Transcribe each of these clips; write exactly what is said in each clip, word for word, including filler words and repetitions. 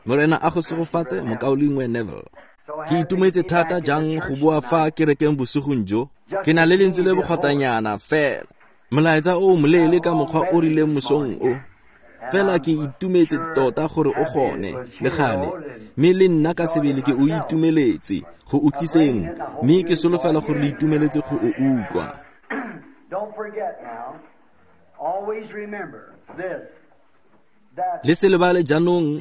Morena a go segofatse mokaulengwe Neville. Ke itumetse thata jang go boa fa kerekeng bosigong jo. Ke na le lentswe le bogotanyana fela. Molaetsa o moleele ka mokgwa o rileng mosong o. Fela ke itumetse tota gore o gone le gale, mme le nna ka sebele ke o itumeletse go utliseng, mme ke solofela gore le itumeletse go o utlwa. Le se lebale jaanong,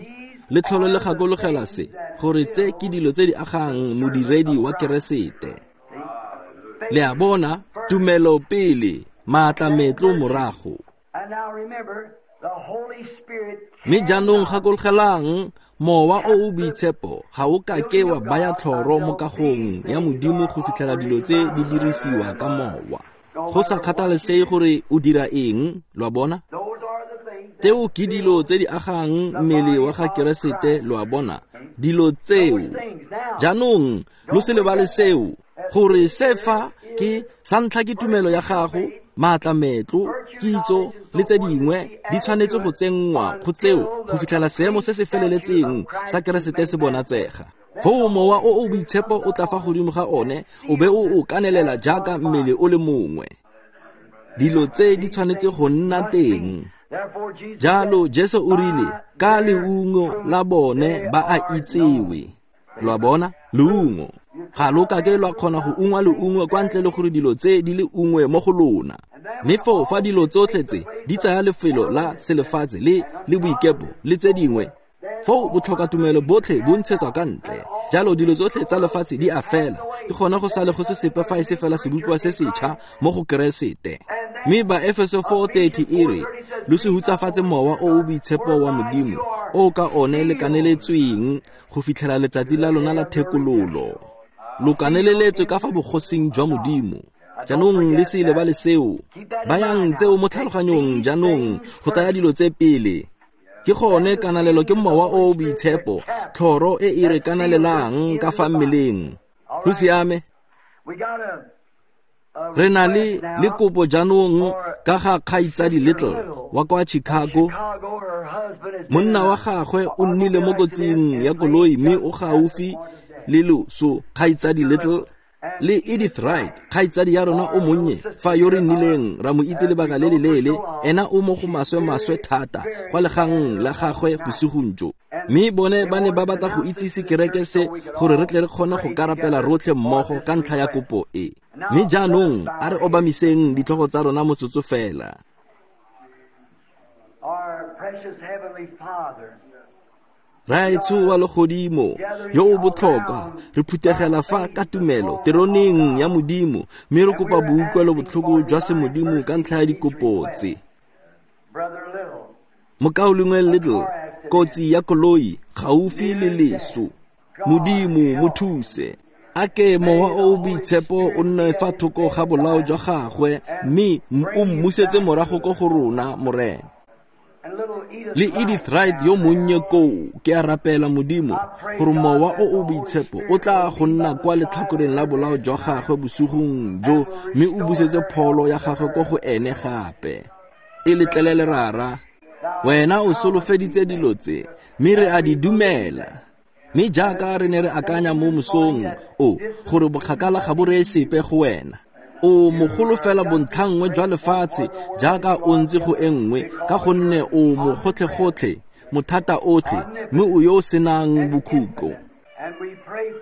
le tlhole le gakologela se, gore tse ke dilo tse di agang modiredi wa Keresete. Le a bona, tumelo pele, maatla metlo morago. Mme jaanong gakologelang, mowa o o boitshepo ga o ka ke wa baya tlhoro mo kagong ya Modimo go fitlhela dilo tse di dirisiwa ka mowa. Go sa kgathalesege gore o dira eng, lo a bona? Tseo ke dilo tse di agang mmele wa ga Keresete, lo a bona? Dilo tseo. Jaanong lo se lebale seo, gore se fa ke sa ntlha ke tumelo ya gago, maatla metlo, kitso le tse dingwe di tshwanetse go tsenngwa go tseo go fitlhela seemo se se feleletseng sa Keresete se bonatsega. Foo mowa o o boitshepo o tla fa godimo ga one, o be o o kanelela jaaka mmele o le mongwe. Dilo tse di tshwanetse go nna teng. Jalo Jesu o rile, ka leungo la bone ba a itsewe. Lo a bona? Leungo. Ga lo ka ke lwa kgona go ungwa leungo kwa ntle le gore dilo tse di le ungwe mo go lona. Mme foo fa dilo tsotlhe tse di tsaya lefelo la selefatshe le le boikepo le tse dingwe, foo botlhokatumelo botlhe bo ntshetswa ka ntle. Jalo dilo tsotlhe tsa lefatshe di a fela, ke gone go sale go se sepe fa e se fela sebopiwa se setšha mo go Keresete. Mme ba Efeso four thirty e re, lo se hutsafatse mowa o o boitshepo wa Modimo, o ka one le kaneletsweng go fitlhela letsatsi la lona la thekololo. Lo kaneleletswe ka fa bogosing jwa Modimo. Jaanong le se lebale seo. Bayang tseo mo tlhaloganyong jaanong go tsaya dilo tse pele. Ke gone kanalelo ke mowa o o boitshepo, tlhoro e e re kanalelang ka fa mmeleng. Go siame. Re na le le kopo jaanong ka ga kgaitsadi Little wa kwa Chicago. Monna wa gagwe o nnile mo kotsing ya koloi mme o gaufi le loso. Kgaitsadi Little le Edith Wright, kgaitsadi ya rona o monnye, fa yo re nnileng ra mo itse lebaka le le leele, ena o mo go maswe-maswe thata kwa legang la gagwe bosigong jo. Mme bone ba ne ba batla go itsise kereke se gore re tle re kgone go karapela rotlhe mmogo ka ntlha ya kopo e. Mme jaanong a re obamiseng ditlhogo tsa rona motsotso fela. Raetsho wa legodimo yo o botlhokwa, re phuthegela fa ka tumelo teroneng ya Modimo, mme re kopa boutlwelo botlhoko jwa semodimo ka ntlha ya dikopo tse. Mokaulengwe Little, kotsi ya koloi gaufi le leso. Modimo mo thuse. A ke mowa o o boitshepo o nne fa thoko ga bolao jwa gagwe, mme o mmusetse morago ko go rona, Morena. Le Edith Wright yo monnye koo, ke a rapela Modimo gore mowa o o boitshepo o tla go nna kwa letlhakoreng la bolao jwa gagwe bosigong jo, mme o busetse pholo ya gagwe ko go ene gape. E letlelele Rara, wena o solofeditse dilo tse, mme re a di dumela. Mme jaaka re ne re akanya mo mosong o, gore bokgakala ga bo reye sepe go wena. O mogolo fela bontlhanngwe jwa lefatshe jaaka o ntse go e nngwe, ka gonne o mogotlhe-gotlhe, mothata otlhe, mme o yo o senang bokhutlo.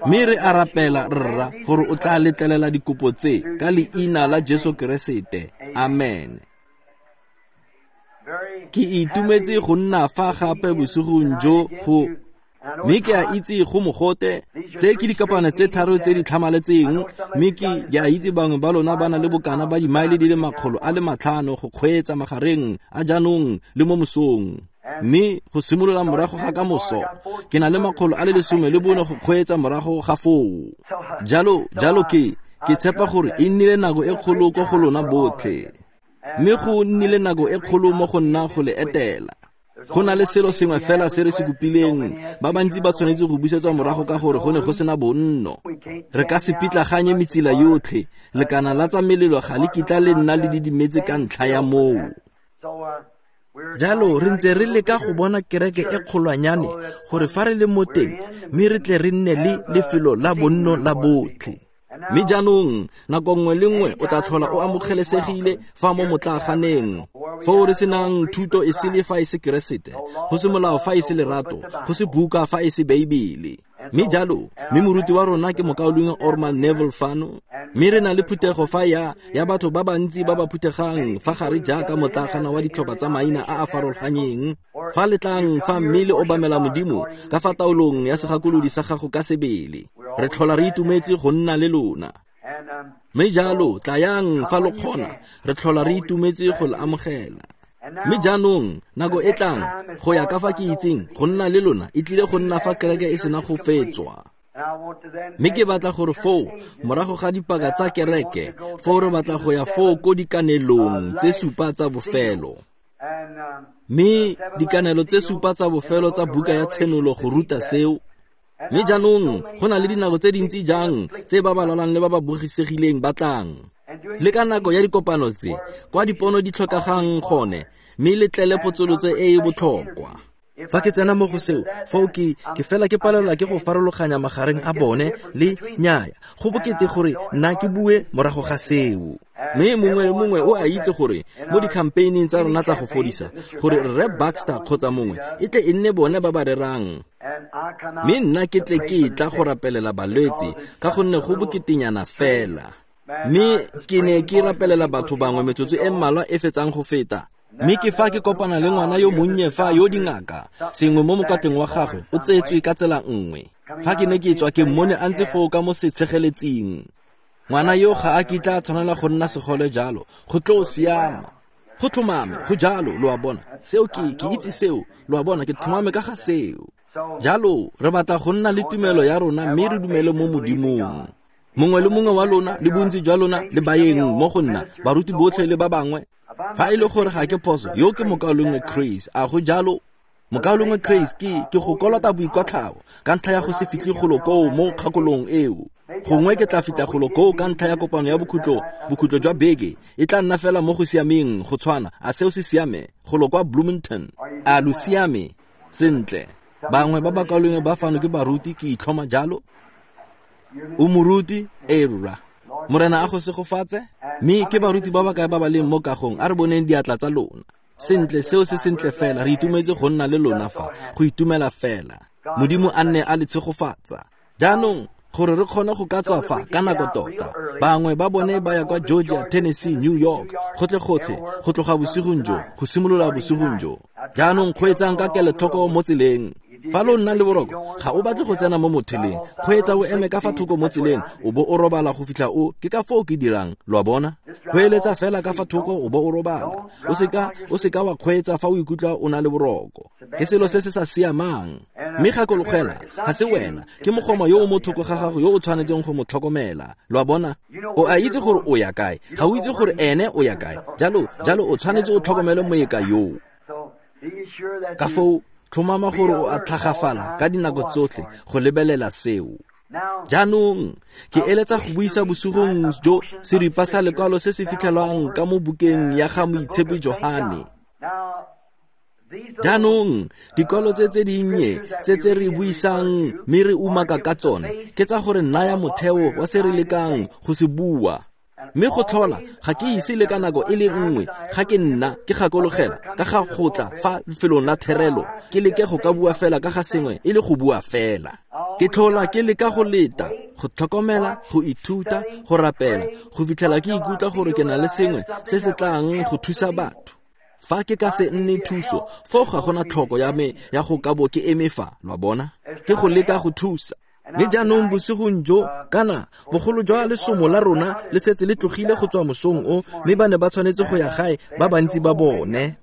Mme re a rapela Rra gore o tla letlelela dikopo tse ka leina la Jesu Keresete. Amen. Ke itumetse go nna fa gape bosigong jo go mme ke a itse go mogote. Tse ke dikopano tse tharo tse di tlhamaletseng, mme ke a itse bangwe ba lona ba na le bokana ba dimaele di le makgolo a le matlhano go kgweetsa magareng a jaanong le mo mosong. Mme go simolola morago ga ka moso, ke na le makgolo a le lesome le bone go kgweetsa morago ga foo. Jalo jalo ke ke tshepa gore e nnile nako e kgolo ko go lona botlhe, mme go nnile nako e kgolo mo go nna go le etela. Go na le selo sengwe fela se re se kopileng, ba bantsi ba tshwanetse go busetswa morago ka gore go ne go sena bonno. Re ka se pitlaganye metsila yotlhe, lekana la tsa melelo ga le kitla le nna le didimetse ka ntlha ya moo. Jalo re ntse re leka go bona kereke e kgolwanyane gore fa re le mo teng mme re tle re nne le lefelo la bonno la botlhe. Mme jaanong nako nngwe le nngwe o tla tlhola o amogelesegile fa mo motlaaganeng, foo re senang thuto e sele fa e se Keresete, go se molao fa e se lerato, go se buka fa e se Beibele. Mme jalo, mme moruti wa rona ke mokaulengwe Orman Neville fano, mme re na le phuthego fa ya ya batho ba bantsi ba ba phuthegang fa gare jaaka motlaagana wa ditlhopha tsa maina a a farologanyeng. Fa le tlang fa mme le obamela Modimo ka fa taolong ya segakolodi sa gago ka sebele, re tlhola re itumetse go nna le lona. Mme jalo tlayang fa lo kgona, re tlhola re itumetse go le amogela. Mme jaanong nako e tlang go ya ka fa ke itseng go nna le lona e tlile go nna fa kereke e sena go fetswa. Mme ke batla gore foo morago ga dipaka tsa kereke, foo re batla go ya foo ko dikanelong tse supa tsa bofelo. Mme dikanelo tse supa tsa bofelo tsa buka ya Tshenolo go ruta seo. Mme jaanong go na le dinako tse dintsi jang tse ba ba lwalang le ba ba bogisegileng ba tlang. Le ka nako ya dikopano tse kwa dipono di tlhokagang gone, mme le tlele potsolotso e e botlhokwa. Fa ke tsena mo go seo, foo ke ke fela ke palelwa ke go farologanya magareng a bone le nnyaya. Go bokete gore nna ke bue morago ga seo. Mme mongwe le mongwe o a itse gore mo di-campaigning tsa rona tsa go fodisa, gore Rre Baxter kgotsa mongwe e tle e nne bone ba ba rerang. Mme nna ke tle ke tla go rapelela balwetse ka gonne go boketenyana fela. Mme ke ne ke rapelela batho bangwe metsotso e mmalwa e fetsang go feta. Mme ke fa ke kopana le ngwana yo monnye fa yo dingaka, sengwe mo mokateng wa gagwe o tseetswe ka tsela nngwe. Fa ke ne ke tswa ke mmone a ntse foo ka mo setshegeletsing. Ngwana yo ga a kitla a tshwanela go nna segole jalo, go tlo siama. Go tlhomame, go jalo, lo a bona. Seo ke ke itse seo, lo a bona, ke tlhomame ka ga seo. Jalo re batla go nna le tumelo ya rona mme re dumele mo Modimong. Mongwe le mongwe wa lona le bontsi jwa lona le baeng mo go nna, baruti botlhe le ba bangwe. Fa e le gore ga ke phoso, yo ke mokaulengwe Chris, a go jalo? Mokaulengwe Chris, ke ke go kolota boikotlhao ka ntlha ya go se fitlhe golo koo mo kgakolong eo. Gongwe ke tla fitlha golo koo ka ntlha ya kopano ya bokhutlo, bokhutlo jwa beke e tla nna fela mo go siameng go tshwana. A seo se siame? Golo kwa Bloomington. A lo siame? Sentle. Bangwe ba bakaulengwe ba fano ke baruti, ke itlhoma jalo. O moruti? Ee rra. Morena a go segofatse. Mme ke baruti ba ba kae ba ba leng mo kagong? A re boneng diatla tsa lona. Sentle, seo se sentle fela. Re itumetse go nna le lona fa, go itumela fela. Modimo a nne a le tshegofatsa. Jaanong gore re kgone go ka tswa fa ka nako tota, bangwe ba bone ba ya kwa Georgia, Tennessee, New York, gotlhe-gotlhe, go tloga bosigong jo, go simolola bosigong jo. Jaanong kgweetsang ka kelotlhoko mo tseleng. Fa lo nna le boroko, ga o batle go tsena mo motheleng. Kgweetsa o eme ka fa thoko mo tseleng, o bo o robala go fitlha o, ke ka foo ke dirang, lo a bona? Kgweeletsa fela ka fa thoko o bo o robala. O seka, o seka wa kgweetsa fa o ikutlwa o na le boroko. Ke selo se se sa siamang. Mme gakologela, ga se wena, ke mogoma yo o mo thoko ga gago yo o tshwanetseng go mo tlhokomela, lo a bona? O a itse gore o ya kae, ga o itse gore ene o ya kae. Jalo, jalo o tshwanetse o tlhokomele moeka yoo. Ka foo tlhomama gore o a tlhagafala ka dinako tsotlhe go lebelela seo. Jaanong ke eletsa go buisa bosigong jo seripa sa lekwalo se se fitlhelwang ka mo bukeng ya ga Moitshepi Johane. Jaanong dikwalo tse tse dinnye tse tse re buisang mme re umaka ka tsone ke tsa gore naya motheo wa se re lekang go se bua. Mme go tlhola ga ke ise le ka nako e le nngwe ga ke nna ke gakologela ka ga go tla fa lefelong la therelo ke leke go ka bua fela ka ga sengwe e le go bua fela. Ke tlhola ke leka go leta, go tlhokomela, go ithuta, go rapela, go fitlhela ke ikutlwa gore ke na le sengwe se se tlang go thusa batho. Fa ke ka se nne thuso, foo ga gona tlhoko ya me ya go ka bo ke eme fa, lo a bona? Ke go leka go thusa. Mme jaanong bosigong jo, kana bogolo jwa lesomo la rona le setse le tlogile go tswa mosong o, mme ba ne ba tshwanetse go ya gae ba bantsi ba bone.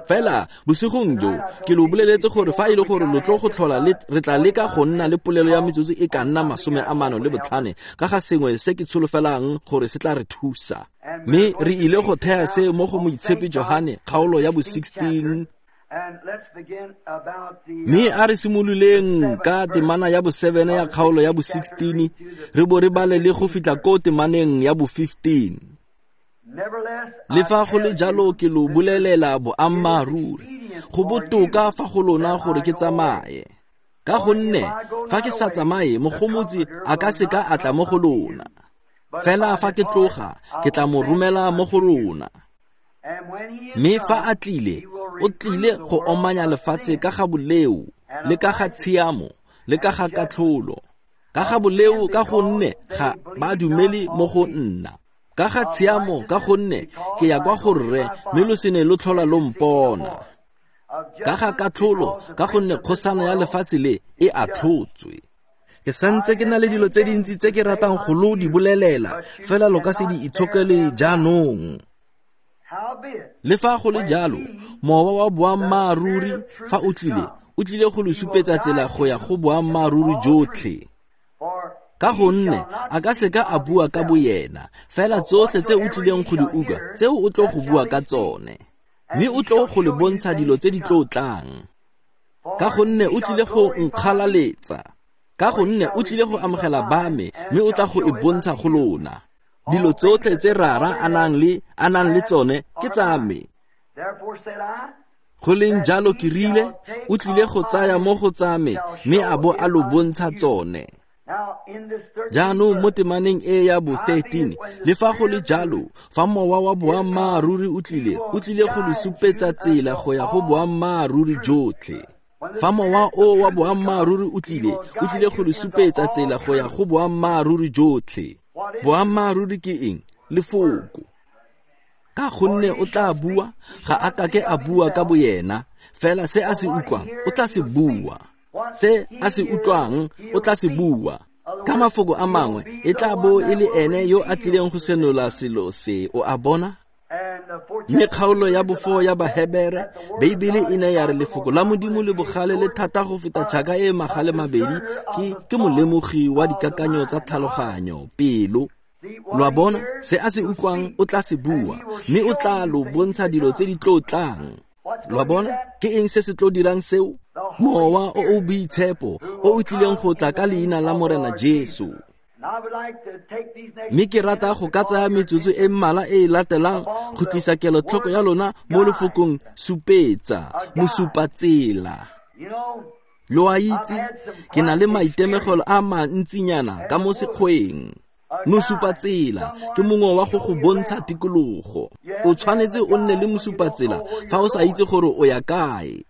Fela bosigong jo ke lo boleletse gore fa e le gore lo tlo go tlhola le re tla leka go nna le polelo ya metsotso e ka nna masome a mano le botlhane ka ga sengwe se ke tsholofelang gore se tla re thusa. Mme re ile go thea se mo go Moitshepi Johane kgaolo ya bo sixteen. Mme a re simololeng ka temana ya bo seven ya kgaolo ya bo sixteen, re bo re bale le go fitlha ko temaneng ya bo fifteen. Le fa go le jalo ke lo bolelela boammaaruri, Go botoka fa go lona gore ke tsamaye. Ka gonne fa ke sa tsamaye, Mogomotsi a ka seka a tla mo go lona. Fela fa ke tloga, ke tla mo romela mo go rona. Mme fa a tlile, o tlile go omanya lefatshe ka ga boleo, le ka ga tshiamo, le ka ga katlholo. Ka ga boleo ka gonne ga ba dumele mo go nna. Ka ga tshiamo ka gonne ke ya kwa go rre, mme lo se ne lo tlhola lo mpona. Ka ga katlholo ka gonne kgosana ya lefatshe le e atlhotswe. Ke santse ke na le dilo tse dintsi tse ke ratang go lo di bolelela, fela lo ka se di itshokele jaanong. Le fa go le jalo, mowa wa boammaaruri fa o tlile, o tlile go lo supetsa tsela go ya go boammaaruri jotlhe. Ka gonne a ka seka a bua ka boyena, fela tsotlhe tse o tlileng go di utlwa, tseo o tlo go bua ka tsone. Mme o tlo go le bontsha dilo tse di tlo tlang. Ka gonne o tlile go nkgalaletsa. Ka gonne o tlile go amogela ba me, mme o tla go e bontsha go lona. Dilo tsotlhe tse Rara a nang le a nang le tsone ke tsa me. Go leng jalo ke rile, o tlile go tsaya mo go tsa me, mme a bo a lo bontsha tsone. Jaanong mo temaneng e ya bo thirteen, le fa go le jalo, fa mowa wa boammaaruri o tlile, o tlile go lo supetsa tsela go ya go boammaaruri jotlhe. Fa mowa o wa boammaaruri o tlile, o tlile go lo supetsa tsela go ya go boammaaruri jotlhe. Boammaaruri ke eng? Lefoko. Ka gonne o tla bua, ga a kake a bua ka boyena, fela se a se utlwang, o tla se bua. Se a se utlwang, o tla se bua. Ka mafoko a mangwe, e tla bo e le ene yo a tlileng go senola selo se, o a bona? Mme kgaolo ya bofo ya Bahebere, Beibele e ne ya re lefoko la Modimo le bogale le thata go feta tšhaka e magale mabedi, ke ke molemogi wa dikakanyo tsa tlhaloganyo, pelo. Lo a bona, se a se utlwang o tla se bua, mme o tla lo bontsha dilo tse di tlo tlang. Lo a bona, ke eng se se tlo dirang seo? Mowa o o boitshepo o o tlileng go tla ka leina la Morena Jesu. Mme ke rata go ka tsaya metsotso e mmalwa e e latelang go tlisa kelotlhoko ya lona mo lefokong supetsa, mosupatsela. Lo a itse, ke na le maitemogelo a mantsinyana ka mo sekgweng. Mosupatsela ke mongwe wa go go bontsha tikologo. O tshwanetse o nne le mosupatsela fa o sa itse gore o ya kae.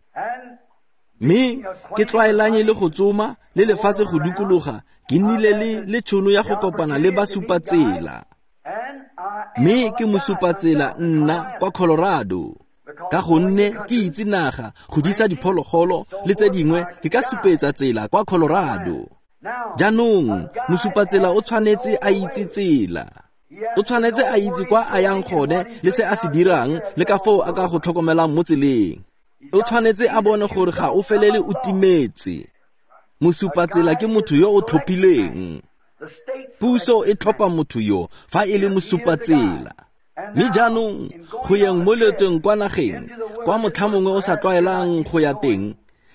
Mme ke tlwaelanye le go tsoma le lefatshe go dikologa, ke nnile le le tšhono ya go kopana le basupatsela. Mme ke mosupatsela nna kwa Colorado. Ka gonne ke itse naga, go disa diphologolo le tse dingwe, ke ka supetsa tsela kwa Colorado. Jaanong mosupatsela o tshwanetse a itse tsela. O tshwanetse a itse kwa a yang gone le se a se dirang le ka foo a ka go tlhokomelang mo tseleng. O tshwanetse a bone gore ga o felele o timetse. Mosupatsela ke motho yo o tlhophileng. Puso e tlhopha motho yo fa e le mosupatsela. Mme jaanong go yeng mo leetong kwa nageng, kwa motlha mongwe o sa tlwaelang go ya teng,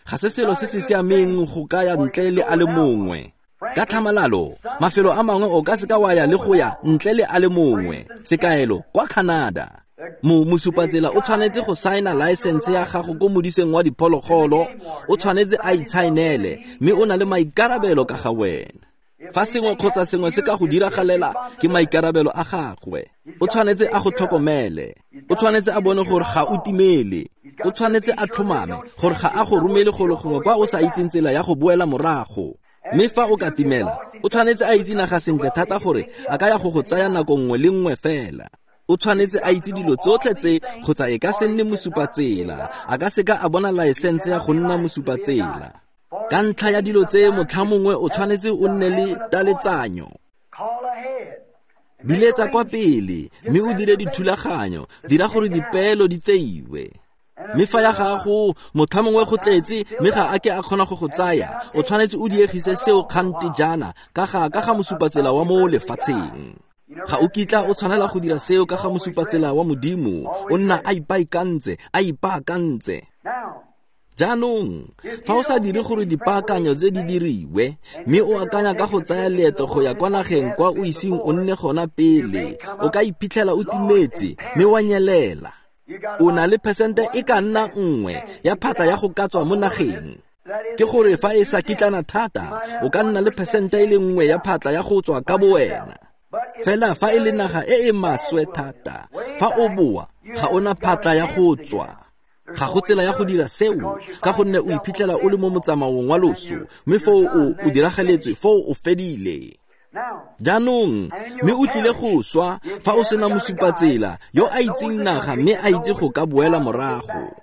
ga se selo se se siameng go ka ya ntle le a le mongwe. Ka tlhamalalo, mafelo a mangwe o ka seka wa ya le go ya ntle le a le mongwe. Sekaelo, kwa Canada. Mo mosupatsela o tshwanetse go saena license ya gago ko modiseng wa diphologolo, o tshwanetse a itshaenele, mme o na le maikarabelo ka ga wena. Fa sengwe kgotsa sengwe se ka go diragalela, ke maikarabelo a gagwe. O tshwanetse a go tlhokomele. O tshwanetse a bone gore ga o timele. O tshwanetse a tlhomame gore ga a go romele golo gongwe kwa o sa itseng tsela ya go boela morago. Mme fa o ka timela, o tshwanetse a itse naga sentle thata gore a ka ya go go tsaya nako nngwe le nngwe fela. O tshwanetse a itse dilo tsotlhe tse kgotsa e ka se nne mosupatsela, a ka seka a bona laesense ya go nna mosupatsela. Ka ntlha ya dilo tse, motlha mongwe o tshwanetse o nne le taletsanyo. Biletsa kwa pele, mme o dire dithulaganyo, dira gore dipeelo di tseiwe. Mme fa ya gago motlha mongwe go tletse, mme ga a ke a kgona go go tsaya, o tshwanetse o diegise seo kgante jaana ka ga ka ga mosupatsela wa mo lefatsheng. Ga o kitla o tshwanela go dira seo ka ga mosupatsela wa Modimo, o nna a ipaakantse, a ipaakantse. Jaanong, fa o sa dire gore dipaakanyo tse di diriwe, mme o akanya ka go tsaya leeto go ya kwa nageng kwa o iseng o nne gona pele, o ka iphitlhela o timetse, mme wa nyelela. O na le phesente e ka nna nngwe ya phatla ya go ka tswa mo nageng. Ke gore fa e sa kitlana thata, o ka nna le phesente e le nngwe ya phatla ya go tswa ka bowena. Fela fa e le naga e e maswe thata, fa o boa, ga ona phatla ya go tswa. Ga go tsela ya go dira seo, ka gonne o iphitlhela o le mo motsamaong wa loso, mme foo o o diragaletswe, foo o fedile. Jaanong, mme o tlile go swa fa o sena mosupatsela yo a itseng naga mme a itse go ka boela morago.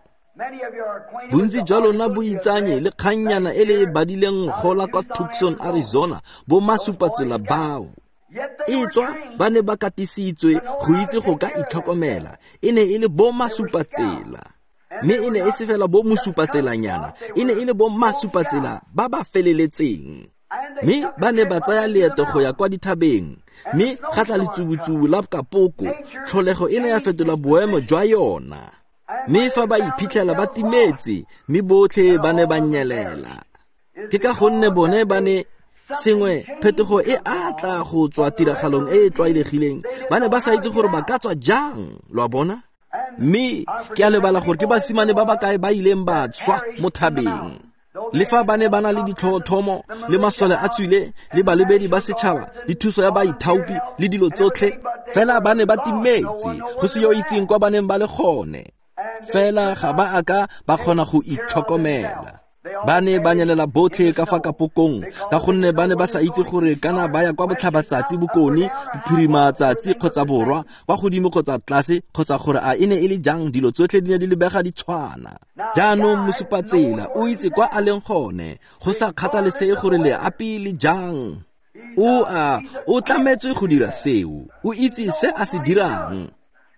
Bontsi jwa lona bo itsanye le kgannyana e le e badileng gola kwa Tucson, Arizona, bo masupatsela bao. E tswa ba ne ba katisitswe go itse go ka itlhokomela, e ne e le bo masupatsela. Mme e ne e se fela bo mosupatselanyana, e ne e le bo masupatsela ba ba feleletseng. Mme ba ne ba tsaya leeto go ya kwa dithabeng, mme ga tla letsubutsubu la kapoko, tlholego e ne ya fetola boemo jwa yona. Mme fa ba iphitlhela ba timetse, mme botlhe ba ne ba nyelela. Ke ka gonne bone ba ne sengwe phetogo e a tla go tswa tiragalong e e tlwaelegileng, ba ne ba sa itse gore ba ka tswa jang, lo a bona? Mme ke a lebala gore ke basimane ba ba kae ba ileng ba tswa mo thabeng. Le fa ba ne ba na le ditlhotlhomo le masole a tswile le balebedi ba setšhaba le thuso ya baithaopi le dilo tsotlhe, fela ba ne ba timetse, go se yo itseng kwa ba neng ba le gone. Fela ga ba a ka ba kgona go itlhokomela. Ba ne ba nyelela botlhe ka fa kapokong, ka gonne ba ne ba sa itse gore kana ba ya kwa botlhabatsatsi, bokone, bophirimatsatsi kgotsa borwa, kwa godimo kgotsa tlase, kgotsa gore a e ne e le jang, dilo tsotlhe di ne di lebega di tshwana. Jaanong mosupatsela o itse kwa a leng gone, go sa kgathalesege gore leapi le jang. O a o tlametswe go dira seo, o itse se a se dirang.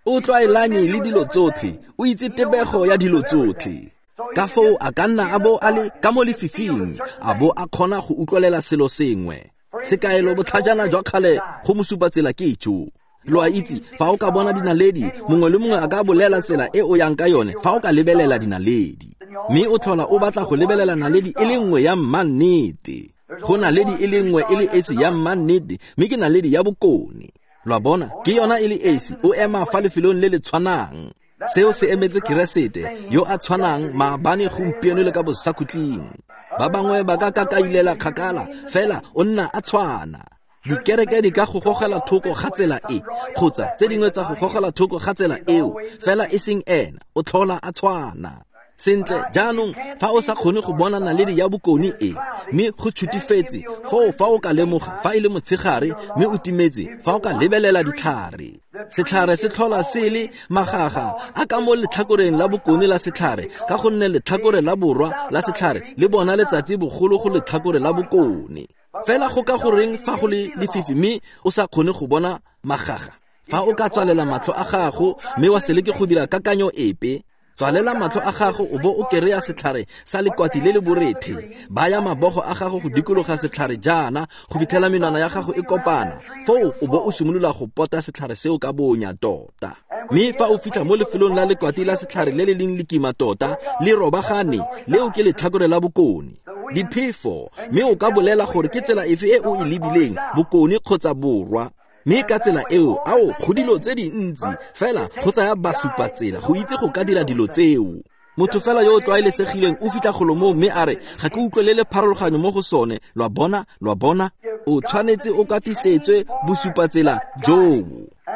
O tlwaelanye le dilo tsotlhe, o itse tebego ya dilo tsotlhe. Ka foo a ka nna a bo a le ka mo lefifing, a bo a kgona go utlwelela selo sengwe. Sekaelo botlhajana jwa kgale go mosupatsela ke jo. Lo a itse, fa o ka bona dinaledi, mongwe le mongwe a ka bolela tsela e o yang ka yone fa o ka lebelela dinaledi. Mme o tlhola o batla go lebelela naledi e le nngwe ya mmannete. Go naledi e le nngwe e le esi ya mmannete, mme ke naledi ya bokone. Lo a bona, ke yona e le esi, o ema fa lefelong le le tshwanang. Seo se emetse Keresete yo a tshwanang maabane, gompieno le ka bosakhutleng. Ba bangwe ba ka kakailela kgakala, fela o nna a tshwana. Dikereke di ka go gogela thoko ga tsela e, kgotsa tse dingwe tsa go gogela thoko ga tsela eo, fela e seng ena, o tlhola a tshwana. Sentle, jaanong fa o sa kgone go bona naledi ya bokone e, mme go tshutifetse, foo fa o ka lemoga fa e le motshegare mme o timetse, fa o ka lebelela ditlhare. Setlhare se tlhola se le magaga a ka mo letlhakoreng la bokone la setlhare, ka gonne letlhakore la borwa la setlhare le bona letsatsi bogolo go letlhakore la bokone. Fela go ka goreng fa go le lefifi mme o sa kgone go bona magaga? Fa o ka tswalela matlho a gago mme wa se leke go dira kakanyo epe, tswalela matlho a gago o bo o kereya setlhare sa lekwati le le borethe. Baya mabogo a gago go dikologa setlhare jaana go fitlhela menwana ya gago e kopana. Foo o bo o simolola go pota setlhare seo ka bonya tota. Mme fa o fitlha mo lefelong la lekwati la setlhare le le leng lekima tota, le robagane, leo ke letlhakore la bokone. Diphefo, mme o ka bolela gore ke tsela efe e o e lebileng, bokone kgotsa borwa. Mme ka tsela eo, ao, go dilo tse dintsi, fela go tsaya basupatsela go itse go ka dira dilo tseo. Motho fela yo o tlwaelesegileng o fitlha golo moo mme a re, ga ke utlwelele pharologanyo mo go sone. Lo a bona, lo a bona, o tshwanetse o katisetswe bosupatsela joo.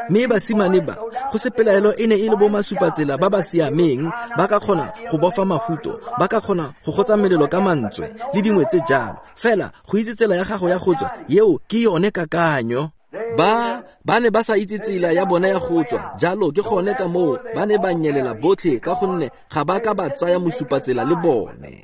Mme basimane ba, go se pelaelo e ne e le bo masupatsela ba ba siameng, ba ka kgona go bofa mahuto, ba ka kgona go gotsa melelo ka mantswe le dingwe tse jalo. Fela go itse tsela ya gago ya go tswa, eo ke yone kakanyo. Ba ba ne ba sa itse tsela ya bona ya go tswa, jalo ke gone ka moo ba ne ba nyelela botlhe, ka gonne ga ba ka ba tsaya mosupatsela le bone.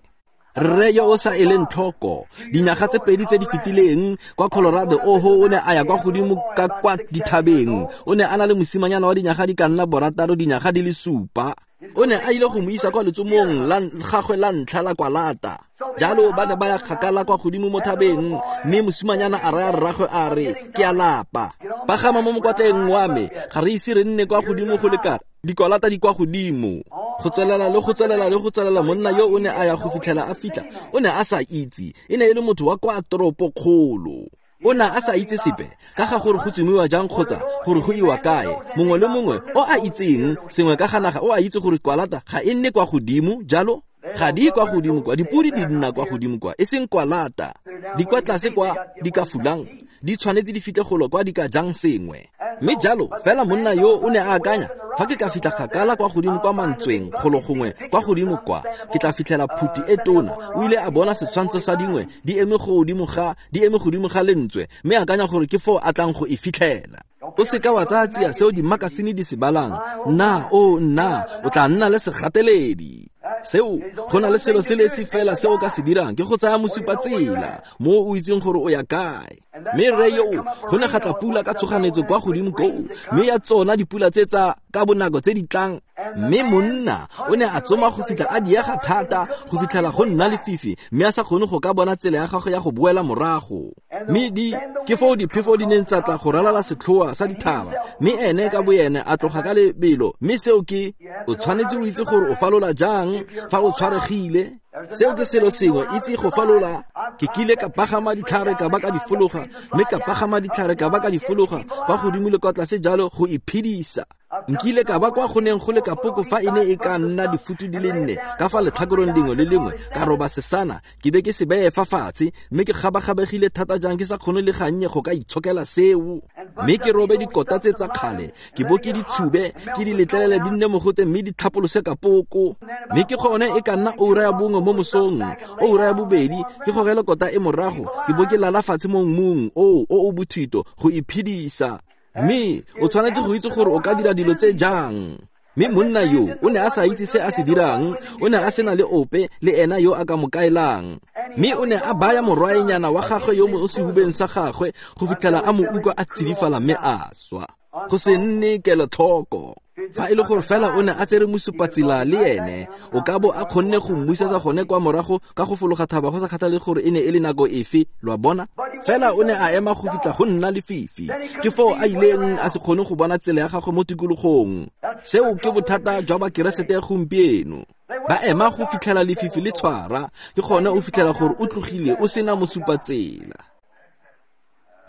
Rre yo o sa eleng tlhoko, dinyaga tse pedi tse di fetileng kwa Colorado, oho o ne a ya kwa godimo ka kwa dithabeng. O ne a na le mosimanyana wa dinyaga di ka nna borataro, dinyaga di le supa. O ne a ile go mo isa kwa letsomong la gagwe la ntlha la kwalata. Jalo ba ne ba ya kgakala kwa godimo mo thabeng, mme mosimanyana a raya rragwe a re, ke a lapa, pagama mo mokwatleng wa me, ga re ise re nne kwa godimo go lekana, dikwalata di kwa godimo. Go tswelela le go tswelela le go tswelela, monna yo o ne a ya go fitlhela a fitlha, o ne a sa itse, e ne e le motho wa kwa toropokgolo. O ne a sa itse sepe ka ga gore go tsomiwa jang kgotsa gore go iwa kae. Mongwe le mongwe o a itseng sengwe ka ga naga o a itse gore kwalata ga e nne kwa godimo jalo. Ga di kwa godimo kwa, dipodi di nna kwa godimo kwa, e seng kwalata. Di kwa tlase kwa di ka fulang, di tshwanetse di fitlhe golo kwa di ka jang sengwe. Mme jalo fela monna yo o ne a akanya, fa ke ka fitlha kgakala kwa godimo kwa mantsweng golo gongwe kwa godimo kwa, ke tla fitlhela phuti e tona. O ile a bona setshwantsho sa dingwe di eme godimo ga di eme godimo ga lentswe, mme a akanya gore ke foo a tlang go e fitlhela. O seka wa tsaya tsia seo dimakasine di se balang. Nna o nna o tla nna le segateledi. Seo go na le selo se le se fela se o ka se dirang ke go tsaya mosupatsela mo o itseng gore o ya kae. Mme rre yo go ne ga tla pula ka tshoganetso kwa godimo koo, mme ya tsona dipula tse tsa ka bonako tse di tlang. Mme monna o ne a tsoma go fitlha a diega thata go fitlhela go nna lefifi, mme a sa kgone go ka bona tsela ya gagwe ya go boela morago. Mme di ke foo diphefo di neng tsa tla go ralala setlhoa sa dithaba, mme ene ka boene a tloga ka lebelo. Mme seo ke o tshwanetse o itse gore o falola jang fa o tshwaregile. Seo ke selo sengwe, itse go falola. Ke kile ka pagama ditlhare ka ba ka di fologa, mme ka pagama ditlhare ka ba ka di fologa kwa godimo le kwa tlase jalo go iphedisa. Nkile ka ba kwa go neng go le kapoko fa e ne e ka nna difutu di le nne ka fa letlhakoreng lengwe le lengwe, ka roba sesana ke be ke se beye fa fatshe, mme ke gabagabegile thata jang ke sa kgone le gannye go ka itshokela seo. Mme ke robe dikota tse tsa kgale, ke bo ke di tshube, ke di letlelele di nne mogote mme di tlhapolose kapoko. Mme ke gone e ka nna oura ya bongwe mo mosong, oura ya bobedi, ke gogele kota e morago, ke bo ke lala fatshe mo mmung oo o o bothito go iphedisa. Mme o tshwanetse go itse gore o ka dira dilo tse jang. Mme monna yo o ne a sa itse se a se dirang, o ne a sena le ope le ena yo a ka mo kaelang. Mme o ne a baya morwaenyana wa gagwe yo mo sehubeng sa gagwe go fitlhela a mo utlwa a tsidifala mme a swa. Go se nne kelotlhoko. Fa e le gore fela o ne a tsere mosupatsela le ene, o ka bo a kgonne go mmuisetsa gone kwa morago ka go fologa thaba go sa kgathale gore e ne e le nako efe, lo a bona. Fela o ne a ema go fitlha go nna lefifi, ke foo a ileng a se kgone go bona tsela ya gagwe mo tikologong. Seo ke bothata jwa bakeresete gompieno. Ba ema go fitlhela lefifi le tshwara, ke gone o fitlhela gore o tlogile o sena mosupatsela.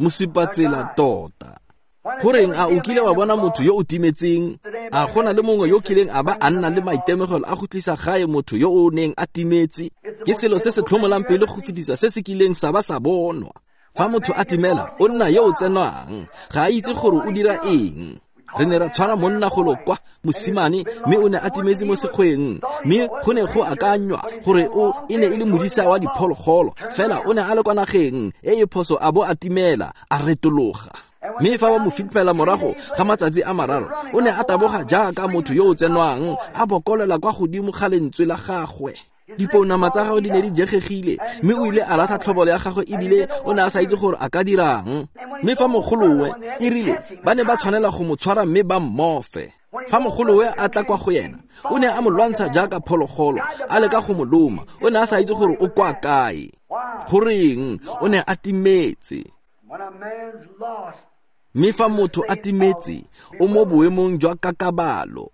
Mosupatsela tota. Goreng a o kile wa bona motho yo o timetseng? A gona le mongwe yo kileng a ba a nna le maitemogelo a go tlisa gae motho yo o neng a timetse? Ke selo se se tlhomolang pele go fetisa se se kileng sa ba sa bonwa. Fa motho a timela, o nna yo o tsenwang, ga a itse gore o dira eng. Re ne ra tshwara monna golo kwa mosimane, mme o ne a timetse mo sekgweng, mme go ne go akanywa gore o e ne e le modisa wa diphologolo, fela o ne a le kwa nageng e e phoso a bo a timela, a retologa. Mme fa ba mo fitlhela morago ga matsatsi a mararo, o ne a taboga jaaka motho yo o tsenwang, a bokolela kwa godimo ga lentswe la gagwe. Dipounama tsa gagwe di ne di jegegile, mme o ile a latlha tlhobolo ya gagwe ebile o ne a sa itse gore a ka dirang. Mme fa mogolowe e rile ba ne ba tshwanela go mo tshwara mme ba mmofe. Fa mogolowe a tla kwa go yena, o ne a mo lwantsha jaaka phologolo, a leka go mo loma. O ne a sa itse gore o kwa kae. Goreng o ne a timetse. Mme fa motho a timetse, o mo boemong jwa kakabalo.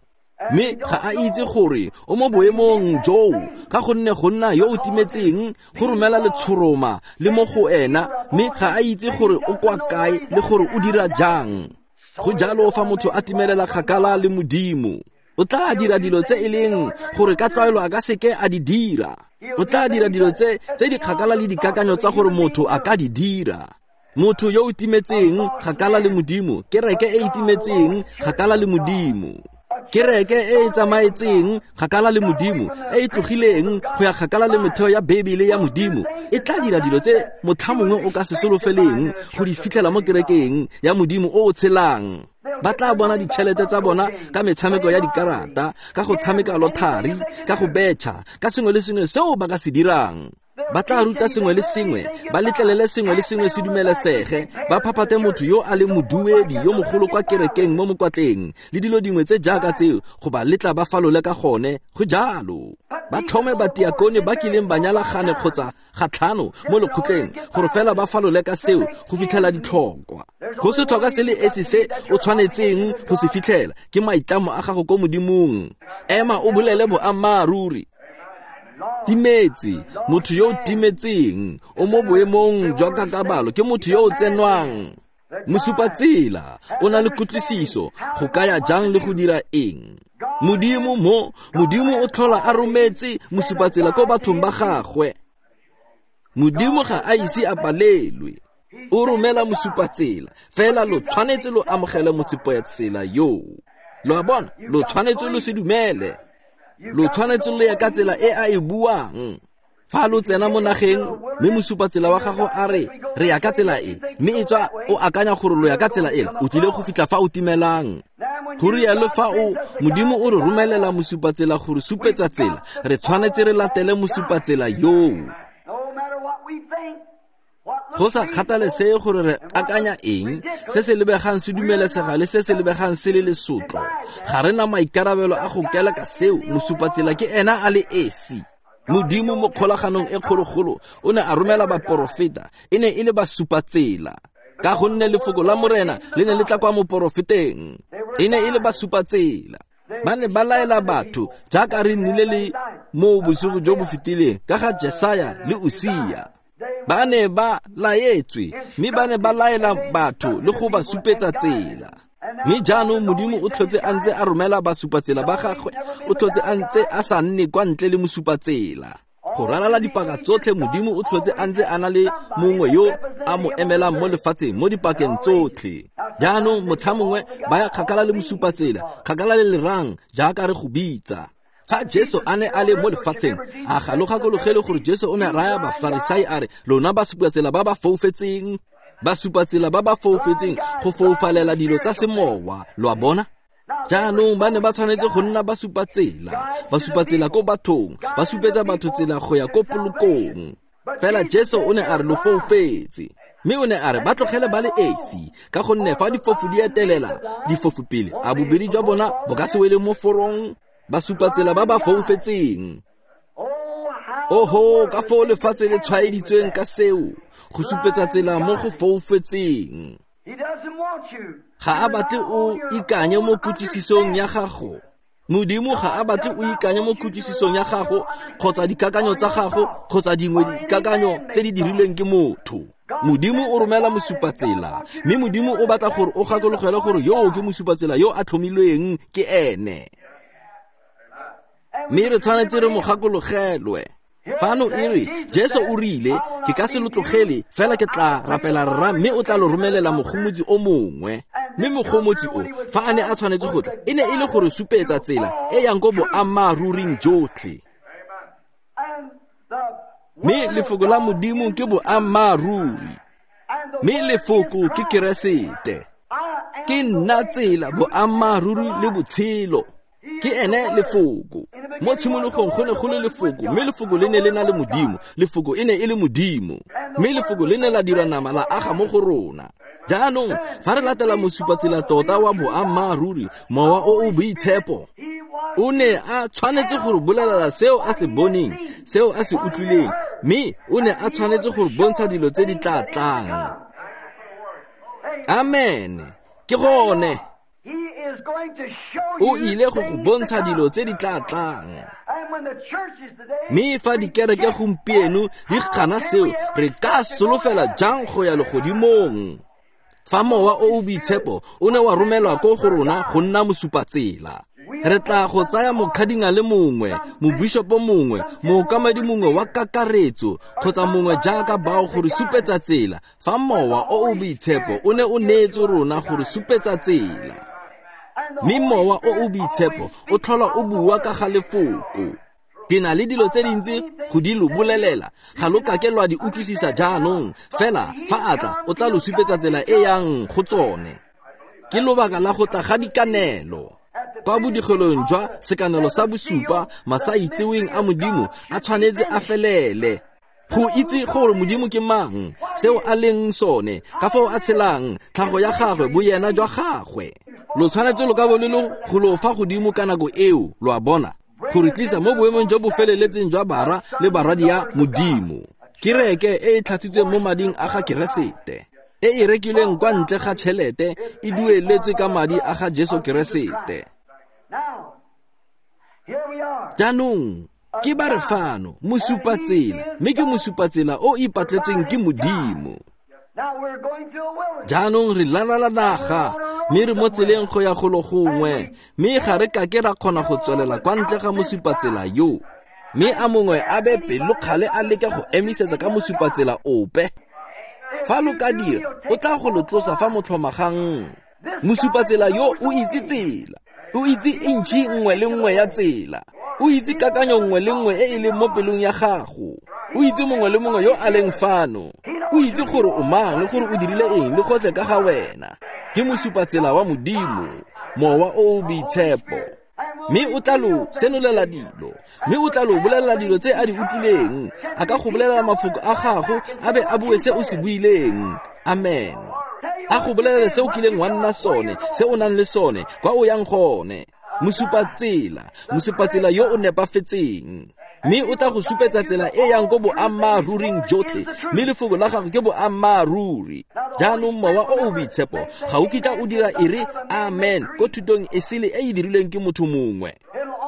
Mme ga a itse gore o mo boemong joo, ka gonne go nna yo o timetseng go romela letshoroma le mo go ena, mme ga a itse gore o kwa kae le gore o dira jang. Go jalo fa motho a timelela kgakala le Modimo, o tla dira dilo tse e leng gore ka tlwaelo a ka seke a di dira. O tla dira dilo tse tse di kgakala le dikakanyo tsa gore motho a ka di dira. Motho yo o timetseng kgakala le Modimo, kereke e e timetseng kgakala le Modimo, kereke e e tsamaetseng kgakala le Modimo, e e tlogileng go ya kgakala le metheo ya Bebele ya Modimo, e tla dira dilo tse motlha mongwe o ka se solofeleng go di fitlhela mo kerekeng ya Modimo o o tshelang. Ba tla bona ditšhelete tsa bona ka metshameko ya dikarata, ka go tshameka lothari, ka go betšha, ka sengwe le sengwe seo ba ka se dirang. Ba tla ruta sengwe le sengwe, ba letlelele sengwe le sengwe se dumelesege, ba phaphate motho yo a leng moduedi yo mogolo kwa kerekeng mo mokwatleng, le dilo dingwe tse jaaka tseo go ba letla ba falole ka gone. Go jalo. Ba tlhome batiakone ba kileng ba nyala gane kgotsa gatlhano mo lekgotleng gore fela ba falole ka seo go fitlhela ditlhokwa. Go se tlhoka se le esi se o tshwanetseng go se fitlhela ke maitlamo a gago ko Modimong. Ema o bolele boammaaruri. Timetse, motho yo o timetseng, o mo boemong jwa kakabalo, ke motho yo o tsenwang. Mosupatsela o na le kutlwisiso go kaya jang le go dira eng. Modimo mo, Modimo o tlhola a rometse mosupatsela ko bathong ba gagwe. Modimo ga a ise a palelwe. O romela mosupatsela, fela lo tshwanetse lo amogele mosupatsela yo. Lo a bona, lo tshwanetse lo se dumele. Lo tshwanetse lo ya ka tsela e a e buang. Fa lo tsena mo nageng mme mosupatsela wa gago a re re ya ka tsela e, mme e tswa o akanya gore lo ya ka tsela ela, o tlile go fitlha fa o timelang. Go rialo fa o Modimo o re romelela mosupatsela gore supetsa tsela, re tshwanetse re latele mosupatsela yoo. Go sa kgathalesege gore re akanya eng, se se lebegang se dumelesega le se se lebegang se le lesotlo, ga re na maikarabelo a go keleka seo. Mosupatsela ke ena a le esi. Modimo mo kgolaganong e kgologolo o ne a romela baporofeta, e ne e le basupatsela. Ka gonne lefoko la Morena le ne le tla kwa moporofeteng, e ne e le basupatsela. Ba ne ba laela batho jaaka re nnile le mo bosigo jo bo fetileng ka ga Jesaya le Usia. Ba ne ba laetswe mme ba ne ba laela batho le go ba supetsa tsela. Mme jaanong Modimo o tlhotse a ntse a romela basupatsela ba gagwe, o tlhotse a ntse a sa nne kwa ntle le mosupatsela. Go ralala dipaka tsotlhe Modimo o tlhotse a ntse a na le mongwe yo a mo emelang mo lefatsheng mo dipakeng tsotlhe. Jaanong motlha mongwe ba ya kgakala le mosupatsela, kgakala le lerang jaaka re go bitsa. Fa Jesu a ne a le mo lefatsheng, a ga lo gakologele gore Jesu o ne a raya Bafarisai a re, lona basupatsela ba ba foufetseng, basupatsela ba ba foufetseng go foufalela dilo tsa semowa, lo a bona? Jaanong ba ne ba tshwanetse go nna basupatsela, basupatsela ko bathong, ba supetsa batho tsela go ya ko polokong. Fela Jesu o ne a re lo foufetse, mme o ne a re ba tlogele ba le esi, ka gonne fa difofu di etelela difofu pele, a bobedi jwa bona bo ka se wele mo forong. Basupatsela ba ba foufetseng. Oho, ka foo lefatshe le tshwaeditsweng ka seo, go supetsa tsela mo go foufetseng. Ga a batle o ikanye mo kutlwisisong ya gago. Modimo ga a batle o ikanye mo kutlwisisong ya gago kgotsa dikakanyo tsa gago kgotsa dingwe dikakanyo tse di dirilweng ke motho. Modimo o romela mosupatsela, mme Modimo o batla gore o gakologelwe gore yo ke mosupatsela yo a tlhomilweng ke ene. Mme re tshwanetse re mo gakologelwe. Fano e re, Jesu o rile, ke ka se lo tlogele, fela ke tla rapela Rra, mme o tla lo romelela mogomotsi o mongwe. Mme mogomotsi o, fa a ne a tshwanetse go tla, e ne e le gore supetsa tsela e yang ko boammaaruring jotlhe. Mme lefoko la Modimo ke boammaaruri, mme lefoko ke Keresete. Ke nna tsela, boammaaruri le botshelo. Ke ene lefoko. Mo tshimologong go ne go le lefoko, mme lefoko le ne le na le Modimo, lefoko e ne e le Modimo, mme lefoko le ne la dira nama la aga mo go rona. Jaanong fa re latela mosupatsela tota wa boammaaruri, mowa o o boitshepo, o ne a tshwanetse gore bolelela seo a se boneng, seo a se utlwileng, mme o ne a tshwanetse gore bontsha dilo tse di tla tlang. Amen. Ke gone. O ile go go bontsha dilo tse di tla tlang. Mme fa dikereke gompieno di gana seo, re ka solofela jang go ya legodimong? Fa mowa o o boitshepo o ne wa romelwa ko go rona go nna mosupatsela, re tla go tsaya mokgadinga le mongwe, mobishopo mongwe, mookamedi mongwe wa kakaretso kgotsa mongwe jaaka bao gore supetsa tsela. Fa mowa o o boitshepo o ne o neetswe rona gore supetsa tsela, mme mowa o o boitshepo o tlhola o bua ka ga lefoko. Ke na le dilo tse dintsi go di lo bolelela, ga lo kake lwa di utlwisisa jaanong, fela fa a tla o tla lo supetsa tsela e yang go tsone. Ke lobaka la go tla ga dikanelo. Kwa bodigelong jwa sekanelo sa bosupa, masaitseweng a Modimo a tshwanetse a felele. Go itse gore Modimo ke mang, seo a leng sone, ka foo a tshelang, tlhago ya gagwe, boyena jwa gagwe. Lo tshwanetse lo ka bo le lo go lo fa godimo ka nako eo, lo a bona, gore tlisa mo boemong jo bo feleletseng jwa bara le barwadi ya Modimo. Kereke e e tlhatswitsweng mo mading a ga Keresete, e e rekilweng kwa ntle ga tšhelete, e dueletswe ka madi a ga Jesu Keresete. Jaanong Ke ba re fano, mosupatsela, mme ke mosupatsela o ipatletsweng ke Modimo. Jaanong re lalala naga, mme re mo tseleng go ya golo gongwe, mme ga re kake ra kgona go tswelela kwa ntle ga mosupatsela yo. Mme a mongwe a be pelokgale a leke go emisetsa ka mosupatsela ope. Fa lo ka dira, o tla go lo tlosa fa motlhomagang. Mosupatsela yo o itse tsela, o itse intšhi nngwe le nngwe ya tsela, o itse kakanyo nngwe le nngwe e e leng mo pelong ya gago, o itse mongwe le mongwe yo a leng fano, o itse gore o mang le gore o dirile eng le gotlhe ka ga wena. Ke mosupatsela wa Modimo, Mowa o o Boitshepo. Mme o tla lo senolela dilo, mme o tla lo bolelela dilo tse a di utlwileng. A ka go bolelela mafoko a gago, a be a bue se o se buileng. Amen. A go bolelele se o kileng wa nna sone, se o nang le sone, kwa o yang gone. Mosupatsela, mosupatsela yo o nepafetseng. Mme o tla go supetsa tsela e yang ko boammaaruring jotlhe, mme lefoko la gago ke boammaaruri. Jaanong Mowa o o Boitshepo ga o kitla o dira e re amen ko thutong e sele e e dirilweng ke motho mongwe.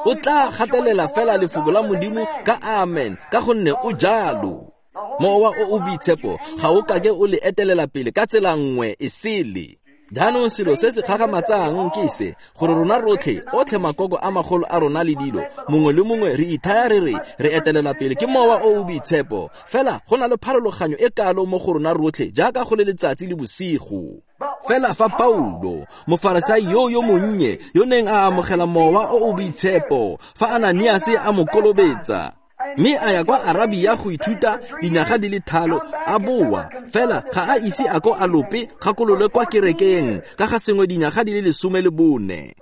O tla gatelela fela lefoko la Modimo ka amen, ka gonne o jalo. Mowa o o Boitshepo ga o kake o le etelela pele ka tsela nngwe e sele. Jaanong selo se se kgakgamatsang ke se, gore rona rotlhe, otlhe makoko a magolo a rona le dilo, mongwe le mongwe re ithaya re re re etelela pele ke Mowa o o Boitshepo. Fela go na le pharologanyo e kalo mo go rona rotlhe jaaka go le letsatsi le bosigo. Fela fa Paulo, mofarasai yo yo monnye, yo neng a amogela Mowa o o Boitshepo, fa Ananiase a mo kolobetsa, mme a ya kwa Arabia go ithuta dinyaga di le thalo, a boa, fela ga a ise a ko a lope kgakololo kwa kerekeng ka ga sengwe dinyaga di le lesome le bone.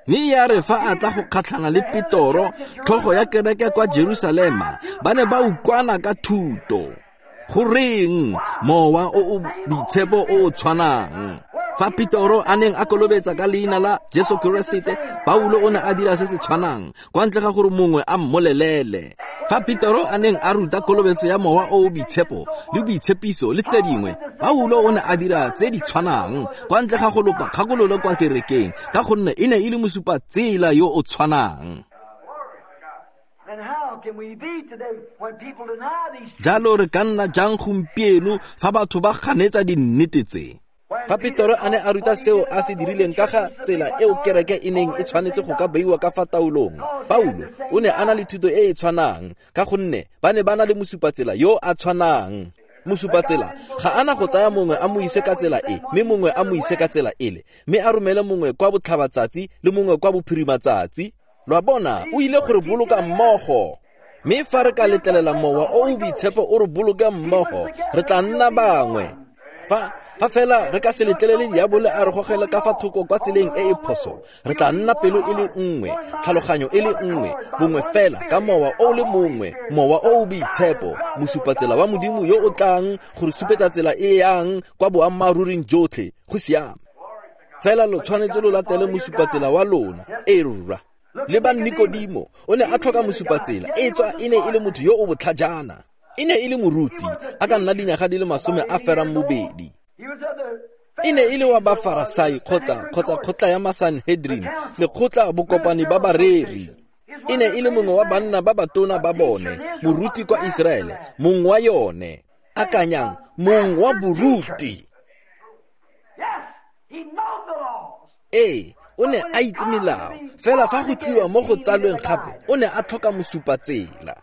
Mme ya re fa a tla go kgatlhana le Petoro, tlhogo ya kereke kwa Jerusalema, ba ne ba utlwana ka thuto. Goreng Mowa o o Boitshepo o o tshwanang? Fa Petoro a neng a kolobetsa ka leina la Jesu Keresete, Paulo o ne a dira se se tshwanang, kwa ntle ga gore mongwe a mmolelele. Fa Petoro a neng a ruta kolobetso ya Mowa o o Boitshepo le boitshepiso le tse dingwe, Paulo o ne a dira tse di tshwanang, kwa ntle ga go lopa kgakololo kwa kerekeng, ka gonne e ne e le mosupatsela yo o tshwanang. Jalo re ka nna jang gompieno fa batho ba ganetsa dinnete tse? Fa Petoro a ne a ruta seo a se dirileng ka ga tsela eo kereke e neng e tshwanetse go ka beiwa ka fa taolong, Paulo o ne a na le thuto e e tshwanang, ka gonne ba ne ba na le mosupatsela yo a tshwanang. Mosupatsela ga ana go tsaya mongwe a mo ise ka tsela e, mme mongwe a mo ise ka tsela ele, mme a romele mongwe kwa botlhabatsatsi le mongwe kwa bophirimatsatsi. Lo a bona, o ile gore boloka mmogo. Mme fa re ka letlelela Mowa o o Boitshepo o re boloke mmogo, re tla nna bangwe. Fa fa fela re ka se letlelele diabole a re gogele ka fa thoko kwa tseleng e e phoso, re tla nna pelo e le nngwe, tlhaloganyo e le nngwe, bongwe fela ka Mowa o le mongwe, Mowa o o Boitshepo, mosupatsela wa Modimo yo o tlang go re supetsa tsela e yang kwa boammaaruring jotlhe. Go siame. Fela lo tshwanetse lo latele mosupatsela wa lona. E rra. Le ba Nikodimo o ne a tlhoka mosupatsela, e tswa e ne e le motho yo o botlhajana. E ne e le moruti, a ka nna dinyaga di le masome a ferang bobedi. E ne e le wa Bafarasai kgotsa kgotsa kgotla ya Masanhedrin, lekgotla bokopane ba bareri. E ne e le mongwe wa banna ba batona ba bone, moruti kwa Iseraele, mongwe wa yone. Akanyang, mongwe wa boruti. Ee, o ne a itse melao, fela fa go tliwa mo go tsalweng gape, o ne a tlhoka mosupatsela.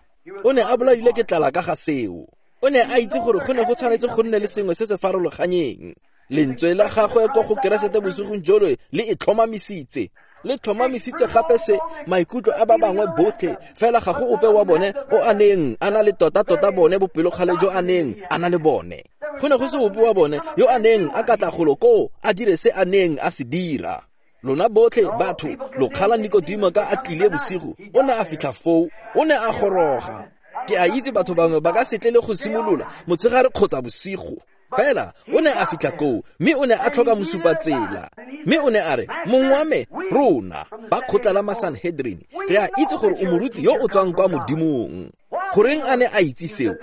O ne a bolailwe ke tlala ka ga seo. O ne a itse gore go ne go tshwanetse go nne le sengwe se se farologanyeng. Lentswe la gagwe ko go Keresete bosigong jono le e tlhomamisitse. Le tlhomamisitse gape se maikutlo a ba bangwe botlhe, fela ga go ope wa bone o a neng a na le tota-tota bone bopelokgale jo a neng a na le bone. Go ne go se ope wa bone yo a neng a ka tla golo koo a dire se a neng a se dira. Lona botlhe batho lo kgala Nikodimo ka a tlile bosigo, o ne a fitlha foo, o ne a goroga. Ke a itse batho bangwe ba ka se tle le go simolola motshegare kgotsa bosigo. Fela o ne a fitlha koo, mme o ne a tlhoka mosupatsela. Mme o ne a re, mong wa me, rona ba kgotla la Masanhedrin, re a itse gore o moruti yo o tswang kwa Modimong. Goreng a ne a itse seo?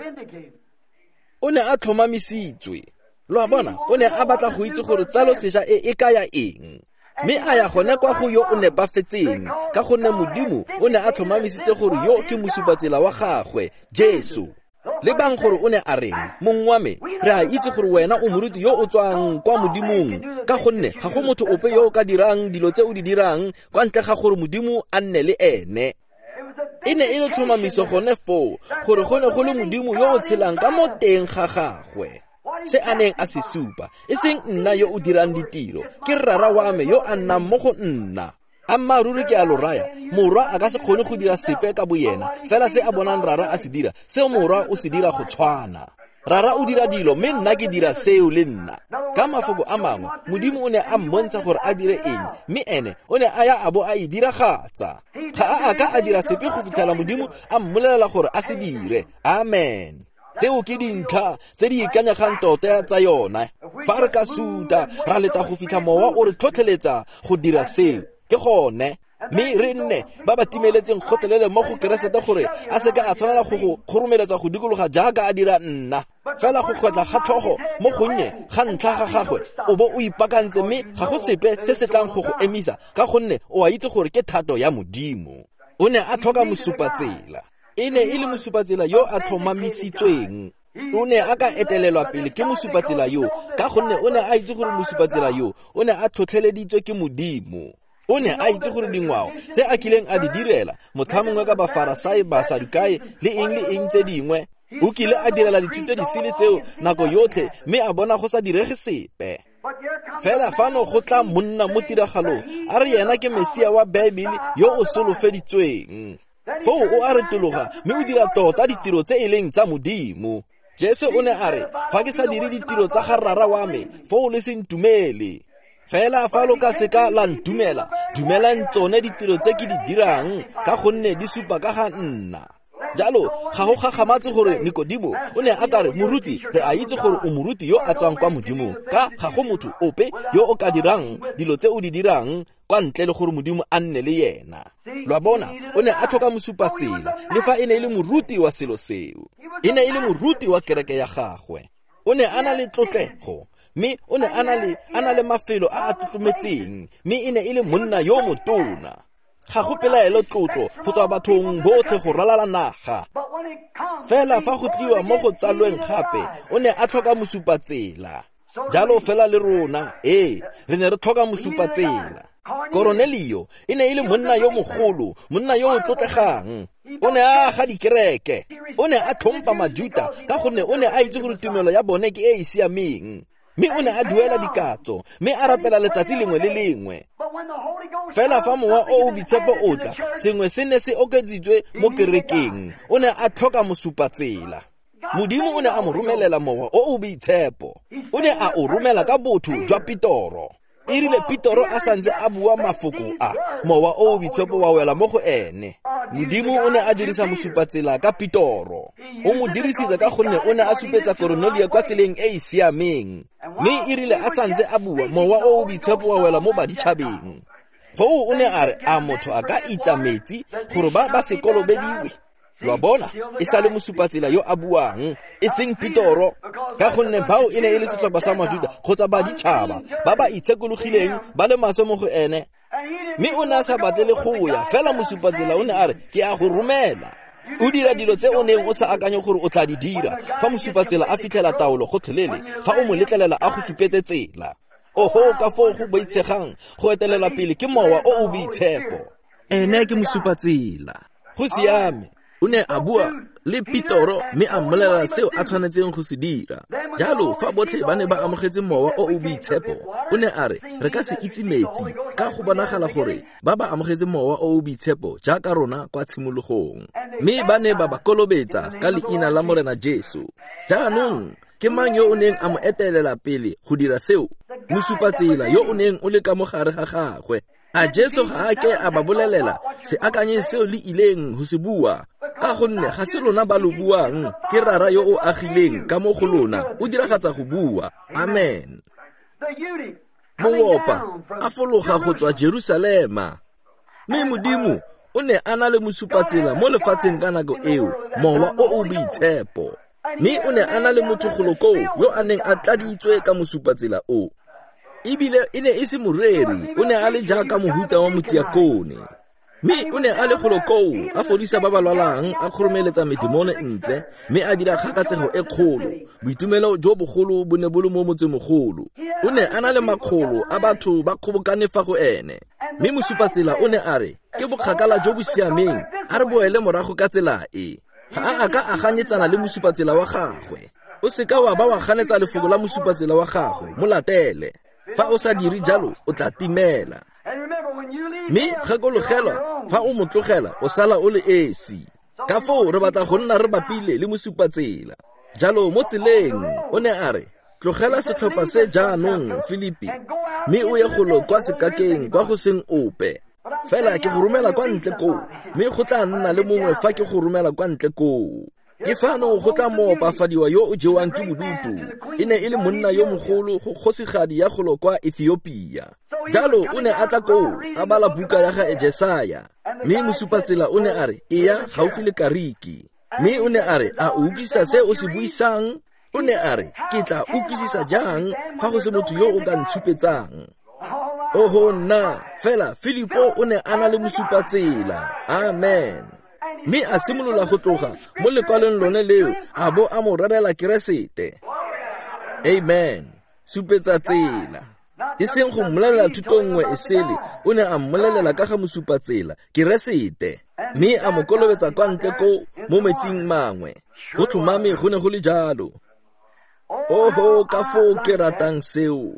O ne a tlhomamisitswe. Lo a bona, o ne a batla go itse gore tsalo sešwa e e kaya eng. Mme a ya gone kwa go yo o nepafetseng, ka gonne Modimo o ne a tlhomamisitse gore yo ke mosupatsela wa gagwe, Jesu. Lebang gore o ne a reng, mong wa me, re a itse gore wena o moruti yo o tswang kwa Modimong, ka gonne ga go motho ope yo o ka dirang dilo tse o di dirang kwa ntle ga gore Modimo a nne le ene. E ne e le tlhomamiso gone foo gore go ne go le Modimo yo o tshelang ka mo teng ga gagwe. Se a neng a se supa, e seng nna yo o dirang ditiro, ke Rara wa me yo a nnang mo go nna. Ammaaruri ke a lo raya, morwa a ka se kgone go dira sepe ka boyena, fela se a bonang Rara a se dira, seo morwa o se dira go tshwana. Rara o dira dilo, mme nna ke dira seo le nna. Ka mafoko a mangwe, Modimo o ne a mmontsha gore a dire eng, mme ene o ne a ya a bo a e diragatsa. Ga a a ka a dira sepe go fitlhela Modimo a mmolelela gore a se dire. Amen. Tseo ke dintlha tse di ikanyegang tota tsa yona. Fa re ka suta, ra leta go fitlha mowa o re tlhotlheletsa go dira seo, ke gone. Mme re nne ba ba timeletseng gotlhelele mo go Keresete gore a seka a tshwanela go go kgoromeletsa go dikologa jaaka a dira nna. Fela go kgwetla ga tlhogo mo gonnye ga ntlha ga gagwe, o bo o ipaakantse, mme ga go sepe se se tlang go go emisa, ka gonne o a itse gore ke thato ya Modimo. O ne a tlhoka mosupatsela. E ne e le mosupatsela yo a tlhomamisitsweng. O ne a ka etelelwa pele ke mosupatsela yo, ka gonne o ne a itse gore mosupatsela yo o ne a tlhotlheleditswe ke Modimo. O ne a itse gore dingwao tse a kileng a di direla, motlhamongwe ka Bafarasai, Basadukai le eng le eng tse dingwe, o kile a direla dithuto disele tseo nako yotlhe, mme a bona go sa direge sepe. Fela fano go tla monna mo tiragalong, a re yena ke Mesia wa Baebele yo o solofeditsweng. Foo o a retologa, mme o dira tota ditiro tse e leng tsa Modimo. Jesu o ne a re, fa ke sa dire ditiro tsa ga Rara wa me, foo le se ntumele. Fela fa lo ka seka la ntumela, dumelang tsone ditiro tse ke di dirang, ka gonne di supa ka ga nna. Jalo ga go gakgamatse gore Nikodimo o ne a ka re, moruti, re a itse gore o moruti yo a tswang kwa Modimong, ka ga go motho ope yo o ka dirang dilo tse o di dirang kwa ntle le gore Modimo a nne le yena. Lo a bona, o ne a tlhoka mosupatsela, le fa e ne e le moruti wa selo seo. E ne e le moruti wa kereke ya gagwe. O ne a na le tlotlego, mme o ne a na le a na le mafelo a a tlotlometseng, mme e ne e le monna yo motona. Ga go pelaelo tlotlo go tswa bathong botlhe go ralala naga. Fela fa go tliwa mo go tsalweng gape, o ne a tlhoka mosupatsela. Jalo fela le rona, ee, re ne re tlhoka mosupatsela. Koronelio e ne e le monna yo mogolo, monna yo o tlotlegang. O ne a aga dikereke, o ne a tlhompa Majuta ka gonne o ne a itse gore tumelo ya bone ke e e siameng. Mme o ne a duela dikatso, mme a rapela letsatsi lengwe le lengwe. Fela fa mowa o o boitshepo o tla, sengwe se ne se okeditswe mo kerekeng. O ne a tlhoka mosupatsela. Modimo o ne a mo romelela mowa o o boitshepo. O ne a o romela ka botho jwa Petoro. E rile Petoro a santse a bua mafoko a, mowa o o boitshepo wa wela mo go ene. Modimo o ne a dirisa mosupatsela ka Petoro. O mo dirisitse ka gonne o ne a supetsa Koronelio kwa tseleng e e siameng. Mme e rile a santse a bua, mowa o o boitshepo wa wela mo baditšhabeng. Foo o ne a re, a motho a ka itsa metsi gore ba ba se kolobediwe? Lo a bona, e sa le mosupatsela yo a buang, e seng Petoro, ka gonne bao e ne e le setlhopha sa Majuta kgotsa baditšhaba ba ba itshekologileng ba le maswe mo go ene. Mme o ne a sa batle le go ya, fela mosupatsela o ne a re, ke a go romela. O dira dilo tse o neng o sa akanye gore o tla di dira fa mosupatsela a fitlhela taolo gotlhelele, fa o mo letlelela a go supetse tsela. Oho, ka foo go boitshegang go etelela pele ke mowa o o boitshepo. Ene ke mosupatsela. Go siame. O ne a bua le Petoro mme a mmolelela seo a tshwanetseng go se dira. Jalo fa botlhe ba ne ba amogetse mowa o o boitshepo, o ne a re, re ka se itse metsi, ka go bonagala gore ba ba amogetse mowa o o boitshepo jaaka rona kwa tshimologong. Mme ba ne ba ba kolobetsa ka leina la Morena Jesu. Jaanong ke mang yo o neng a mo etelela pele go dira seo? Mosupatsela yo o neng o le ka mo gare ga gagwe. A Jesu ga a ke a ba bolelela se akanyeng seo le ileng go se bua, ka gonne ga se lona ba lo buang, ke Rara yo o agileng ka mo go lona, o diragatsa go bua. Amen. Moopa a fologa go tswa Jerusalema, mme Modimo o ne a na le mosupatsela mo lefatsheng ka nako eo, mowa o o boitshepo. Mme o ne a na le motho golo koo yo a neng a tladitswe ka mosupatsela o. Ebile e ne e se moreri, o ne a le jaaka mohuta wa motiakone. Mme o ne a le golo koo, a fodisa ba ba lwalang, a kgoromeletsa medemone ntle, mme a dira kgakatsego e kgolo. Boitumelo jo bogolo bo ne bo le mo motsemogolo. O ne a na le makgolo a batho ba kgobokane fa go ene. Mme mosupatsela o ne a re, ke bokgakala jo bo siameng, a re boele morago ka tsela e. Ga a a ka a ganetsana le mosupatsela wa gagwe. O seka wa ba wa ganetsa lefoko la mosupatsela wa gago, mo latele. Fa o sa dire jalo, o tla timela. Mme gakologelwa, fa o mo tlogela, o sala o le esi. Ka foo re batla go nna re bapile le mosupatsela. Jalo mo tseleng, o ne a re, tlogela setlhopha se jaanong, Filipi, mme o ye golo kwa sekakeng kwa go seng ope. Fela ke go romela kwa ntle koo, mme go tla nna le mongwe fa ke go romela kwa ntle koo. Ke fano go tla moopafadiwa yo o jewang ke bodutu. E ne e le monna yo mogolo go kgosigadi ya golo kwa Ethiopia. Jalo o ne a tla koo, a bala buka ya ga Jesaya. Mme mosupatsela o ne a re, eya gaufi le kariki. Mme o ne a re, a o utlwisisa se o se buisang? O ne a re, ke tla utlwisisa jang fa go se motho yo o ka ntshupetsang? Oho nna, fela Filipo o ne a na le mosupatsela. Amen. Mme a simolola go tloga mo lekwalong lone leo, a bo a mo rerela Keresete. Amen. Supetsa tsela. E seng go mmolelela thuto nngwe e sele, o ne a mmolelela ka ga mosupatsela, Keresete. Mme a mo kolobetsa kwa ntle koo mo metsing mangwe. Go tlhomame go ne go le jalo. Oho, ka foo ke ratang seo.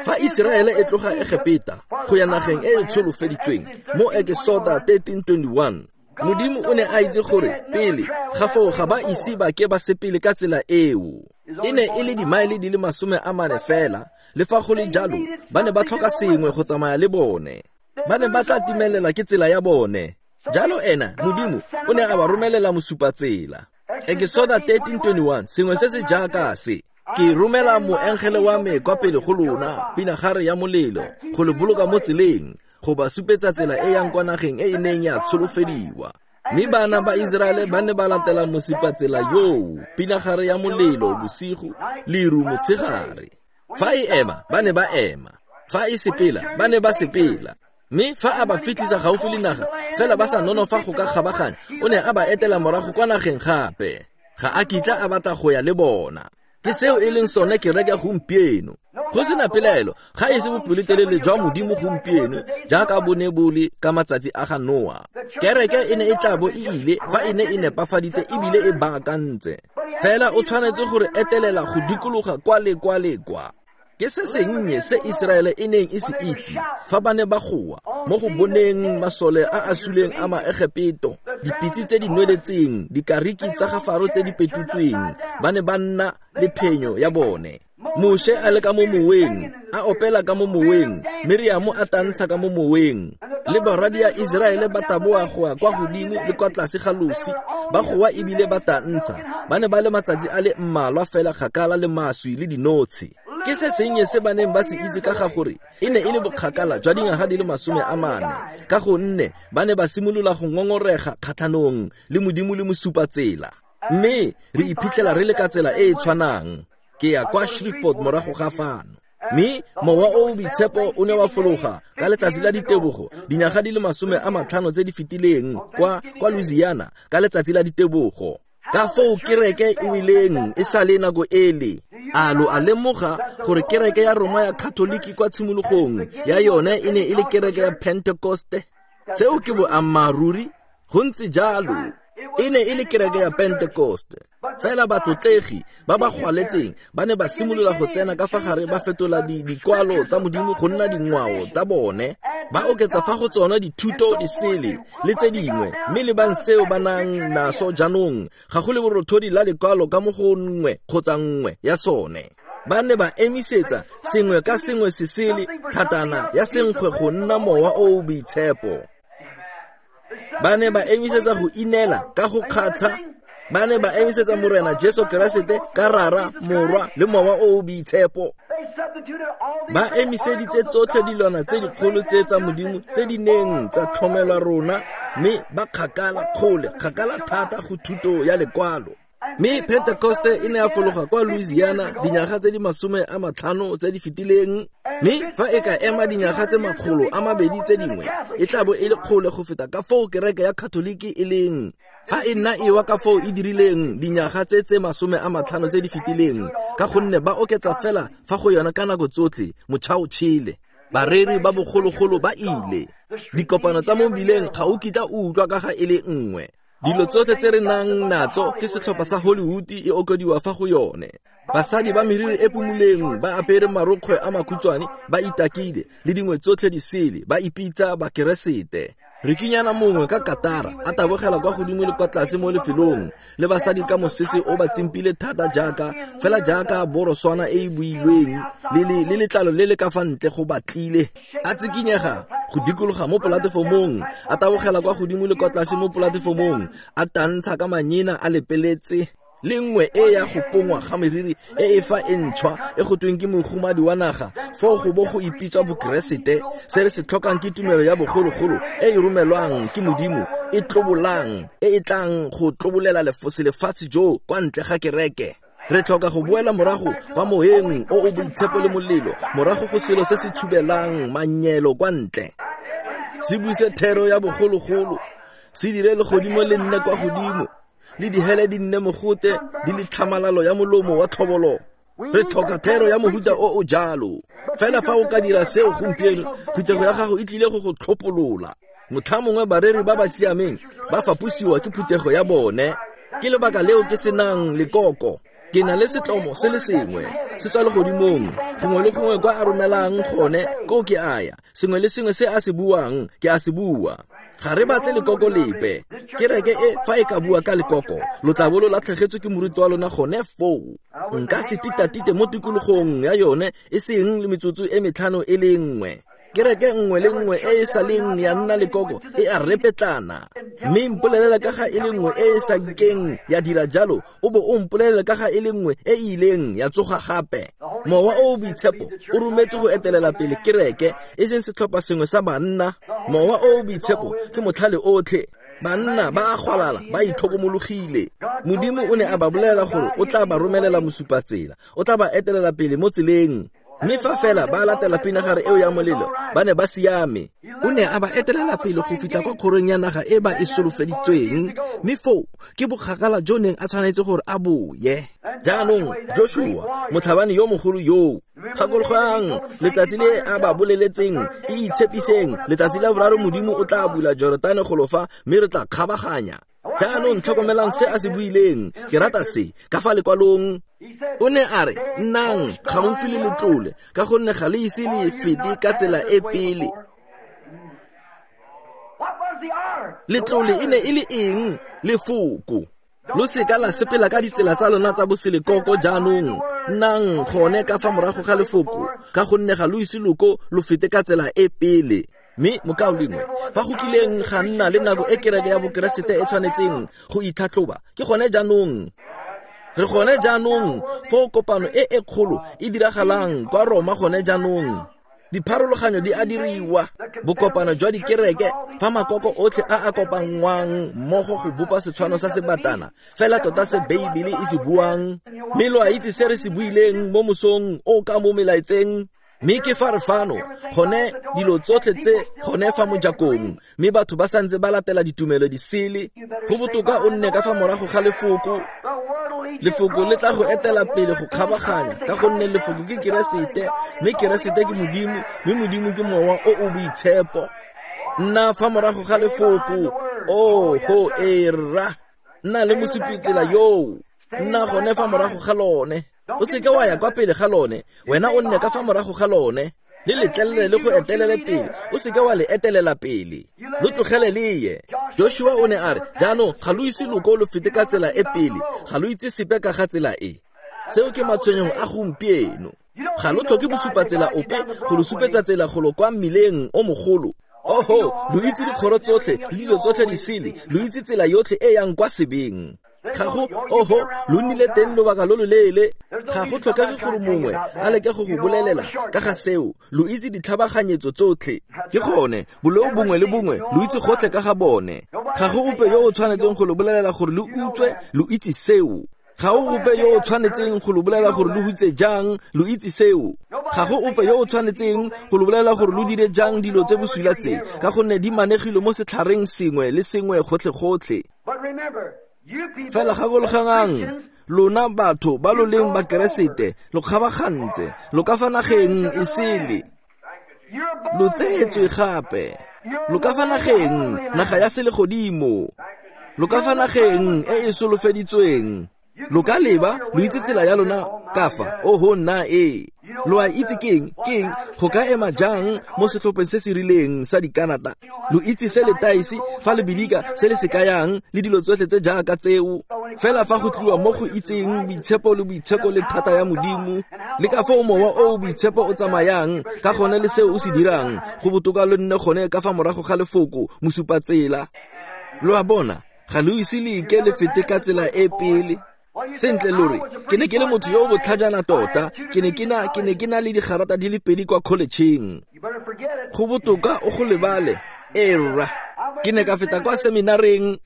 Fa Iseraele e tloga Egepeta go ya nageng e e tsholofeditsweng mo Exoda thirteen twenty-one, Modimo o ne a itse gore pele ga foo ga ba ise ba ke ba sepele ka tsela eo. E ne e le dimaele di le masome a mane fela, le fa go le jalo ba ne ba tlhoka sengwe go tsamaya le bone. Ba ne ba tla timelela ke tsela ya bone. Jalo ena Modimo o ne a ba romelela mosupatsela. Exoda thirteen twenty-one, sengwe se se jaaka se. Ke romela moengele wa me kwa pele go lona, pinagare ya molelo, go le boloka mo tseleng, go ba supetsa tsela e yang kwa nageng e e neng ya tsholofediwa. Mme bana ba Iseraele ba ne ba latela mosupatsela yoo, pinagare ya molelo bosigo, leru motshegare. Fa e ema, ba ne ba ema. Fa e sepela, ba ne ba sepela. Mme fa a ba fitlhisa gaufi le naga, fela ba sa nonofa go ka kgabaganya, o ne a ba etela morago kwa nageng gape. Ga a kitla a batla go ya le bona. Ke seo e leng sone kereke gompieno. Go sena pelaelo, ga e se bopelotelele jwa Modimo gompieno jaaka bo ne bo le ka matsatsi a ga Noa. Kereke e ne e tla bo e ile fa e ne e nepafaditse ebile e baakantse. Fela o tshwanetse gore etelela go dikologa kwa le kwa le kwa. Ke se sennye se Iseraele e neng e se itse fa ba ne ba goa mo go boneng masole a a suleng a Maegepeto, dipitse tse di nweletseng, dikariki tsa ga Faro tse di petutsweng, ba ne ba nna le phenyo ya bone. Moshe a le ka mo moweng, a opela ka mo moweng, Miriamo a tantsha ka mo moweng, le barwadia Iseraele ba taboa go ya kwa godimo le kwa tlase ga losi, ba goa ebile ba tantsha. Ba ne ba le matsatsi a le mmalwa fela kgakala le maswi le dinotshi. Ke se sennye se ba neng ba se itse ka ga gore e ne e le bokgakala jwa dingwaga di le masome a mane, ka gonne ba ne ba simolola go ngongorega kgatlhanong le Modimo le mosupatsela. Mme re iphitlhela re le ka tsela e e tshwanang. Ke ya kwa Shreveport morago ga fano. Mme mowa o o boitshepo o ne wa fologa ka letsatsi la ditebogo dinyaga di le masome a matlhano tse di fetileng kwa kwa Louisiana ka letsatsi la ditebogo. Ka foo kereke e weleng e sa le nako ele. A lo a lemoga gore kereke ya Roma ya Katoliki kwa tshimologong ya yone e ne e le kereke ya Pentekoste? Seo ke boammaaruri, go ntse jalo. E ne e le kereke ya Pentekoste. Fela batlotlegi ba ba gwaletseng ba ne ba simolola go tsena ka fa gare, ba fetola dikwalo tsa Modimo go nna dingwao tsa bone, ba oketsa fa go tsona dithuto disele le tse dingwe. Mme lebang seo ba nang naso jaanong, ga go le borothodi la lekwalo ka mo go nngwe kgotsa nngwe ya sone. Ba ne ba emisetsa sengwe ka sengwe se sele thatana ya senkgwe go nna mowa o o boitshepo. Ba ne ba emisetsa go inela ka go kgatsha. Ba ne ba emisetsa Morena Jesu Keresete ka Rara, Morwa le Mowa o o boitshepo. Ba emiseditse tsotlhe dilwana tse dikgolo tse tsa Modimo tse di neng tsa tlhomelwa rona, mme ba kgakala kgole, kgakala thata go thuto ya lekwalo. Mme Pentekoste e ne ya fologa kwa Louisiana dinyaga tse di masome a matlhano tse di fetileng, mme fa e ka ema dinyaga tse makgolo a mabedi tse dingwe, e tla bo e le kgole go feta ka foo kereke ya Katoliki e leng. Fa e nna e wa ka foo e dirileng dinyaga tse tse masome a matlhano tse di fetileng, ka gonne ba oketsa fela fa go yona ka nako tsotlhe, motšha o tšhele. Bareri ba bogologolo ba ile. Dikopano tsa mo mebileng ga o kitla o utlwa ka ga e le nngwe. Dilo tsotlhe tse re nang natso ke setlhopha sa Hollywood e okediwa fa go yone. Basadi ba meriri e pumuleng ba apere marokgwe a makhutshwane ba itakile le dingwe tsotlhe di sele ba ipitsa bakeresete. Rikinyana mongwe ka katara a tabogela kwa godimo le kwa tlase mo lefelong le basadi ka mosese o ba tsimpile thata jaaka fela jaaka boroswana e e builweng le le letlalo le le ka fa ntle go batlile. A tsikinyega go dikologa mo polatefomong, a tabogela kwa godimo le kwa tlase mo polatefomong, a tantsha ka manyena a lepeletse. Le nngwe e ya go pongwa ga meriri e e fa e ntšhwa e go tweng ke mogumadi wa naga, foo go bo go ipitswa bokeresete. Se re se tlhokang ke tumelo ya bogologolo e e romelwang ke Modimo, e tlobolang, e e tlang go tlobolela lefatshe jo kwa ntle ga kereke. Re tlhoka go boela morago kwa moeng o o boitshepo le molelo, morago go selo se se tshubelang manyelo kwa ntle. Se buse thero ya bogologolo, se dire legodimo le nne kwa godimo, le dihele di nne mogote di le tlhamalalo ya molomo wa tlhobolo. Re tlhoka thero ya mohuta o o jalo. Fela fa o ka dira seo gompieno, phuthego ya gago e tlile go go tlhopolola. Motlha mongwe bareri ba ba siameng ba faposiwa ke phuthego ya bone. Ke lebaka leo ke senang lekoko. Ke na le setlomo se le sengwe se tswa legodimong, gongwe le gongwe kwa a romelang gone koo ke aya. Sengwe le sengwe se a se buang ke a se bua. Ga re batle lekoko lepe. Kereke e fa e ka bua ka lekoko, lo tla bo lo latlhegetswe ke moruti wa lona gone foo. Nka se titatite mo tikologong ya yone e seng le metsotso e metlhano e le nngwe. Kereke nngwe le nngwe e e sa leng ya nna lekoko e a repetlana. Mme mpolelela ka ga e le nngwe e e sa keng ya dira jalo, o bo o mpolelela ka ga e le nngwe e e ileng ya tsoga gape. Mowa o o boitshepo o rometse go etelela pele kereke, e seng setlhopha sengwe sa banna. Mowa o o boitshepo ke motlhale otlhe. Banna ba a gwalala, ba itlhokomologile. Modimo o ne a ba bolela gore o tla ba romelela mosupatsela, o tla ba etelela pele mo tseleng. Mme fa fela ba latela pinagare eo ya molelo, ba ne ba siame. O ne a ba etelela pele go fitlha kwa kgorong ya naga e ba e solofeditsweng, mme foo ke bokgakala jo neng a tshwanetse gore a boye. Jaanong Joshua, motlhabani yo mogolo yoo, gakologelwang letsatsi le a ba boleletseng, e itshepiseng, letsatsi la boraro Modimo o tla bula Jorodane golo fa, mme re tla kgabaganya. Jaanong tlhokomelang se a se buileng, ke rata se ka fa lekwalong. O ne a re, nnang gaufi le letlole, ka gonne ga le ise le fete ka tsela e pele. Letlole e ne e le eng? Lefoko. Lo seka la sepela ka ditsela tsa lona tsa boselekoko jaanong. Nnang gone ka fa morago ga lefoko, ka gonne ga lo ise loko lo fete ka tsela e pele. Mme mokaulengwe, fa go kileng ga nna le nako e kereke ya bokeresete e tshwanetseng go itlhatlhoba, ke gone jaanong. Re gone jaanong foo kopano e e kgolo e diragalang kwa Roma gone jaanong. Dipharologanyo di a diriwa, bokopano jwa dikereke fa makoko otlhe a a kopanngwang mmogo go bopa setshwano sa sebatana, fela tota se Beibele e se buang. Mme lo a itse se re se buileng mo mosong o ka mo melaetseng. Mme ke fa re fano, gone dilo tsotlhe tse gone fa mojakong, mme batho ba santse ba latela ditumelo di sele. Go botoka o nne ka fa morago ga lefoko. Lefoko le tla go etela pele go kgabaganya, ka gonne lefoko ke Keresete, mme Keresete ke Modimo, mme Modimo ke Mowa o o boitshepo. Nna fa morago ga lefoko. Oh, ho e rra. Nna le mosupitsela yoo. Nna gone fa morago ga lone. O seke wa ya kwa pele ga lone, wena o nne ka fa morago ga lone. Le letlelele le go etelele pele, o seke wa le etelela pele. Lo tlogele le ye. Joshua o ne a re, jaanong ga lo ise loko lo fete ka tsela e pele, ga lo itse sepe ka ga tsela e. Seo ke matshwenyego a gompieno. Ga lo tlhoke bosupatsela ope go lo supetsa tsela golo kwa mmileng o mogolo. Oho, lo itse dikgoro tsotlhe le dilo tsotlhe di sele, lo itse tsela yotlhe e yang kwa sebeng. Ga go, oho, lo nnile teng lobaka lo loleele. Ga go tlhokege gore mongwe a leke go go bolelela ka ga seo. Lo itse ditlhabaganyetso tsotlhe. Ke gone, boleo bongwe le bongwe lo itse gotlhe ka ga bone. Ga go ope yo o tshwanetseng go lo bolelela gore lo utswe, lo itse seo. Ga o ope yo o tshwanetseng go lo bolela gore lo hutse jang, lo itse seo. Ga go ope yo o tshwanetseng go lo bolela gore lo dire jang dilo tse bosula tse, ka gonne di manegilwe mo setlhareng sengwe le sengwe gotlhe-gotlhe. Fela gakologelwang, lona batho ba lo leng Bakeresete, lo kgabagantse, lo ka fa nageng e sele. Lo tsetswe gape. Lo ka fa nageng, naga ya selegodimo. Lo ka fa nageng e e solofeditsweng. Lo ka leba, lo itse tsela ya lona ka fa, oho nna e. Lo a itse keng, keng, go ka ema jang mo setlhopheng se se rileng sa dikanata. Lo itse se letaisi, fa le bilika, se le se kayang, le dilo tsotlhe tse jaaka tseo. Fela fa go tliwa mo go itseng boitshepo le boitsheko le thata ya Modimo, le ka foo mowa o o boitshepo o tsamayang, ka gone le seo o se dirang, go botoka lo nne gone ka fa morago ga lefoko, mosupatsela. Lo a bona, ga lo ise le ike le fete ka tsela e pele. Sentle lo re, ke ne ke le motho yo o botlhajana tota, ke ne ke na ke ne ke na le digarata di le pedi kwa college-eng. Go botoka o go lebale, ee rra. Ke ne ka feta kwa seminareng.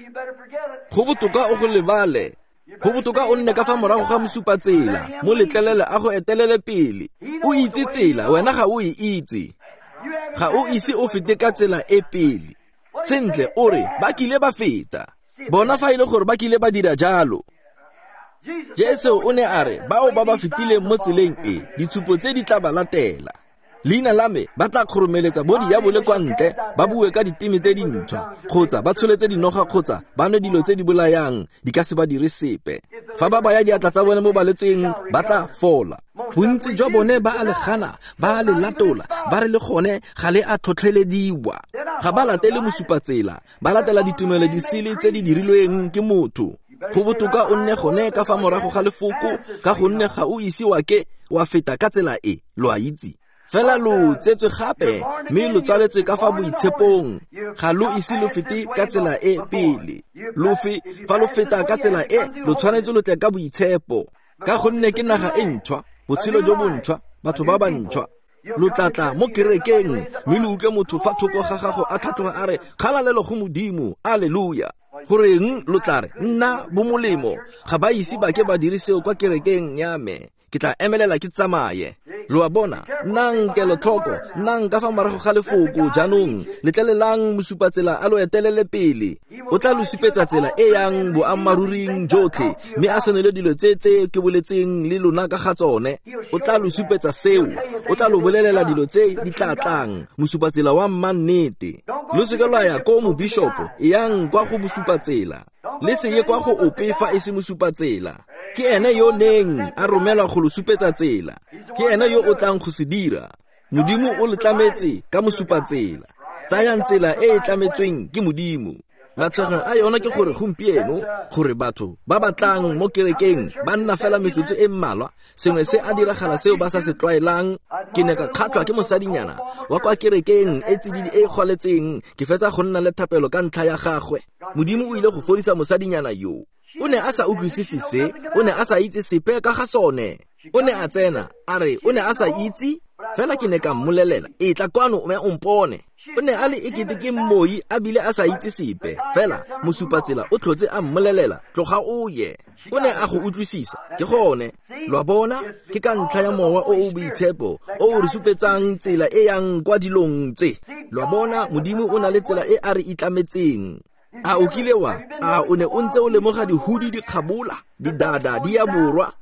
Go botoka o go lebale. Go botoka o nne ka fa morago ga mosupatsela, mo letlelele a go etelele pele. O itse tsela, wena ga o e itse. Ga o ise o fete ka tsela e pele. Sentle o re, ba kile ba feta. Bona fa e le gore ba kile ba dira jalo. Jesu o ne a re, bao ba ba fetileng mo tseleng e, ditshupo tse di tla ba latela. Leina la me ba tla kgoromeletsa bo diabole kwa ntle, ba bue ka diteme tse dintšhwa, kgotsa ba tsholetse dinoga kgotsa ba nwe dilo tse di bolayang, di ka se ba dire sepe. Fa ba baya diatla tsa bone mo balwetseng, ba tla fola. Bontsi jwa bone ba a le gana, ba a le latola, ba re le gone ga le a tlhotlhelediwa. Ga ba latele mosupatsela, ba latela ditumelo disele tse di dirilweng ke motho. Go botoka o nne gone ka fa morago ga lefoko, ka gonne ga o ise wa ke wa feta ka tsela e, lo a itse. Fela lo tsetswe gape, mme lo tswaletswe ka fa boitshepong. Ga lo ise lo fete ka tsela e pele. Lo fe, fa lo feta ka tsela e, lo tshwanetse lo tle ka boitshepo. Ka gonne ke naga e ntšhwa, botshelo jo bontšhwa, batho ba bantšhwa. Lo tla tla mo kerekeng, mme lo utlwe motho fa thoko ga gago a tlhatloga a re, kgalalelo go Modimo, alleluia. Goreng lo tla re, nna bomolemo, ga ba ise ba ke ba dire seo kwa kerekeng ya me. Ke tla emelela ke tsamaye. Lo a bona, nnang kelotlhoko, nnang ka fa morago ga lefoko jaanong, letlelelang mosupatsela a lo etelele pele. O tla lo supetsa tsela e yang boammaruring jotlhe, mme a senole dilo tse tse ke boletseng le lona ka ga tsone. O tla lo supetsa seo, o tla lo bolelela dilo tse di tla tlang, mosupatsela wa mmannete. Lo seke lwa ya ko mobishopo, eyang kwa go mosupatsela. Le se ye kwa go ope fa e se mosupatsela. Ke ene yo neng a romelwa go lo supetsa tsela. Ke ene yo o tlang go se dira. Modimo o le tlametse ka mosupatsela. Tsayang tsela e e tlametsweng ke Modimo. Matshwego a yona ke gore gompieno, gore batho ba ba tlang mo kerekeng ba nna fela metsotso e mmalwa, sengwe se a diragala seo ba sa se tlwaelang. Ke ne ka kgatlhwa ke mosadinyana wa kwa kerekeng e tsididi e kgwaletseng, ke fetsa go nna le thapelo ka ntlha ya gagwe. Modimo o ile go fodisa mosadinyana yo. O ne a sa utlwisise se, o ne a sa itse sepe ka ga sone. O ne a tsena, a re o ne a sa itse, fela ke ne ka mmolelela, e tla kwano mme o mpone. O ne a le ekete ke mmoi a bile a sa itse sepe, fela mosupatsela o tlhotse a mmolelela, tloga o ye. O ne a go utlwisisa, ke gone. Lo a bona, ke ka ntlha ya mowa o o boitshepo o o re supetsang tsela e yang kwa dilong tse. Lo a bona, Modimo o na le tsela e a re itlametseng. A o kile wa, a o ne o ntse o lemoga dihudi di kgabola, didada di ya borwa.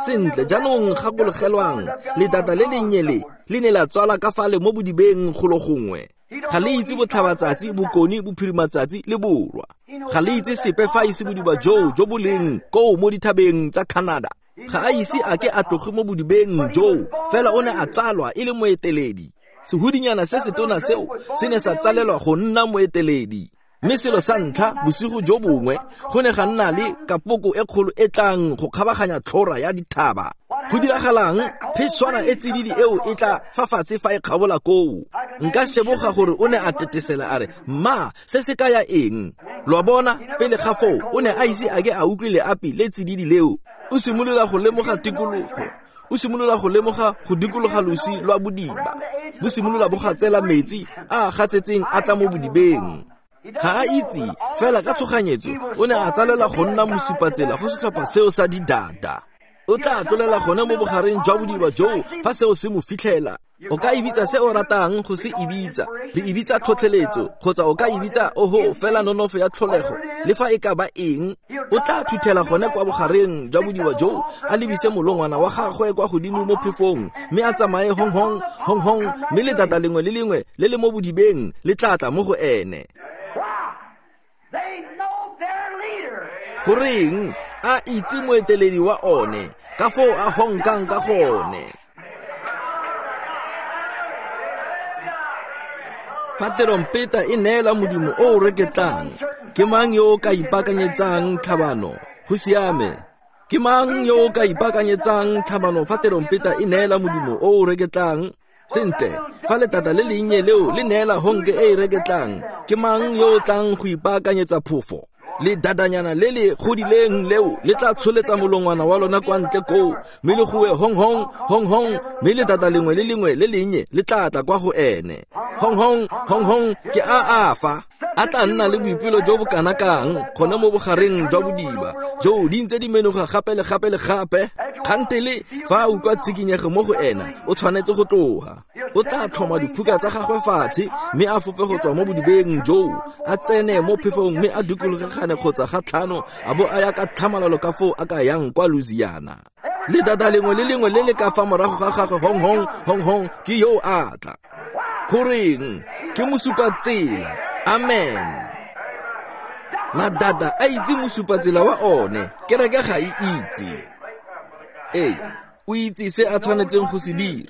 Sentle, jaanong gakologelwang, ledada le lennye le, le ne la tswala ka fale mo bodibeng golo gongwe. Ga le itse botlhabatsatsi, bokone, bophirimatsatsi le borwa. Ga le itse sepe fa ise bodiba joo jo bo leng koo mo dithabeng tsa Canada. Ga a ise a ke a tloge mo bodibeng joo, fela o ne a tsalwa e le moeteledi. Sehudinyana se setona seo se ne sa tsalelwa go nna moeteledi. Mme selo sa ntlha bosigo jo bongwe go ne ga nna le kapoko e kgolo e tlang go kgabaganya tlhora ya dithaba. Go diragalang, pheswana e tsididi eo e tla fa fatshe fa e kgabola koo. Nka sheboga gore o ne a tetesela a re, ma, se se kaya eng? Lo a bona, pele ga foo o ne a ise a ke a utlwe leapi le tsididi leo. O simolola go lemoga tikologo, o simolola go lemoga go dikologa losi lwa bodiba. Bo simolola bo gatsela metsi a a gatsetseng a tla mo bodibeng. Ga a itse, fela ka tshoganyetso o ne a tsalela go nna mosupatsela go setlhopha seo sa didada. O tla tlolela gone mo bogareng jwa bodiba joo fa seo se mo fitlhela. O ka e bitsa se o ratang go se e bitsa. Re e bitsa tlhotlheletso, kgotsa o ka e bitsa oho fela nonofo ya tlholego, le fa e ka ba eng. O tla thuthela gone kwa bogareng jwa bodiba joo, a lebise molongwana wa gagwe kwa godimo mo phefong, mme a tsamaye hong hong, hong hong, mme letata lengwe le lengwe le le mo bodibeng le tla tla mo go ene. Goreng a itse moeteledi wa one, ka foo a honkang ka gone. Fa terompeta e neela modimo o o reketlang, ke mang yo o ka ipaakanyetsang tlhabano? Go siame. Ke mang yo o ka ipaakanyetsang tlhabano fa terompeta e neela modimo o o reketlang? Sentle, fa letata le lennye leo le neela honke e e reketlang, ke mang yo o tlang go ipaakanyetsa phofo? Le dadanyana le le godileng leo le tla tsholetsa molongwana wa lona kwa ntle koo, mme le goe hong hong, hong hong, mme letata lengwe le lengwe le lennye le tla tla kwa go ene. Hong hong, hong hong, ke a a fa. A tla nna le boipelo jo bo kana kang gone mo bogareng jwa bodiba joo di ntse di menoga gape le gape le gape. Kgantele fa a utlwa tsikinyego mo go ena, o tshwanetse go tloga. O tla tlhoma diphuka tsa gagwe fatshe, mme a fofe go tswa mo bodibeng joo, a tsene mo phefong mme a dikologegane kgotsa ga tlhano, a bo a ya ka tlhamalalo ka foo a ka yang kwa Louisiana. Letata lengwe le lengwe le le ka fa morago ga gagwe hong hong, hong hong, ke yo a tla. Goreng? Ke mosupatsela. Amen. Madada a itse mosupatsela wa one, kereke ga e itse. Ee, o itse se a tshwanetseng go se dira.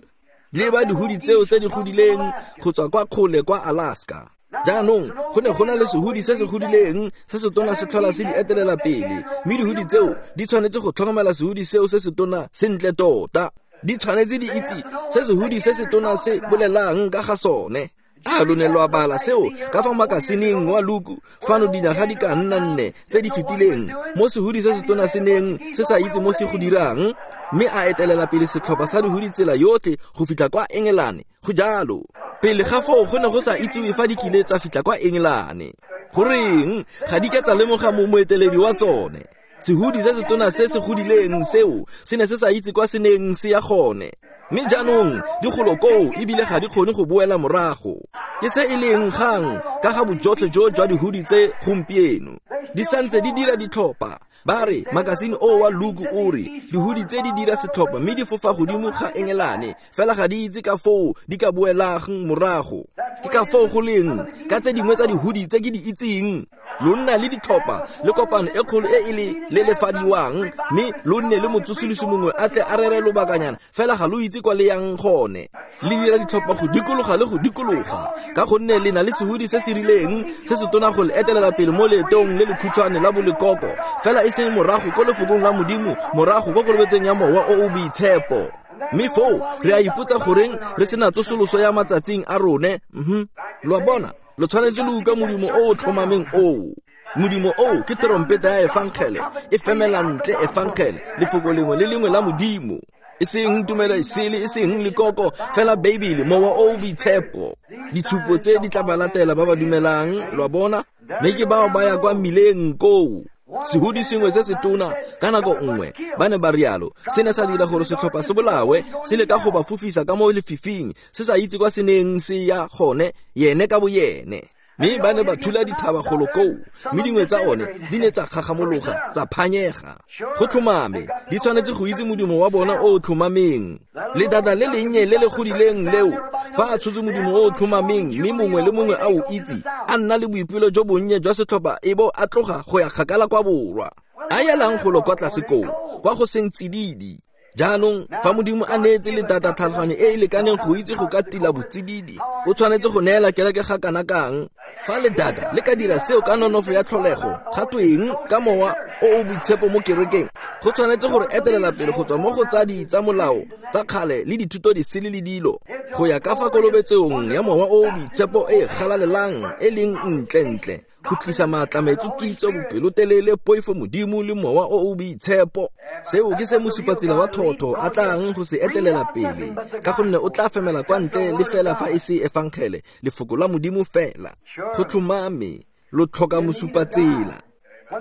Le ba dihudi tseo tse di godileng go tswa kwa kgole kwa Alaska. Jaanong go ne go na le sehudi se se godileng se se tona se tlhola se di etelela pele, mme dihudi tseo di tshwanetse go tlhokomela sehudi seo se se tona sentle tota. Di tshwanetse di itse se sehudi se se tona se bolelang ka ga sone. A lo ne lwa bala seo ka fa makasineng wa Luku fano dinyaga di ka nna nne tse di fetileng, mo sehudi se se tona se neng se sa itse mo se go dirang, mme a etelela pele setlhopha sa dihudi tsela yotlhe go fitlha kwa Engelane. Go jalo. Pele ga foo go ne go sa itsiwe fa di kile tsa fitlha kwa Engelane. Goreng ga di ke tsa lemoga mo moeteledi wa tsone. Sehudi se se tona se se godileng seo se ne se sa itse kwa se neng se ya gone. Mme jaanong di golo koo ebile ga di kgone go boela morago. Ke se e leng kgang ka ga bojotlhe jo jwa dihudi tse gompieno. Di santse di dira ditlhopha. Ba re makasine o wa Luku o re dihudi tse di dira setlhopha mme di fofa godimo ga Engelane, fela ga di itse ka foo di ka boelang morago. Ke ka foo go leng ka tse dingwe tsa dihudi tse ke di itseng. Lo nna le ditlhopha le kopano e kgolo e e le lelefadiwang, mme lo nne le motsosolosi mongwe a tle a rere lobakanyana, fela ga lo itse kwa le yang gone. Le dira ditlhopha go dikologa le go dikologa, ka gonne le na le sehudi se se rileng se se tona go le etelela pele mo leetong le lekhutshwane la bolekoko, fela e seng morago ko lefokong la Modimo, morago ko kolobetseng ya Mowa o o Boitshepo. Mme foo re a ipotsa goreng re sena tsosoloso ya matsatsing a rone. Mhm. Lo a bona, lo tshwanetse lo utlwa modimo o o tlhomameng oo. Modimo oo ke terompeta ya efangele, e femela ntle efangele, lefoko lengwe le lengwe la Modimo. E seng tumelo e sele, e seng lekoko, fela Beibele, Mowa o o Boitshepo. Ditshupo tse di tla ba latela ba ba dumelang, lo a bona, mme ke bao ba ya kwa mmileng koo. Sehudi sengwe se se tona ka nako nngwe, ba ne ba rialo, se ne sa dira gore setlhopha se bolawe, se leka go ba fofisa ka mo lefifing, se sa itse kwa se neng se ya gone, yene ka boyene. Mme ba ne ba thula dithaba golo koo, mme dingwe tsa one di ne tsa kgagamologa, tsa phanyega. Go tlhomame, di tshwanetse go itse modimo wa bona o o tlhomameng. Letata le lennye le le godileng leo, fa a tshotse modimo o o tlhomameng, mme mongwe le mongwe a o itse, a nna le boipelo jo bonnye jwa setlhopha e bo a tloga go ya kgakala kwa borwa. A yelang golo kwa tlase koo, kwa go seng tsididi. Jaanong fa Modimo a neetse letata tlhaloganyo e e lekaneng go itse go ka tila botsididi, o tshwanetse go neela kereke ga kana kang? Fa letata le ka dira seo ka nonofo ya tlholego, ga tweng ka Mowa o o Boitshepo mo kerekeng? Go tshwanetse gore etelela pele go tswa mo go tsa di tsa molao tsa kgale le dithuto di sele le dilo, go ya ka fa kolobetsong ya Mowa o o Boitshepo e galalelang e leng ntle-ntle, go tlisa maatlametlo, kitso, bopelotelele, poifo Modimo le Mowa o o Boitshepo. Seo ke se mosupatsela wa thotho a tlang go se etelela pele, ka gonne o tla femela kwa ntle le fela fa e se efangele, lefoko la Modimo fela. Go tlhomame, Lo tlhoka mosupatsela.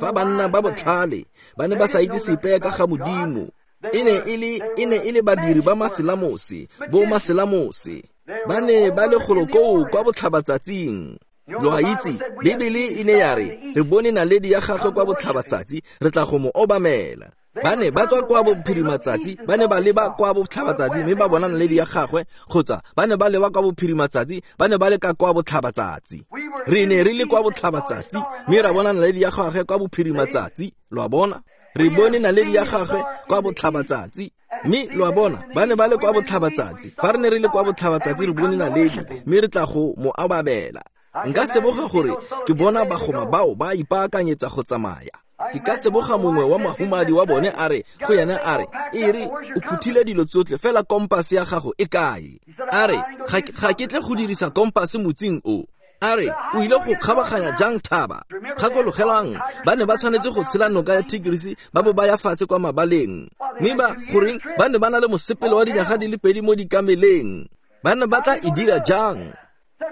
Fa banna ba botlhale ba ne ba sa itse sepe ka ga Modimo, e ne e le e ne e le badiri ba maselamose, bo maselamose. Ba ne ba le golo koo kwa botlhabatsatsing. Lo a itse, Bibele e ne ya re, re bone naledi ya gagwe kwa botlhabatsatsi, re tla go mo obamela. Ba ne ba tswa kwa bophirimatsatsi, ba ne ba leba kwa botlhabatsatsi mme ba bona naledi ya gagwe, kgotsa ba ne ba leba kwa bophirimatsatsi, ba ne ba le ka kwa botlhabatsatsi. Re ne re le kwa botlhabatsatsi mme ra bona naledi ya gagwe kwa bophirimatsatsi, lo a bona? Re bone naledi ya gagwe kwa botlhabatsatsi. Mme lo a bona, ba ne ba le kwa botlhabatsatsi. Fa re ne re le kwa botlhabatsatsi re bone naledi mme re tla go mo obamela. Nka seboga gore ke bona bagoma bao ba ipaakanyetsa go tsamaya. Ke ka seboga mongwe wa mahumadi wa bone a re go yena a re, e re o phuthile dilo tsotlhe fela kompase ya gago e kae? A re ga ke tle go dirisa kompase motsing o. A re o ile go kgabaganya jang thaba? Gakologelang, ba ne ba tshwanetse go tshela noka ya Tigris ba bo ba ya fatshe kwa mabaleng. Mme ba goreng ba ne ba na le mosepele wa dinyaga di le pedi mo dikameleng. Ba ne ba tla e dira jang?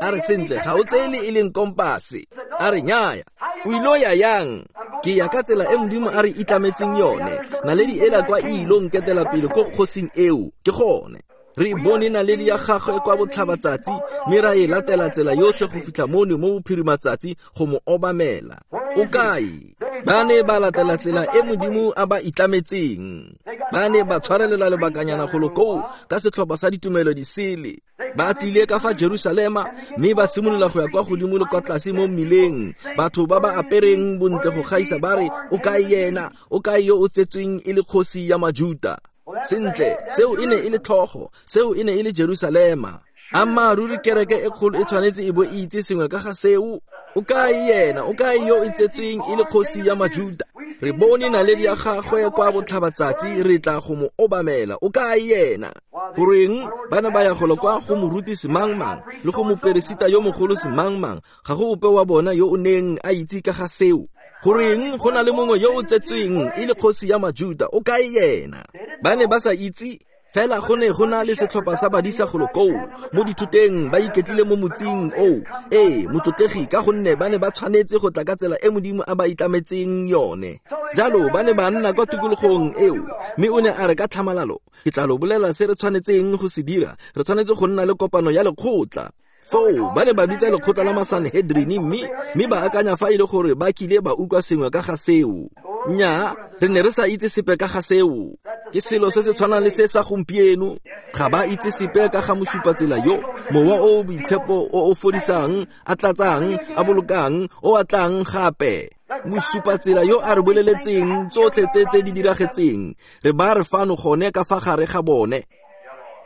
A re sentle, ga o tseye le e leng kompase. A re nnyaya, o ile ya yang? Ke ya ka tsela e Modimo a re itlametseng yone. Naledi ela kwa e ilong ketela pele ko kgosing eo, ke gone. Re bone naledi ya gagwe kwa botlhabatsatsi mme ra e latela tsela yotlhe go fitlha mono mo bophirimatsatsi go mo obamela. O kae? Ba ne ba latela tsela e Modimo a ba itlametseng. Ba ne ba tshwarelela lebakanyana golo koo ka setlhopha sa ditumelo di sele. Ba tlile ka fa Jerusalema mme ba simolola go ya kwa godimo le kwa tlase mo mmileng. Batho ba ba apereng bontle go gaisa ba re, o kae yena? O kae yo o tsetsweng e le kgosi ya Majuta? Sentle, seo e ne e le tlhogo, seo e ne e le Jerusalema. Ammaaruri kereke e kgolo e tshwanetse e bo e itse sengwe ka ga seo. O kae yena? O kae yo e tsetsweng e le kgosi ya Majuta? Re bone naledi ya gagwe kwa botlhabatsatsi, re tla go mo obamela. O kae yena? Goreng ba ne ba ya golo kwa go moruti semangmang le go moperesita yo mogolo semangmang, ga go ope wa bona yo o neng a itse ka ga seo. Goreng go na le mongwe yo o tsetsweng e le kgosi ya Majuta? O kae yena? Ba ne ba sa itse. Fela go ne go na le setlhopha sa badisa golo koo mo dithoteng, ba iketlile mo motsing oo. Ee, motlotlegi, ka gonne ba ne ba tshwanetse go tla ka tsela e Modimo a ba itlametseng yone. Jalo ba ne ba nna kwa tikologong eo, mme o ne a re ka tlhamalalo, ke tla lo bolela se re tshwanetseng go se dira. Re tshwanetse go nna le kopano ya lekgotla. Foo ba ne ba bitsa lekgotla la Masanhedrini mme mme ba akanya fa e le gore ba kile ba utlwa sengwe ka ga seo. Nnyaa, re ne re sa itse sepe ka ga seo. Ke selo se se tshwanang le se sa gompieno. Ga ba itse sepe ka ga mosupatsela yo, mowa o o boitshepo o o fodisang, a tlatsang, a bolokang, o a tlang gape. Mosupatsela yo a re boleletseng tsotlhe tse tse di diragetseng, re ba re fano gone ka fa gare ga bone.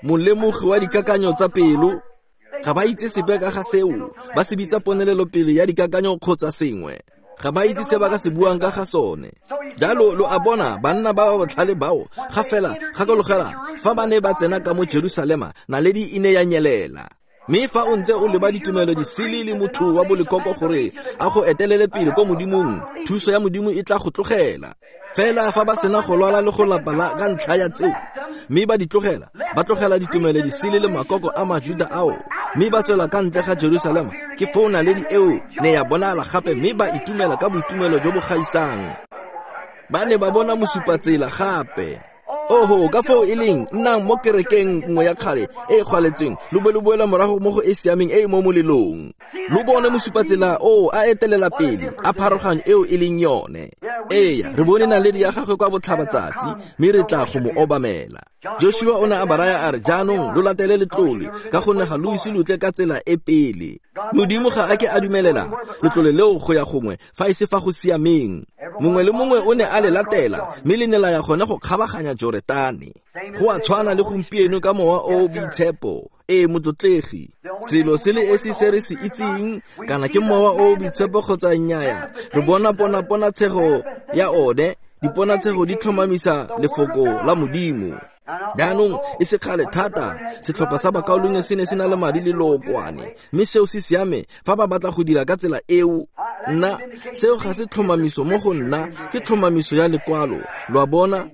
Molemogi wa dikakanyo tsa pelo, ga ba itse sepe ka ga seo. Ba se bitsa ponelelopele ya dikakanyo kgotsa sengwe. Ga ba itse se ba ka se buang ka ga sone. Jalo lo a bona, banna ba ba botlhale bao ga fela gakologela fa ba ne ba tsena ka mo Jerusalema, naledi e ne ya nyelela. Mme fa o ntse o leba ditumelo di sele le motho wa bolekoko gore a go etelele pele ko Modimong, thuso ya Modimo e tla go tlogela. Fela fa ba sena go lwala le go lapa la ka ntlha ya tseo, mme ba di tlogela, ba tlogela ditumelo di sele le makoko a Majuda ao, mme ba tswela ka ntle ga Jerusalema, ke foo naledi eo ne ya bonala gape, mme ba itumela ka boitumelo jo bo gaisang. Ba ne ba bona mosupatsela gape. Oho, ka foo e leng, nnang mo kerekeng nngwe ya kgale e e kgwaletsweng, lo bo lo boela morago mo go e siameng e e mo molelong. Lo bone mosupatsela o a etelela pele, a pharoganyo eo e leng yone. Eya, re bone naledi ya gagwe kwa botlhabatsatsi, mme re tla go mo obamela. Joshua o ne a ba raya a re, jaanong lo latele letlole, ka gonne ga lo ise lo tle ka tsela e pele. Modimo ga a ke a dumelela letlole leo go ya gongwe fa e se fa go siameng. Mongwe le mongwe o ne a le latela, mme le ne la ya gone go kgabaganya Joretane. Go a tshwana le gompieno ka mowa o o boitshepo. Ee, motlotlegi, selo se le esi se re se itseng, kana ke mowa o o boitshepo kgotsa nnyaya, re bona ponaponatshego ya one. Diponatshego di tlhomamisa lefoko la Modimo. Jaanong e se kgale thata, setlhopha sa bakaulengwe se ne se na le madi le lookwane, mme seo se siame fa ba batla go dira ka tsela eo. Nna, seo ga se tlhomamiso mo go nna, ke tlhomamiso ya lekwalo. Lo a bona?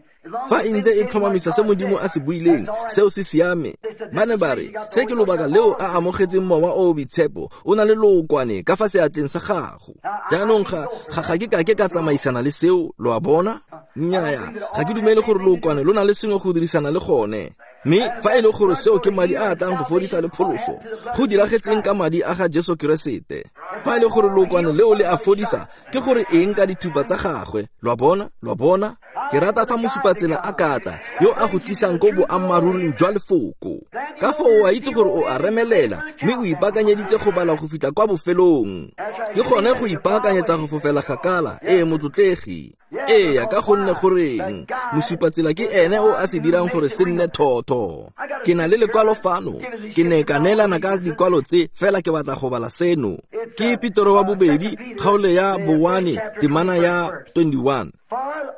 Fa e ntse e tlhomamisa se Modimo a se buileng, seo se siame. Ba ne ba re, se ke lobaka leo a amogetseng Mowa o o Boitshepo, o na le lookwane ka fa seatleng sa gago. Jaanong ga ga ga ke ka ke ka tsamaisana le seo, lo a bona? Nnyaya, ga ke dumele gore lookwane lo na le sengwe go dirisana le gone. Mme fa e le gore seo ke madi a a tlang go fodisa le pholoso, go diragetseng ka madi a ga Jesu Keresete. Fa e le gore lookwane leo le a fodisa, ke gore eng ka dithupa tsa gagwe? Lo a bona? Lo a bona? Ke rata fa mosupatsela a ka tla, yo a go tlisang ko boammaaruring jwa lefoko. Ka foo o a itse gore o a remelela, mme o ipaakanyeditse go bala go fitlha kwa bofelong. Ke gone go ipaakanyetsa go fofela kgakala, ee motlotlegi. Ee, ka gonne goreng mosupatsela ke ene o a se dirang gore se nne thotho. Ke na le lekwalo fano, ke ne ka neelana ka dikwalo tse, fela ke batla go bala seno. Ke Petero wa bobedi, kgaolo ya bowane, temana ya twenty-one.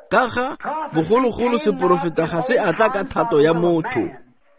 Ka ga bogologolo seporofeta ga se a tla ka thato ya motho,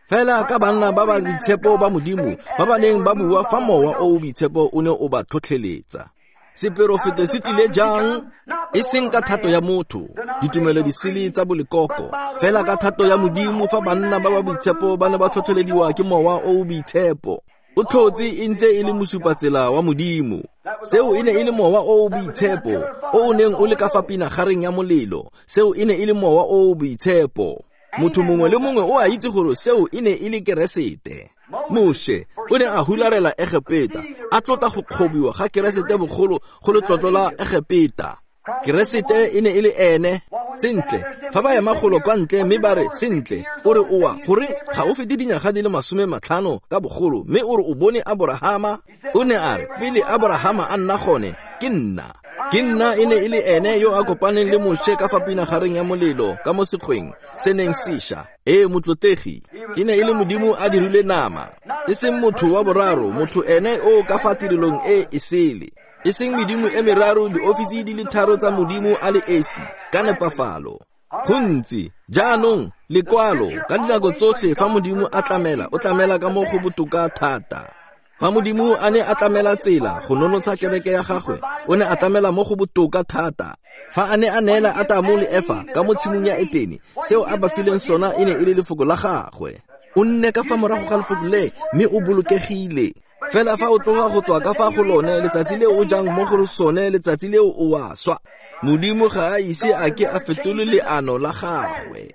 fela ka banna ba ba boitshepo ba Modimo ba ba neng ba bua fa Mowa o o Boitshepo o ne o ba tlhotlheletsa. Seporofeta se tlile jang? E seng ka thato ya motho, ditumelo di sele tsa bolekoko, fela ka thato ya Modimo fa banna ba ba boitshepo ba ne ba tlhotlhelediwa ke Mowa o o Boitshepo. O tlhotse e ntse e le mosupatsela wa Modimo. Seo e ne e le Mowa o o Boitshepo o o neng o le ka fa pinagareng ya molelo. Seo e ne e le Mowa o o Boitshepo. Motho mongwe le mongwe o a itse gore seo e ne e le Keresete. Moshe o ne a hularela Egepeta, a tlotla go kgobiwa ga Keresete bogolo go letlotlo la Egepeta. Keresete e ne e le ene. Sentle, fa ba ema golo kwa ntle mme ba re, sentle, o re oa gore ga o fete dinyaga di le masome matlhano ka bogolo, mme o re o bone Aborahama. O ne a re, pele Aborahama a nna gone, ke nna. Ke nna e ne e le ene yo a kopaneng le Moshe ka fa pinagareng ya molelo ka mo sekgweng se neng sesha. Ee motlotlegi, e ne e le Modimo a dirile nama, e seng motho wa boraro, motho ene o ka fa tirelong e e sele. E seng medimo e meraro, diofisi di le tharo tsa Modimo a le esi, ka nepafalo. Gontsi, jaanong, lekwalo, ka dinako tsotlhe fa Modimo a tlamela, o tlamela ka mo go botoka thata. Fa Modimo a ne a tlamela tsela go nonotsha kereke ya gagwe, o ne a tlamela mo go botoka thata. Fa a ne a neela Atamo le Efa ka mo tshimong ya Etene, seo a ba fileng sona e ne e le lefoko la gagwe. O nne ka fa morago ga lefoko le, mme o bolokegile. Fela fa o tloga go tswa ka fa go lone, letsatsi leo o jang mo go sone, letsatsi leo o a swa. Modimo ga a ise a ke a fetole leano la gagwe.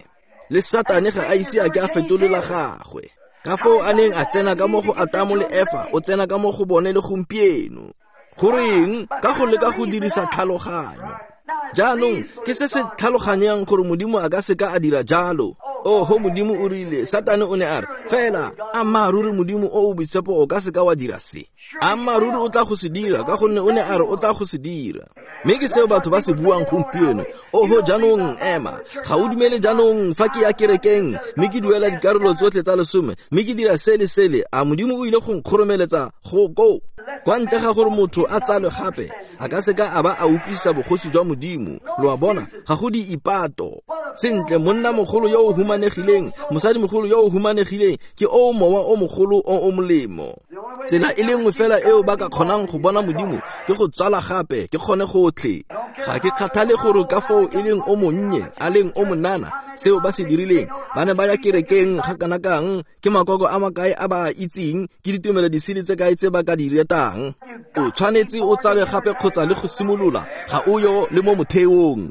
Le Satane ga a ise a ke a fetole la gagwe. Ka foo a neng a tsena ka mo go Atamo le Efa, o tsena ka mo go bone le gompieno. Goreng? Ka go leka go dirisa tlhaloganyo. Jaanong ke se se tlhaloganyang gore Modimo a ka seka a dira jalo. Oho, Modimo o rile, Satane o ne a re, fela ammaaruri Modimo o o Boitshepo o ka seka wa dira se. Ammaaruri o tla go se dira, ka gonne o ne a re o tla go se dira. Mme ke seo batho ba se buang gompieno. Oho, jaanong ema, ga o dumele jaanong fa ke ya kerekeng, mme ke duela dikarolo tsotlhe tsa lesome, mme ke dira sele sele, a Modimo o ile go nkgoromeletsa go koo? Kwa ntle ga gore motho a tsalwe gape, a ka seka a ba a utlwisisa bogosi jwa Modimo. Lo a bona, ga go di ipato. Sentle, monna mogolo yo o humanegileng, mosadi mogolo yo o humanegileng, ke o mowa o mogolo o o molemo. Tsela e le nngwe fela eo ba ka kgonang go bona Modimo ke go tsala gape, ke kgone gotlhe. Ga ke kgathale gore ka foo e leng o monnye, a leng o monana, seo ba se dirileng. Ba ne ba ya kerekeng ga kana kang, ke makoko a makae a ba a itseng, ke ditumelo disele tse kae tse ba ka di retang. O tshwanetse o tsale gape kgotsa le go simolola, ga o yo le mo motheong.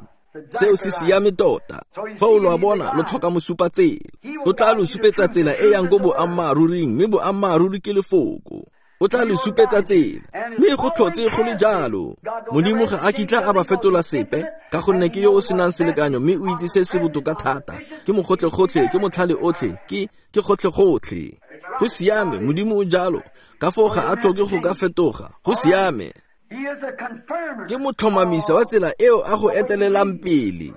Seo se siame tota. Fa o lo a bona, lo tlhoka mosupatsela. O tla lo supetsa tsela e yang ko boammaaruring, mme boammaaruri ke lefoko. O tla lo supetsa tsela, mme go tlhotse go le jalo. Modimo ga a kitla a ba fetola sepe, ka gonne ke yo o senang selekanyo, mme o itse se se botoka thata. Ke mogotlhe-gotlhe, ke motlhale otlhe, ke ke gotlhe-gotlhe. Go siame, Modimo o jalo. Ka foo ga a tlhoke go ka fetoga. Go siame. Ke motlhomamisa wa tsela eo a go etelelang pele.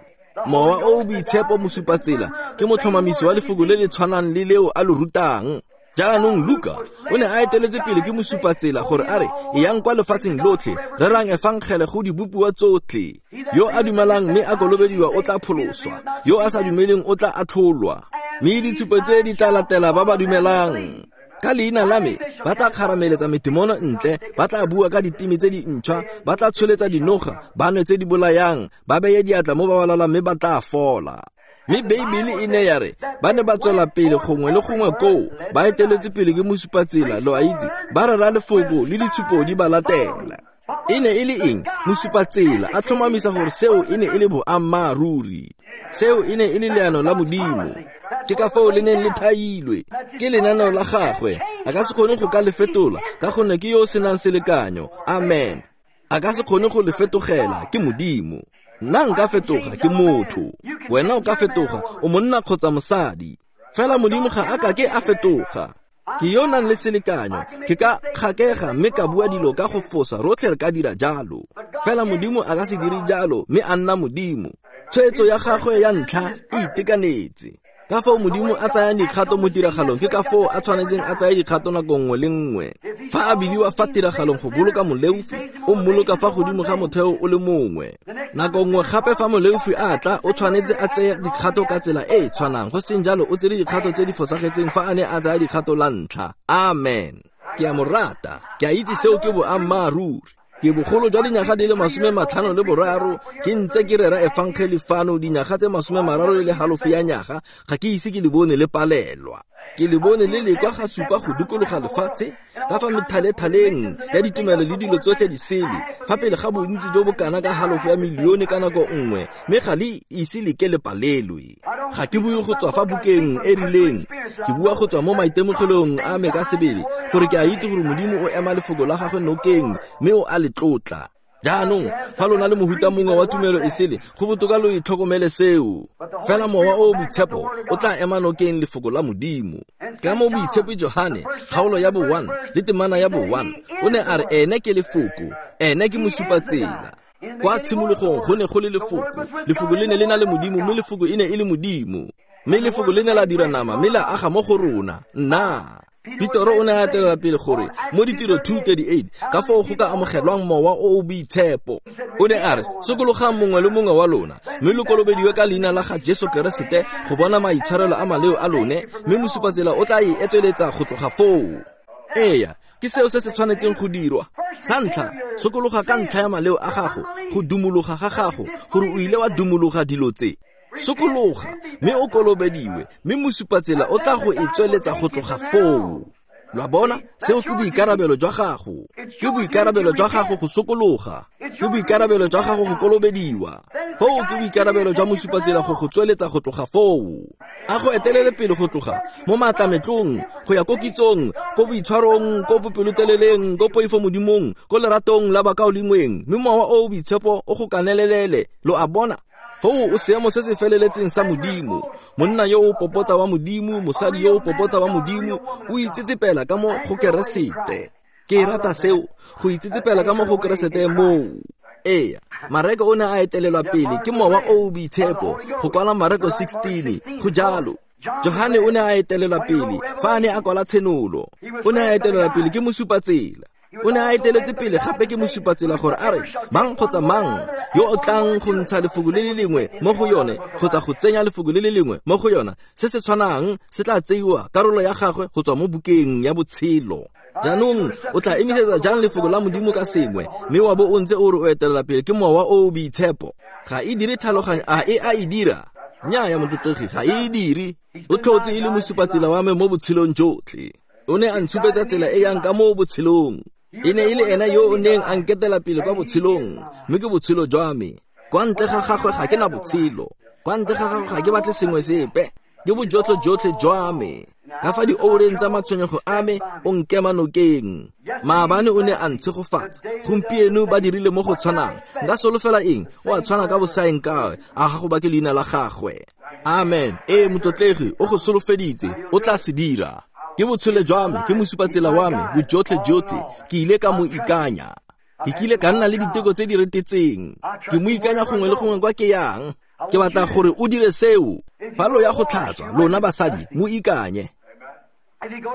Mowa o o Boitshepo mosupatsela ke motlhomamisi wa lefoko le le tshwanang le leo a lo rutang. Jaanong Luka o ne a eteletse pele ke mosupatsela gore a re, eyang kwa lefatsheng lotlhe, rerang efangele go dibopiwa tsotlhe. Yo a dumelang mme a kolobediwa o tla pholoswa, yo a sa dumeleng o tla atlholwa. Mme ditshupo tse di tla latela ba ba dumelang. Ka leina la me ba tla kgarameletsa metemono ntle, ba tla bua ka diteme tse dintšhwa, ba tla tsholetsa dinoga, ba nwe tse di bolayang, ba beye diatla mo ba ba lwalang mme ba tla fola. Mme Beibele e ne ya re ba ne ba tswela pele gongwe le gongwe koo, ba eteletswe pele ke mosupatsela, lo a itse, ba rera lefoko le ditshupo di ba latela. E ne e le eng? Mosupatsela a tlhomamisa gore seo e ne e le boammaaruri. Seo e ne e le leano la Modimo. Ke ka foo le neng le thailwe. Ke lenaneo la gagwe. A ka se kgone go ka le fetola ka gonne ke yo o senang selekanyo. Amen. A ka se kgone go le fetogela, ke Modimo. Nna nka fetoga, ke motho. Wena o ka fetoga, o monna kgotsa mosadi. Fela Modimo ga a ka ke a fetoga. Ke yo nang le selekanyo, ke ka kgakega mme ka bua dilo ka go fosa, rotlhe re ka dira jalo. Fela Modimo a ka se dire jalo mme a nna Modimo. Tshwetso ya gagwe ya ntlha e itekanetse. Ka foo Modimo a tsayang dikgato mo tiragalong, ke ka foo a tshwanetseng a tsaya dikgato nako nngwe le nngwe. Fa a bidiwa fa tiragalong go boloka moleofi, o mmoloka fa godimo ga motheo o le mongwe. Nako nngwe gape fa moleofi a tla, o tshwanetse a tseye dikgato ka tsela e e tshwanang, go seng jalo o tsere dikgato tse di fosagetseng fa a ne a tsaya dikgato la ntlha. Amen. Ke a mo rata, ke a itse seo ke boammaaruri. Ke bogolo jwa dinyaga di le masome matlhano le boraro, ke ntse ke rera efangeli fano dinyaga tse masome mararo le halofo ya nyaga, ga ke ise ke le bone le palelwa. Ke le bone le lekwa ga supa go dikologa lefatshe, ka fa methalethaleng ya ditumelo le dilo tsotlhe di sele, fa pele ga bontsi jo bo kana ka halofo ya milione ka nako nngwe, mme ga le ise le ke le palelwe. Ga ke bue go tswa fa bukeng e rileng, ke bua go tswa mo maitemogelong a me ka sebele, gore ke a itse gore Modimo o ema lefoko la gagwe nokeng, mme o a le tlotla. Jaanong, fa lona le mohuta mongwe wa tumelo e sele, go botoka lo itlhokomele seo. Fela Mowa o o Boitshepo o tla ema nokeng lefoko la Modimo. Ka mo Boitshepo Johane, kgaolo ya bo one le temana ya bo one, o ne a re ene ke lefoko, ene ke mosupatsela. Kwa tshimologong go ne go le lefoko, lefoko le ne le na le Modimo, mme lefoko e ne e le Modimo. Mme lefoko le ne la dira nama, mme la aga mo go rona. Nna Petoro o ne a etelela pele gore mo ditiro two thirty-eight ka foo go ka amogelwang Mowa o o Boitshepo. O ne a re, sokologang mongwe le mongwe wa lona, mme lo kolobediwe ka leina la ga Jesu Keresete go bona maitshwarelo a maleo a lone, mme mosupatsela o tla e etsweletsa go tloga foo. Eya, ke seo se se tshwanetseng go dirwa. Sa ntlha, sokologa ka ntlha ya maleo a gago, go dumologa ga gago, gore o ile wa dumologa dilo tse. Sokologa, mme o kolobediwe, mme mosupatsela o tla go e tsweletsa go tloga foo. Lo a bona, seo ke boikarabelo jwa gago. Ke boikarabelo jwa gago go sokologa. Ke boikarabelo jwa gago go kolobediwa. Foo ke boikarabelo jwa mosupatsela go go tsweletsa go tloga foo. A go etelele pele go tloga mo maatlametlong, go ya ko kitsong, ko boitshwarong, ko bopeloteleleng, ko poifo Modimong, ko leratong la bakaulengweng, mme Mowa o o Boitshepo o go kanelelele. Lo a bona? Foo o seemo se se feleletseng sa Modimo. Monna yo o popota wa Modimo, mosadi yo o popota wa Modimo, o itsetsepela ka mo go Keresete. Ke rata seo, go itsetsepela ka mo go Keresete moo. Eya, Mareko o ne a etelelwa pele ke Mowa o o Boitshepo go kwala Mareko sixteen, go jalo. Johane o ne a etelelwa pele fa a ne a kwala Tshenolo. O ne a etelelwa pele ke mosupatsela. O ne a eteletse pele gape ke mosupatsela gore a re mang kgotsa mang yo o tlang go ntsha lefoko le le lengwe mo go yone kgotsa go tsenya lefoko le le lengwe mo go yona, se se tshwanang se tla tseiwa karolo ya gagwe go tswa mo bukeng ya botshelo. Jaanong o tla emisetsa jang lefoko la Modimo ka sengwe, mme wa bo o ntse o re o etelela pele ke Mowa o o Boitshepo? Ga e dire tlhaloganyo, a e a e dira? Nnyaa, motlotlegi, ga e dire. O tlhotse e le mosupatsela wa me mo botshelong jotlhe. O ne a ntshupetsa tsela e yang ka mo botshelong. E ne e le ena yo o neng a nketela pele kwa botshelong, mme ke botshelo jwa me. Kwa ntle ga gagwe ga ke na botshelo. Kwa ntle ga gagwe ga ke batle sengwe sepe. Ke bojotlhe jotlhe jwa me. Ka fa dioureng tsa matshwenyego a me, o nkema nokeng. Maabane o ne a ntshegofatsa, gompieno ba dirile mo go tshwanang. Nka solofela eng? O a tshwana ka bosaeng kae, a ga go bake leina la gagwe. Amen. Ee, motlotlegi, o go solofeditse, o tla se dira. Ke botshelo jwa me, ke mosupatsela wa me, bojotlhe jotlhe, ke ile ka mo ikanya. Ke kile ka nna le diteko tse di retetseng. Ke mo ikanya gongwe le gongwe kwa ke yang. Ke batla gore o dire seo. Fa lo ya go tlhatswa, lona basadi, mo ikanye.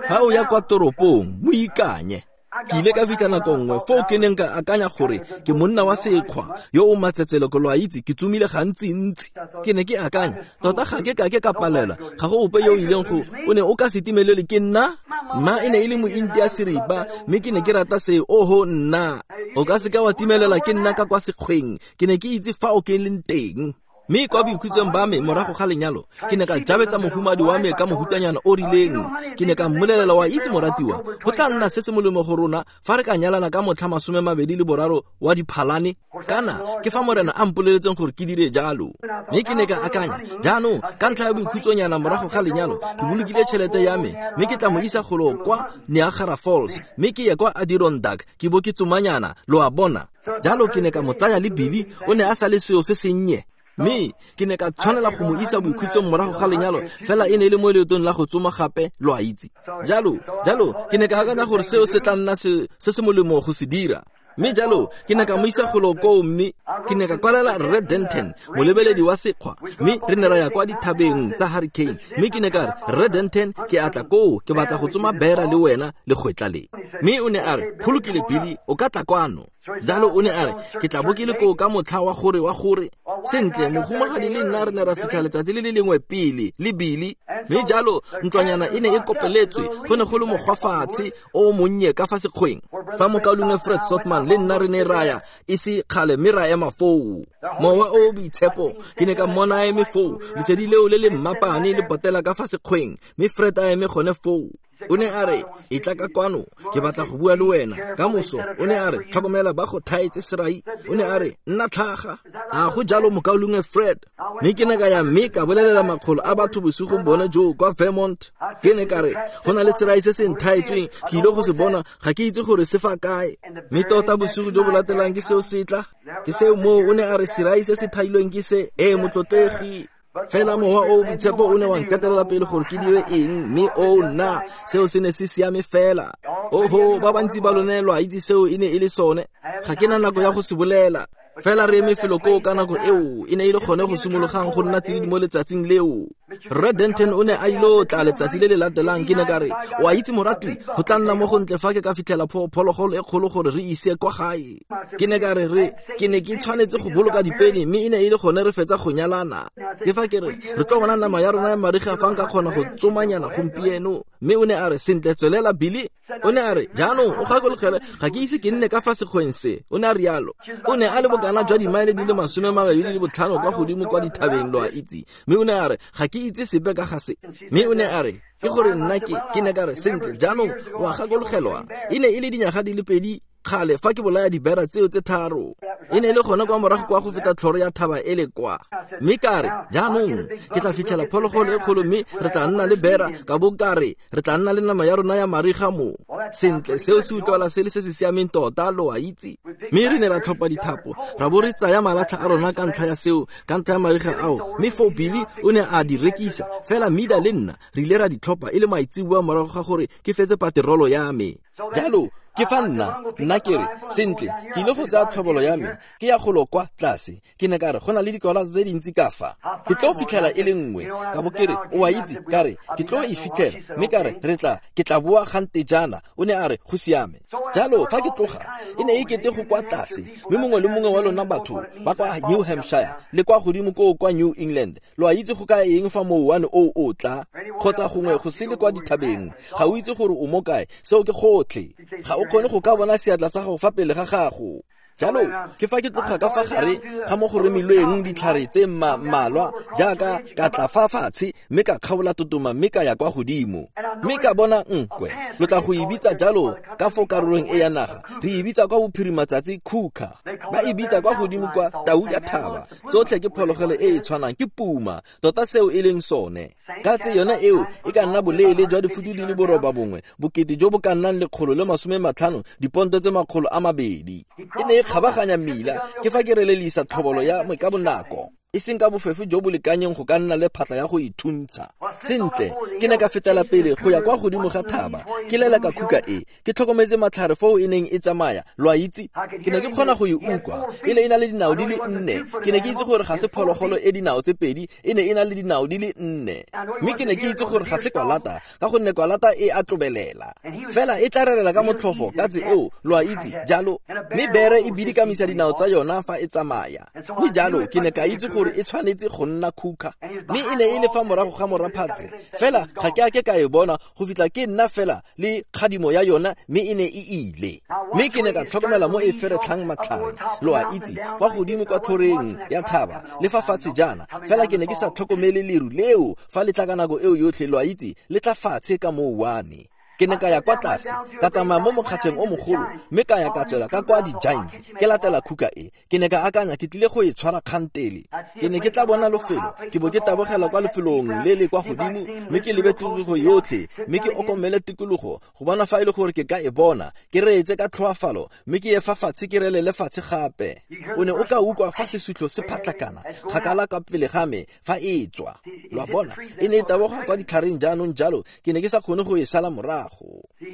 Fa o ya kwa toropong, mo ikanye. Ke ile ka fitlha nako nngwe foo ke neng ka akanya gore ke monna wa sekgwa yo o matsetseleko, lo a itse, ke tsomile gantsi-ntsi. Ke ne ke akanya, tota ga ke ka ke ka palelwa, ga go ope yo o ileng go, o ne o ka se timelele ke nna. Mma e ne e le mointi ya seripa, mme ke ne ke rata se, oho nna. O ka se ka wa timelela ke nna ka kwa sekgweng, ke ne ke itse fa o ke leng teng. Mme kwa boikhutsong ba me morago ga lenyalo, ke ne ka jabetsa mohumadi wa me ka mohutanyana o rileng. Ke ne ka mmolelela, wa itse moratiwa, go tla nna se se molemo go rona fa re ka nyalana ka motlha masome mabedi le boraro wa Diphalane, kana ke fa morena a mpoleletseng gore ke dire jalo. Mme ke ne ka akanya, jaanong ka ntlha ya boikhutsonyana morago ga lenyalo, ke bolokile tšhelete ya me, mme ke tla mo isa golo kwa Niagara Falls, mme ke ye kwa Adirondack, ke bo ke tsomanyana, lo a bona. Jalo ke ne ka mo tsaya le Billy, o ne a sa le seo se sennye. Mme ke ne ka tshwanela go mo isa boikhutsong morago ga lenyalo, fela e ne e le mo leetong la go tsoma gape, lo a itse. Jalo, jalo ke ne ka akanya gore seo se tla nna se se se molemo go se dira. Mme jalo ke ne ka mo isa golo koo, mme ke ne ka kwalela Rre Denton, molebeledi wa sekgwa, mme re ne ra ya kwa dithabeng tsa Hurricane. Mme ke ne ka re, Rre Denton, ke a tla koo, ke batla go tsoma bera le wena le kgwetla le. Mme o ne a re, go lokile Billy, o ka tla kwano. Jalo o ne a re, ke tla bo ke le koo ka motlha wa gore wa gore. Sentle, mohumagadi le nna re ne ra fitlha letsatsi le le lengwe pele le Billy. Mme jalo ntlwanyana e ne e kopeletswe, go ne go le mogwafatshe o monnye ka fa sekgweng. Fa mokaulengwe Fred Sotman le nna re ne ra ya e se kgale, mme ra ema foo. Mowa o o boitshepo, ke ne ka mmona a eme foo, lesedi leo le le mmapane le potela ka fa sekgweng, mme Fred a eme gone foo. O ne a re, e tla ka kwano, ke batla go bua le wena. Ka moso, o ne a re, tlhokomela ba go thaetse serai. O ne a re, nna tlhaga. A go jalo mokaulengwe Fred. Mme ke ne ka ya mme ka bolelela makgolo a batho bosigong bone joo kwa Vermont. Ke ne ka re, go na le serai se se nthaetsweng, ke ile go se bona, ga ke itse gore se fa kae. Mme tota bosigo jo bo latelang ke seo se tla. Ke seo moo, o ne a re serai se se thailweng ke se, ee motlotlegi. Fela mowa o boitshepo o ne wa nketelela pele gore ke dire eng, mme o nna seo se ne se siame fela. Oho, ba bantsi ba lone lo a itse seo e ne e le sone. Ga ke na nako ya go se bolela. Fela re eme felo koo ka nako eo, e ne e le gone go simologang go nna tsididi mo letsatsing leo. Rre Denton o ne a ile tla letsatsi le le latelang. Ke ne ka re, o a itse moratwi, go tla nna mo go ntle fa ke ka fitlhela phologolo e kgolo gore re ise kwa gae. Ke ne ka re, re ke ne ke tshwanetse go boloka dipeni, mme e ne e le gone re fetsa go nyalana. Ke fa ke re, re tlo bona nama ya rona ya mariga fa nka kgona go tsomanyana gompieno. Mme o ne a re, sentle, tswelela Billy. O ne a re, jaanong o gakologele, ga ke ise ke nne ka fa sekgweng se. O ne a rialo. O ne a le bokana jwa dimaele di le masome mabedi le botlhano kwa godimo kwa dithabeng, lo a itse. Mme o ne a re, ga ke itse sepe ka ga se. Mme o ne a re, ke gore nna ke ke ne ka re, sentle, jaanong o a gakologelwa, e ne e le dinyaga di le pedi kgale fa ke bolaya dibera tseo tse tharo. E ne e le gone kwa morago kwa go feta tlhoro ya thaba e le kwa. Mme ka re, jaanong ke tla fitlhela phologolo e kgolo, mme re tla nna le bera, ka bo ka re re tla nna le nama ya rona ya mariga mo. Sentle, seo se utlwala se le se se siameng tota, lo a itse. Mme re ne ra tlhopha dithapo, ra bo re tsaya malatlha a rona ka ntlha ya seo, ka ntlha ya mariga ao. Mme foo Billy o ne a di rekisa, fela Mida le nna re ile ra di tlhopha e le maitseboa morago ga gore ke fetse paterolo ya me. Jalo ke fa nna, nna ke re, sentle, ke ile go tsaya tlhobolo ya me, ke ya golo kwa tlase. Ke ne ka re, go na le dikola tse dintsi ka fa, ke tlo fitlhela e le nngwe. Ka bo ke re, o a itse, ka re, ke tlo e fitlhela, mme ka re, re tla, ke tla boa gante jaana. O ne a re, go siame. Jalo fa ke tloga, e ne e kete go kwa tlase, mme mongwe le mongwe wa lona batho ba kwa New Hampshire le kwa godimo koo kwa New England, lo a itse go ka eng fa mouwane o o tla, kgotsa gongwe go sele kwa dithabeng, ga o itse gore o mo kae, seo ke gotlhe. Ga o kgone go ka bona seatla sa gago fa pele ga gago. Jalo ke fa ke tloga ka fa gare ga mo go remilweng ditlhare tse mmalwa, jaaka ka tla fa fatshe, mme ka kgaola totoma, mme ka ya kwa godimo, mme ka bona nkwe. Lo tla go e bitsa jalo ka fo karolong e ya naga, re e bitsa kwa bophirimatsatsi khuka, ba e bitsa kwa godimo kwa tau ya thaba. Tsotlhe ke phologolo e e tshwanang, ke puma tota seo e leng sone. Ka tse yone eo e ka nna boleele jwa difutu di le boroba bongwe, bokete jo bo ka nnang lekgolo le masome matlhano, diponto tse makgolo a mabedi. E ne e kgabaganya mmila, ke fa ke relelisa tlhobolo ya me ka bonako, e seng ka bofefo jo bo lekanyeng go ka nna le phatla ya go ithuntsha. Sentle, ke ne ka fetela pele go ya kwa godimo ga thaba, ke lela ka khuka e, ke tlhokometse matlhare foo e neng e tsamaya, lo a itse. Ke ne ke kgona go e utlwa, e ne e na le dinao di le nne. Ke ne ke itse gore ga se phologolo e dinao tse pedi, e ne e na le dinao di le nne. Mme ke ne ke itse gore ga se kwalata, ka gonne kwalata e a tlobelela, fela e tla rerela ka motlhofo ka tse eo, lo a itse jalo. Mme bere e bidikamisa dinao tsa yona fa e tsamaya. Mme jalo ke ne ka itse gore gore e tshwanetse go nna khuka. Mme e ne e le fa morago ga moraphatse, fela ga ke a ke ka e bona go fitlha ke nna fela le kgadimo ya yona, mme e ne e ile. Mme ke ne ka tlhokomela mo e feretlhang matlhare, lo a itse, kwa godimo kwa tlhoreng ya thaba le fa fatshe jaana, fela ke ne ke sa tlhokomele leru leo fa le tla ka nako eo yotlhe, lo a itse, le tla fatshe ka mouwane. Ke ne ka ya kwa tlase, ka tsamaya mo mokgatšheng o mogolo, mme ka ya ka tswela ka kwa di-Giants, ke latela khuka e. Ke ne ka akanya ke tlile go e tshwara kgantele. Ke ne ke tla bona lefelo, ke bo ke tabogela kwa lefelong le le kwa godimo, mme ke lebe tikologo yotlhe, mme ke okomele tikologo go bona fa e le gore ke ka e bona, ke reetse ka tlhoafalo, mme ke ye fa fatshe ke relele fatshe gape. O ne o ka utlwa fa sesutlho se phatlakana kgakala ka pele ga me fa e tswa. Lo a bona, e ne e taboga kwa ditlhareng jaanong jalo, ke ne ke sa kgone go e sala morago.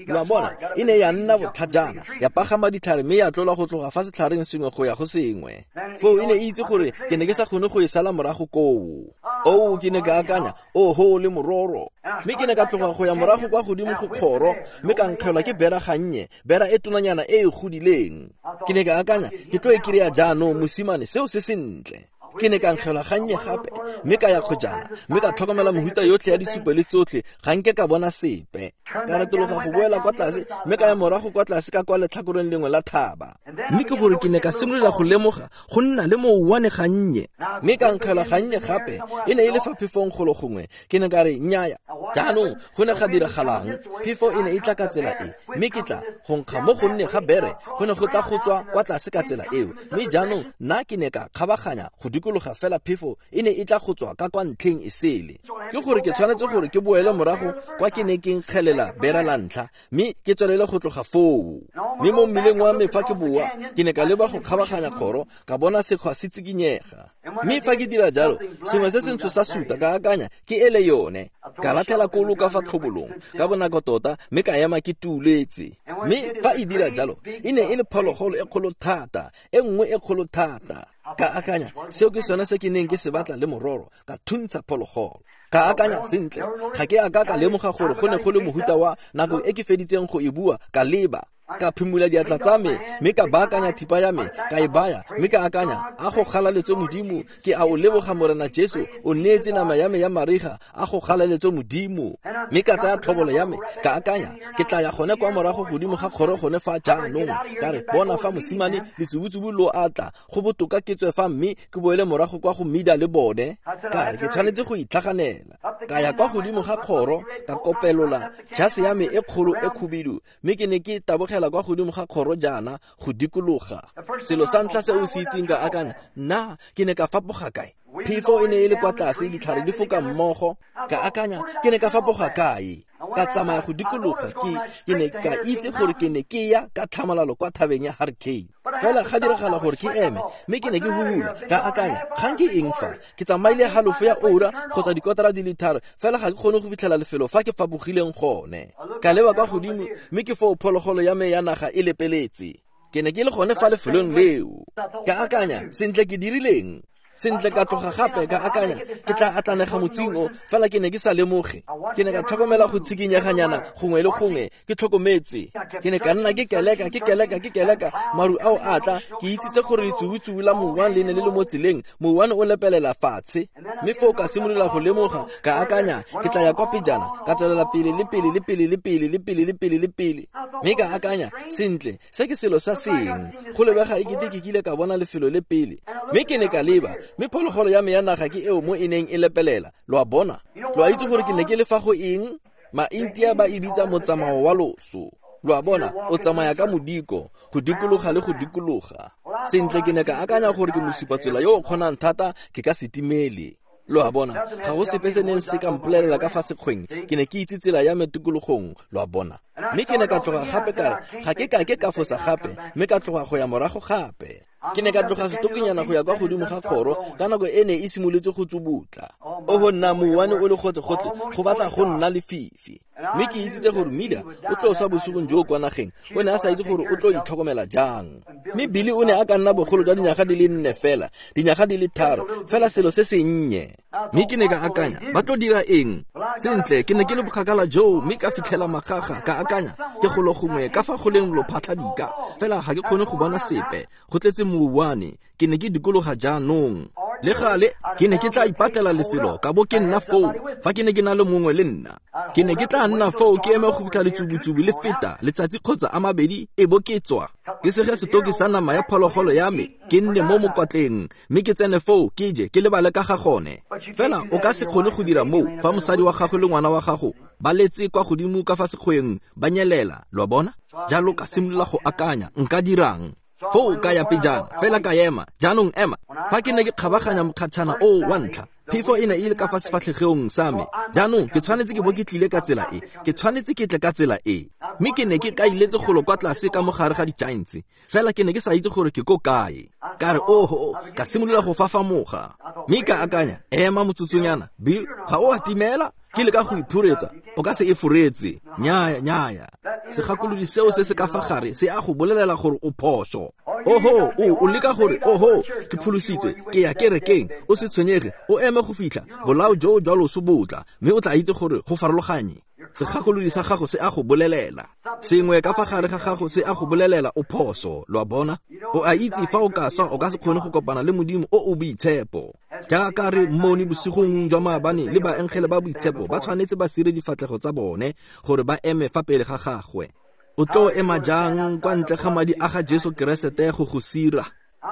Lo a bona, e ne ya nna botlhajana, ya pagama ditlhare mme ya tlola go tloga fa setlhareng sengwe go ya go sengwe. Foo e ne e itse gore ke ne ke sa kgone go e sala morago koo. Oo, ke ne ka akanya, oho le mororo. Mme ke ne ka tloga go ya morago kwa godimo go kgoro, mme ka nkgelwa ke bera gannye, bera e tonanyana e e godileng. Ke ne ka akanya, ke tlo e kry-a jaanong, mosimane, seo se sentle. Ke ne ka nkgelwa gannye gape, mme ka ya kgojana, mme ka tlhokomela mehuta yotlhe ya ditshupo le tsotlhe, ga nke ka bona sepe. Ka retologa go boela kwa tlase, mme ka ya morago kwa tlase ka kwa letlhakoreng lengwe la thaba. Mme ke gore ke ne ka simolola go lemoga go nna le mouwane gannye, mme ka nkgelwa gannye gape, e ne e le fa phefong golo gongwe. Ke ne ka re nnyaya. Jaanong go ne ga diragalang? Phefo e ne e tla ka tsela e, mme ke tla go nkga mo go nne ga bere, go ne go tla go tswa kwa tlase ka tsela eo. Mme jaanong nna ke ne ka kgabaganya go dikologa fela, phefo e ne e tla go tswa ka kwa ntlheng e sele. Ke gore ke tshwanetse gore ke boele morago kwa ke ne ke nkgelela bera la ntlha, mme ke tswelele go tloga foo. Mme mo mmileng wa me fa ke boa, ke ne ka leba go kgabaganya kgoro, ka bona sekgwa se tsikinyega. Mme fa ke dira jalo, sengwe se sentsho sa suta, ka akanya ke ele yone. Ka latlhela kolo ka fa tlhobolong ka bonako tota, mme ka ema ke tuletse. Mme fa e dira jalo, e ne e le phologolo e kgolo thata, e nngwe e kgolo thata. Ka akanya, seo ke sone se ke neng ke se batla le mororo, ka thuntsha phologolo. Ka akanya sentle, ga ke a ka ka lemoga gore go ne go le mohuta wa nako e ke feditseng go e bua, ka leba. Ka phimola diatla tsa me, mme ka baakanya thipa ya me, ka e baya, mme ka akanya, a go galaletswe Modimo, ke a o leboga Morena Jesu, o neetse nama ya me ya mariga, a go galaletswe Modimo. Mme ka tsaya tlhobolo ya me, ka akanya, ke tla ya gone kwa morago godimo ga kgoro gone fa jaanong. Ka re, bona fa mosimane, letsubutsubu lo a tla, go botoka ke tswe fa mme ke boele morago kwa go Mida le bone. Ka re, ke tshwanetse go itlhaganela. Ka ya kwa godimo ga kgoro, ka kopelola jase ya me e kgolo e khubidu, mme ke ne ke tabogela kwa godimo ga kgoro jaana go dikologa. Selo sa ntlha se o se itseng, ka akanya, nna ke ne ka fapoga kae? Phefo e ne e le kwa tlase, ditlhare di foka mmogo. Ka akanya, ke ne ka fapoga kae? Ka tsamaya go dikologa, ke ke ne ka itse gore ke ne ke ya ka tlhamalalo kwa thabeng ya Hurricane. Fela ga diragala gore ke eme, mme ke ne ke huhula. Ka akanya, kgang ke eng fa? Ke tsamaile halofo ya ura kgotsa dikotara di le tharo, fela ga ke kgone go fitlhela lefelo fa ke fapogileng gone. Ka leba kwa godimo, mme ke foo phologolo ya me ya naga e lepeletse. Ke ne ke le gone fa lefelong leo. Ka akanya, sentle ke dirileng? Sentle ka tloga gape, ka akanya, ke tla atlanega motsing o, fela ke ne ke sa lemoge. Ke ne ka tlhokomela go tshikinyeganyana gongwe le gongwe, ke tlhokometse. Ke ne ka nna ke keleka, ke keleka, ke keleka, maru ao a tla, ke itsitse gore letsubutsubu la mouwane le ne le le mo tseleng, mouwane o lepelela fatshe. Mme foo ka simolola go lemoga, ka akanya, ke tla ya kwa pejana, ka tswelela pele le pele le pele le pele le pele le pele le pele. Mme ka akanya, sentle, se ke selo sa seng, go lebega e kete ke kile ka bona lefelo le pele. Mme ke ne ka leba, mme phologolo ya me ya naga ke eo mo e neng e lepelela. Lo a bona? Lo a itse gore ke ne ke le fa go eng? Maintia ba e bitsa motsamao wa loso. Lo a bona, o tsamaya ka modiko, go dikologa le go dikologa. Sentle ke ne ka akanya gore ke mosupatsela yo o kgonang thata, ke ka se timele. Lo a bona, ga go sepe se neng se ka mpolelela ka fa sekgweng, ke ne ke itse tsela ya me tikologong, lo a bona. Mme ke ne ka tloga gape ka re, ga ke ka ke ka fosa gape, mme ka tloga go ya morago gape. Ke ne ka tloga setokinyana go ya kwa godimo ga kgoro, ka nako e ne e simolotse go tsubutla. Oho nna, mouwane o le gotlhe-gotlhe, go batla go nna lefifi. Mme ke itsitse gore Mida o tlo swa bosigong jo kwa nageng, o ne a sa itse gore o tlo itlhokomela jang. Mme Billy o ne a ka nna bogolo jwa dinyaga di le nne fela, dinyaga di le tharo, fela selo se sennye. Mme ke ne ka akanya, ba tlo dira eng? Sentle, ke ne ke le bokgakala joo, mme ka fitlhela magaga, ka akanya, ke golo gongwe ka fa go leng lophatlhadika, fela ga ke kgone go bona sepe, go tletse mouwane, ke ne ke dikologa jaanong. Le gale ke ne ke tla ipatlela lefelo ka bo ke nna foo fa ke ne ke na le mongwe le nna. Ke ne ke tla nna foo ke eme go fitlha letsubutsubu le feta letsatsi kgotsa a mabedi e bo ke tswa. Ke sege setoki sa nama ya phologolo ya me, ke nne mo mokwatleng mme ke tsene foo ke je ke lebale ka ga gone. Fela o ka se kgone go dira moo fa mosadi wa gago le ngwana wa gago ba letse kwa godimo ka fa sekgweng ba nyelela, lo a bona? Jalo ka simolola go akanya, nka dirang? Foo ka ya pejana, fela ka ema, jaanong ema. Fa ke ne ke kgabaganya mokgatšhana o wa ntlha, phefo e ne e le ka fa sefatlhegong sa me. Jaanong ke tshwanetse ke bo ke tlile ka tsela e, ke tshwanetse ke tle ka tsela e. Mme ke ne ke kailetse golo kwa tlase ka mogare ga di-giants, fela ke ne ke sa itse gore ke ko kae. Ka re oho, ka simolola go fafamoga. Mme ka akanya, ema motsotsonyana, Bill, ga o a timela? Ke leka go iphuretsa, o ka se e furetse. Nnyaya, nnyaya. Segakolodi seo se se ka fa gare se a go bolelela gore o phoso. Oho, o o leka gore oho, ke pholositswe, ke ya kerekeng, o se tshwenyege, o eme go fitlha bolao joo jwa loso bo tla, mme o tla itse gore go farologanye. Segakolodi sa gago se a go bolelela. Sengwe ka fa gare ga gago se a go bolelela o phoso, lo a bona? O a itse fa o ka swa o ka se kgone go kopana le Modimo o o boitshepo. Jaaka re mmone bosigong jwa maabane le baengele ba boitshepo ba tshwanetse ba sire difatlhego tsa bone gore ba eme fa pele ga gagwe. O tlo ema jang kwa ntle ga madi a ga Jesu Keresete go go sira?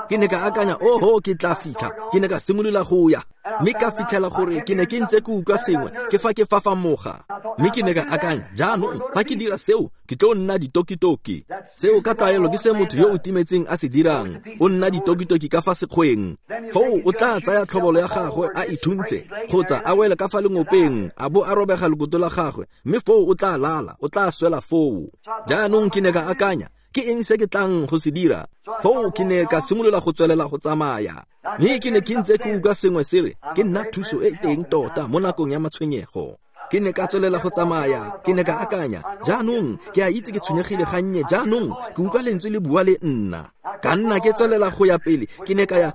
Ke ne ka akanya, oho, ke tla fitlha. Ke ne ka simolola go ya, mme ka fitlhela gore ke ne ke ntse ke utlwa sengwe ke fa ke fafamoga. Mme ke ne ka akanya, jaanong fa ke dira seo ke tlo nna ditokitoki. Seo ka tlwaelo ke se motho yo o timetseng a se dirang, o nna ditokitoki ka fa sekgweng. Foo o tla tsaya tlhobolo ya gagwe a ithuntse kgotsa a wele ka fa lengopeng a bo a robega lekoto la gagwe, mme foo o tla lala, o tla swela foo. Jaanong ke ne ka akanya, ke eng se ke tlang go se dira? Foo ke ne ka simolola go tswelela go tsamaya. Mme ke ne ke ntse ke utlwa sengwe se re, ke nna thuso e teng tota mo nakong ya matshwenyego. Ke ne ka tswelela go tsamaya, ke ne ka akanya, jaanong ke a itse ke tshwenyegile gannye, jaanong ke utlwa lentswe le bua le nna. Ka nna ke tswelela go ya pele, ke ne ka ya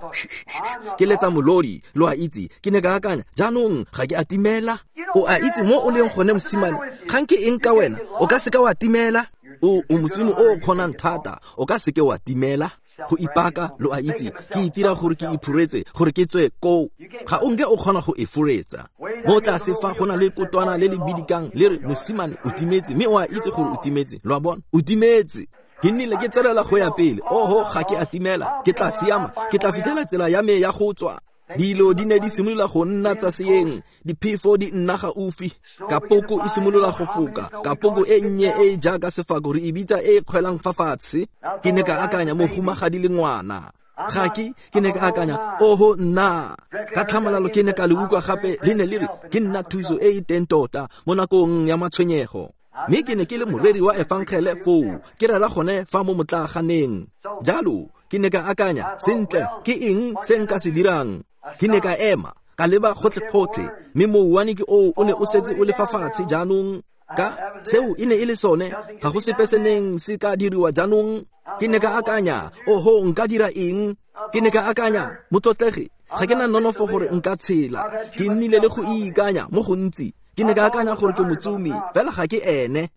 ke letsa molodi, lo a itse, ke ne ka akanya, jaanong ga ke a timela. O a itse mo o leng gone mosimane, kgang ke eng ka wena, o ka seka wa timela. O o motsimo o kgonang thata, o ka seke wa timela. Go ipaka, lo a itse, ke itira gore ke iphuretse, gore ke tswe koo. Ga o nke o kgona go e furetsa. Mo tlase fa go na le kotwana le le bidikang le re mosimane o timetse, mme o a itse gore o timetse, lo a bona, o timetse. Ke nnile ke tswelela go ya pele, oho, ga ke a timela, ke tla siama, ke tla fitlhela tsela ya me ya go tswa. Dilo di ne di simolola go nna tsa seeng, diphefo di nna gaufi, kapoko e simolola go foka, kapoko e nnye e e jaaka sefako re e bitsa e e kgwelang fa fatshe. Ke ne ka akanya mohumagadi le ngwana. Ga ke ke ne ka akanya, oho nna. Ka tlhamalalo ke ne ka le utlwa gape le ne le re ke nna thuso e e teng tota mo nakong ya matshwenyego. Mme ke ne ke le moreri wa efangele foo, ke rera gone fa mo motlaaganeng. Jalo ke ne ka akanya, sentle, ke eng se nka se dirang? Ke ne ka ema, ka leba gotlhe-gotlhe, mme mouwane ke oo o ne o setse o le fa fatshe jaanong. Ka seo e ne e le sone, ga go sepe se neng se ka diriwa jaanong. Ke ne ka akanya, oho, nka dira eng? Ke ne ka akanya, motlotlegi, ga ke na nonofo gore nka tshela. Ke nnile le go ikanya mo gontsi. Ke ne ka akanya gore ke motsumi, fela ga ke ene.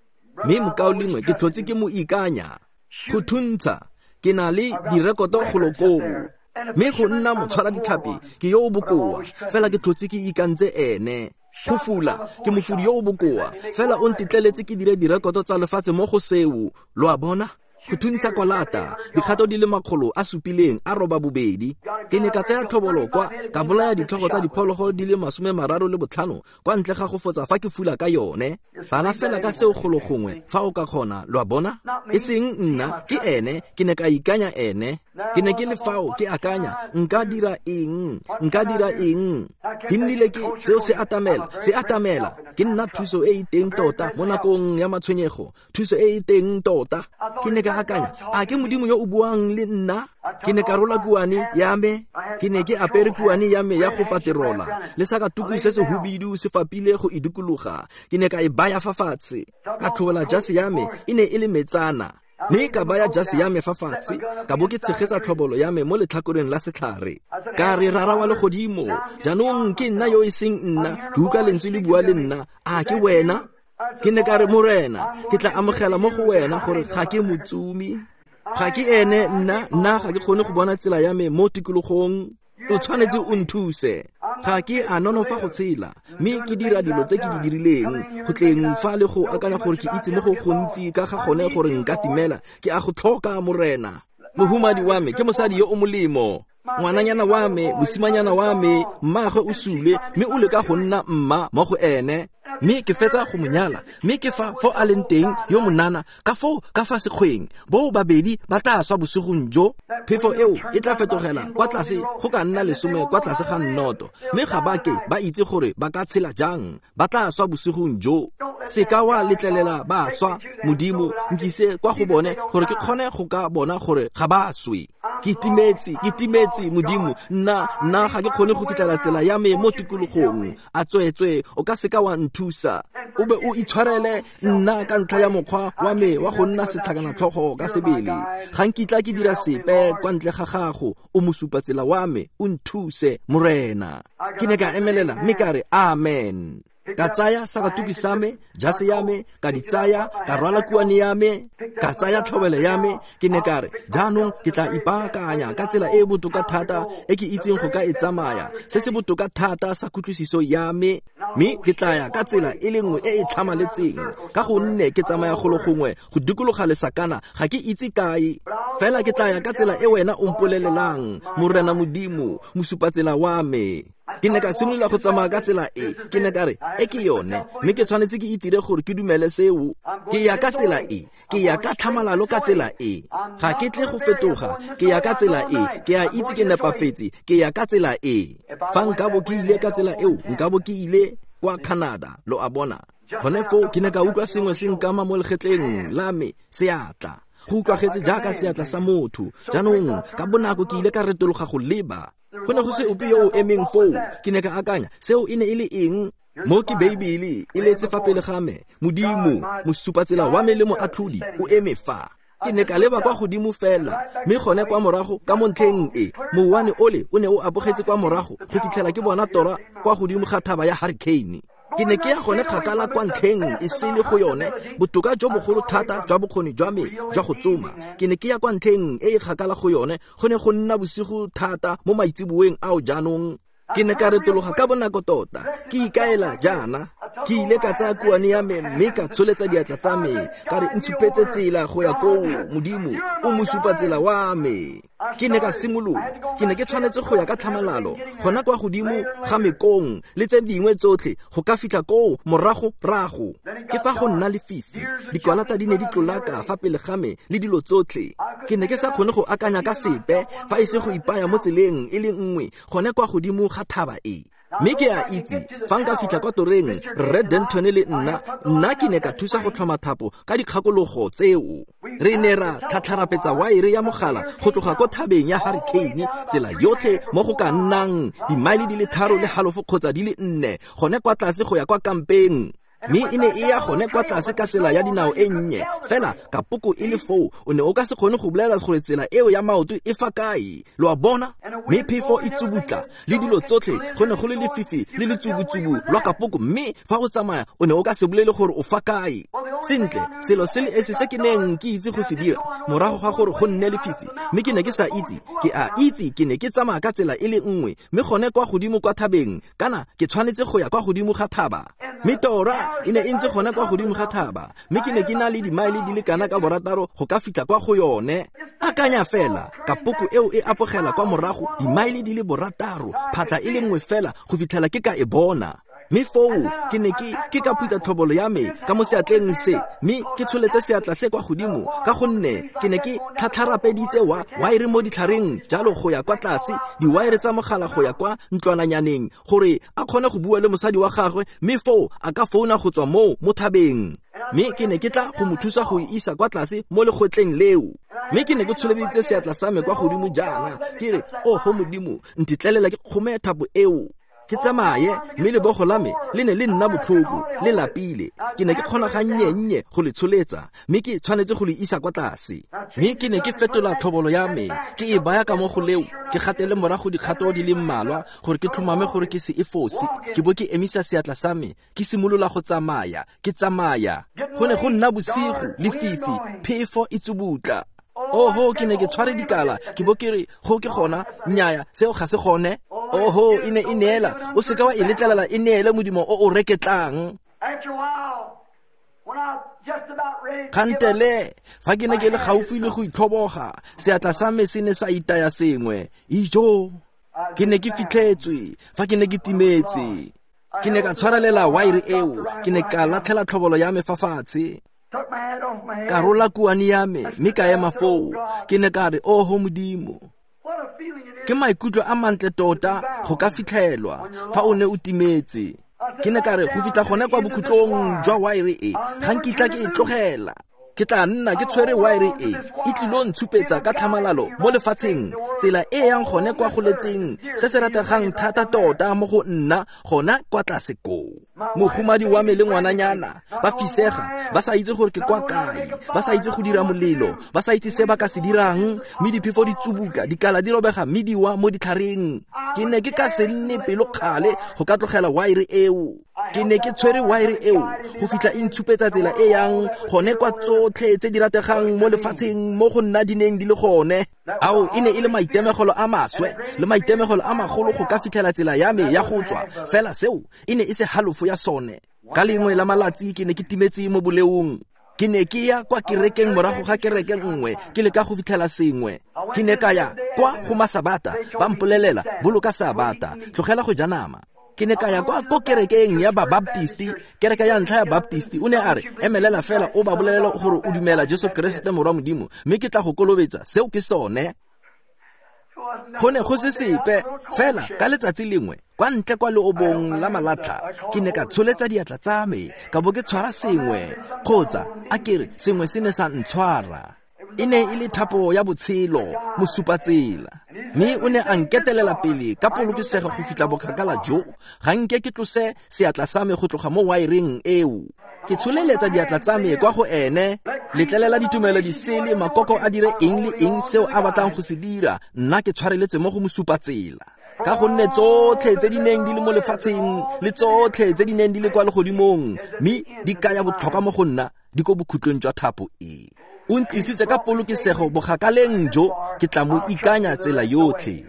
Mme mokaulengwe ke tlhotse ke mo ikanya. Go thuntsha, ke na le direkoto golo koo. Mme go nna motshwara ditlhapi ke yo o bokoa, fela ke tlhotse ke ikantse ene. Go fula, ke mofudi yo o bokoa, fela o ntetleletse ke dire direkoto tsa lefatshe mo go seo, lo a bona? Go thuntsha kwalata, dikgato di le makgolo a supileng a roba bobedi. Ke ne ka tsaya tlhobolo kwa, ka bolaya ditlhogo tsa diphologolo di le masome mararo le botlhano kwa ntle ga go fotsa fa ke fula ka yone. Bala fela ka seo golo gongwe fa o ka kgona, lo a bona? E seng nna, ke ene, ke ne ka ikanya ene. Ke ne ke le fao ke akanya, nka dira eng? Nka dira eng? Ke nnile ke seo se atamela, se atamela. Ke nna thuso e e teng tota mo nakong ya matshwenyego, thuso e e teng tota. Ke ne ka akanya, a ke Modimo yo o buang le nna? Ke ne ka rola kuane ya me, ke ne ke apere kuane ya me ya go paterola, le sakatuku se se hubidu se fapile go e dikologa. Ke ne ka e baya fa fatshe, ka tlhobola jase ya me, e ne e le metsana. Mme ka baya jase ya me fa fatshe, ka bo ke tshegetsa tlhobolo ya me mo letlhakoreng la setlhare. Ka re, Rara wa legodimo, jaanong ke nna yo e seng nna, ke utlwa lentswe le bua le nna, a ke wena? Ke ne ka re, Morena, ke tla amogela mo go wena gore ga ke motsumi. Ga ke ene nna, nna ga ke kgone go bona tsela ya me mo tikologong. O tshwanetse o nthuse. Ga ke a nonofa go tshela, mme ke dira dilo tse ke di dirileng, go tleng fa le go akanya gore ke itse mo go gontsi ka ga gone gore nka timela. Ke a go tlhoka, Morena. Mohumadi wa me ke mosadi yo o molemo. Ngwananyana wa me, mosimanyana wa me, mmaagwe o sule, mme o leka go nna mma mo go ene. Mme ke fetsa go mo nyala, mme ke fa fo a leng teng yo monana, ka foo ka fa sekgweng, bo babedi ba tla swa bosigong jo. Phefo eo e tla fetogela kwa tlase go ka nna lesome kwa tlase ga nnoto, mme ga ba ke ba itse gore ba ka tshela jang, ba tla swa bosigong jo. Se ka wa letlelela ba swa, Modimo, nkise kwa go bone gore ke kgone go ka bona gore ga ba swe. Ke timetse, ke timetse, Modimo, nna nna ga ke kgone go fitlhela tsela ya me mo tikologong. A tsweetswe o ka seka wa nthusa, o be o itshwarele nna ka ntlha ya mokgwa wa me wa go nna setlhakanatlhogo ka sebele. Ga nkitla ke dira sepe kwa ntle ga gago, o mosupatsela wa me, o nthuse, Morena. Ke ne ka emelela mme ka re amen. Ka tsaya sakatuki sa me, jase ya me, ka di tsaya, ka rwala kuane ya me, ka tsaya tlhobelo ya me. Ke ne ka re, jaanong ke tla ipaakanya ka tsela e e botoka thata e ke itseng go ka e tsamaya, se se botoka thata sa kutlwisiso ya me, mme ke tla ya ka tsela e le nngwe e e tlhamaletseng, ka gonne ke tsamaya golo gongwe go dikologa lesakana, ga ke itse kae. Fela ke tla ya ka tsela e wena o mpolelelang, Morena Modimo, mosupatsela wa me. Ke ne ka simolola go tsamaya ka tsela e, ke ne ka re, e ke yone, mme ke tshwanetse ke itire gore ke dumele seo. Ke ya ka tsela e, ke ya ka tlhamalalo ka tsela e, ga ke tle go fetoga, ke ya ka tsela e, ke a itse ke nepafetse, ke ya ka tsela e. Fa nkabo ke ile ka tsela eo, nkabo ke ile kwa Canada, lo a bona. Gone foo ke ne ka utlwa sengwe se nkama mo legetleng la me, seatla. Go utlwagetse jaaka seatla sa motho. Jaanong ka bonako ke ile ka retologa go leba. Go ne go se ope yo o emeng foo. Ke ne ka akanya, seo e ne e le eng? Mo ke Beibele e letse fa pele ga me, Modimo, mosupatsela wa me le moatlhodi, o eme fa. Ke ne ka leba kwa godimo fela, mme gone kwa morago ka mo ntlheng e, mouwane ole o ne o apogetse kwa morago go fitlhela ke bona tora kwa godimo ga thaba ya Hurricane. Ke ne ke ya gone kgakala kwa ntlheng e sele go yone, botoka jo bogolo thata jwa bokgoni jwa me jwa go tsoma. Ke ne ke ya kwa ntlheng e e kgakala go yone, go ne go nna bosigo thata mo maitseboeng ao jaanong. Ke ne ka retologa ka bonako tota, ke ikaela jaana. Ke ile ka tsaya kuane ya me mme ka tsholetsa diatla tsa me, ka re ntshupetse tsela go ya koo, Modimo, o mosupatsela wa me. Ke ne ka simolola, ke ne ke tshwanetse go ya ka tlhamalalo, gona kwa godimo ga mekong le tse dingwe tsotlhe, go ka fitlha koo morago rago. Ke fa go nna lefifi, dikwalata di ne di tlolaka fa pele ga me le dilo tsotlhe. Ke ne ke sa kgone go akanya ka sepe fa e se go ipaya mo tseleng e le nngwe, gone kwa godimo ga thaba e. Mme ke a itse, fa nka fitlha kwa toreng, Rre Denton le nna, nna ke ne ka thusa go tlhoma thapo ka dikgakologo tseo. Re ne ra tlhatlharapetsa waere ya mogala go tloga ko thabeng ya Hurricane, tsela yotlhe mo go ka nnang dimaele di le tharo le halofo kgotsa di le nne, gone kwa tlase go ya kwa kampeng. Mme e ne e ya gone kwa tlase ka tsela ya dinao e nnye, fela kapoko e le foo, o ne o ka se kgone go bolela gore tsela eo ya maoto e fa kae, lo a bona. Mme phefo e tsubutla le dilo tsotlhe, go ne go le lefifi le letsubutsubu lwa kapoko, mme fa o tsamaya o ne o ka se bolele gore o fa kae. Sentle, selo se le esi se ke neng ke itse go se dira morago ga gore go nne lefifi, mme ke ne ke sa itse, ke a itse ke ne ke tsamaya ka tsela e le nngwe, mme gone kwa godimo kwa thabeng, kana ke tshwanetse go ya kwa godimo ga thaba. Mme tora e ne e ntse gone kwa godimo ga thaba, mme ke ne ke na le dimaele di le kana ka borataro go ka fitlha kwa go yone. Akanya fela, kapoko eo e apogela kwa morago dimaele di le borataro, phatla e le nngwe fela go fitlhela ke ka e bona. Mme foo ke ne ke ke ka phutha tlhobolo ya me ka mo seatleng se, mme ke tsholetse seatla se kwa godimo, ka gonne ke ne ke tlhatlharapeditse wa waere mo ditlhareng jalo go ya kwa tlase, diwaere tsa mogala go ya kwa ntlwananyaneng, gore a kgone go bua le mosadi wa gagwe, mme foo a ka founa go tswa moo mo thabeng. Mme ke ne ke tla go mo thusa go e isa kwa tlase mo legwetleng leo. Mme ke ne ke tsholeditse seatla sa me kwa godimo jaana, ke re, oho Modimo, ntetlelela ke kgome thapo eo, ke tsamaye. Mme lebogo la me le ne le nna botlhoko, le lapile. Ke ne ke kgona ga nnye-nnye go le tsholetsa, mme ke tshwanetse go le isa kwa tlase. Mme ke ne ke fetola tlhobolo ya me, ke e baya ka mo go leo, ke gatele morago dikgato di le mmalwa gore ke tlhomame gore ke se e fose. Ke bo ke emisa seatla sa me, ke simolola go tsamaya, ke tsamaya. Go ne go nna bosigo, lefifi, phefo e tsubutla. Oho, ke ne ke tshware dikala, ke bo ke re go ke gona, nnyaya, seo ga se gone. Oho, e ne e neela, o seka wa e letlelela e neele modimo o o reketlang. Kgantele, fa ke ne ke le gaufi le go itlhoboga, seatla sa me se ne sa itaya sengwe. Ijo, ke ne ke fitlhetswe, fa ke ne ke timetse. Ke ne ka tshwarelela waere eo, ke ne ka latlhela tlhobolo ya me fa fatshe. Ka rola kuane ya me, mme ka ema foo. Ke ne ka re, oho Modimo, ke maikutlo a mantle tota go ka fitlhelwa fa o ne o timetse. Ke ne ka re, go fitlha gone kwa bokhutlong jwa waere e, ga nkitla ke e tlogela. Ke tla nna ke tshwere waere e, e tlilo ntshupetsa ka tlhamalalo mo lefatsheng, tsela e yang gone kwa goletseng, se se rategang thata tota mo go nna gona kwa tlase koo. Mogomadi wa me le ngwananyana ba fisega, ba sa itse gore ke kwa kae, ba sa itse go dira molelo, ba sa itse se ba ka se dirang, mme diphefo di tsubuka, dikala di robega mme di wa mo ditlhareng. Ke ne ke ka se nne pelokgale go ka tlogela waere eo. Ke ne ke tshwere waere eo go fitlha e ntshupetsa tsela e yang gone kwa tsotlhe tse di rategang mo lefatsheng mo go nna di neng di le gone. Ao, e ne e le maitemogelo a maswe le maitemogelo a magolo go ka fitlhela tsela ya me ya go tswa, fela seo e ne e se halofo ya sone. Ka lengwe la malatsi ke ne ke timetse mo boleong. Ke ne ke ya kwa kerekeng morago ga kereke nngwe, ke leka go fitlhela sengwe. Ke ne ka ya kwa go masabata, ba mpolelela, boloka sabata, tlogela go ja nama. Ke ne ka ya kwa ko kerekeng ya Babaptisti, kereke ya ntlha ya Baptisti. O ne a re, emelela fela o ba bolelela gore o dumela Jesu Keresete morwa Modimo, mme ke tla go kolobetsa. Seo ke sone. Go ne go se sepe, fela ka letsatsi lengwe, kwa ntle kwa leobong la malatlha, ke ne ka tsholetsa diatla tsa me, ka bo ke tshwara sengwe, kgotsa a ke re sengwe se ne sa ntshwara. E ne e le thapo ya botshelo, mosupatsela. Mme o ne a nketelela pele ka polokesego go fitlha bokgakala jo, ga nke ke tlose seatla sa me go tloga mo waereng eo. Ke tsholeletsa diatla tsa me kwa go ene, letlelela ditumelo di sele, makoko a dire eng le eng seo a batlang go se dira, nna ke tshwareletse mo go mosupatsela. Ka gonne tsotlhe tse di neng di le mo lefatsheng le tsotlhe tse di neng di le kwa legodimong, mme di kaya botlhokwa mo go nna, di ko bokhutlong jwa thapo e. O ntlisitse ka polokesego bogakaleng jo, ke tla mo ikanya tsela yotlhe.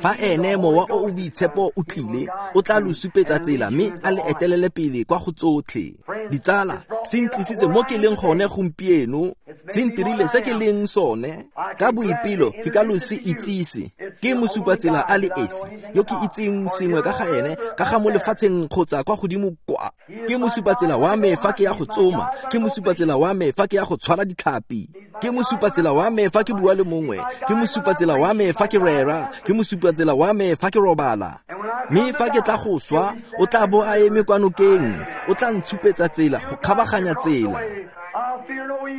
Fa ene mowa o o boitshepo o tlile, o tla lo supetsa tsela mme a le etelele pele kwa go tsotlhe. Ditsala, se ntlisitse mo ke leng gone gompieno, se ntirile se ke leng sone. Ka boipelo ke ka lo se itsise. Ke mosupatsela a le esi yo ke itseng sengwe ka ga ene, ka ga mo lefatsheng kgotsa kwa godimo kwa. Ke mosupatsela wa me fa ke ya go tsoma, ke mosupatsela wa me fa ke ya go tshwara ditlhapi, ke mosupatsela wa me fa ke bua le mongwe, ke mosupatsela wa me fa ke rera, ke mosupatsela wa me fa ke robala. Mme fa ke tla go swa, o tla bo a eme kwa nokeng, o tla ntshupetsa tsela go kgabaganya tsela.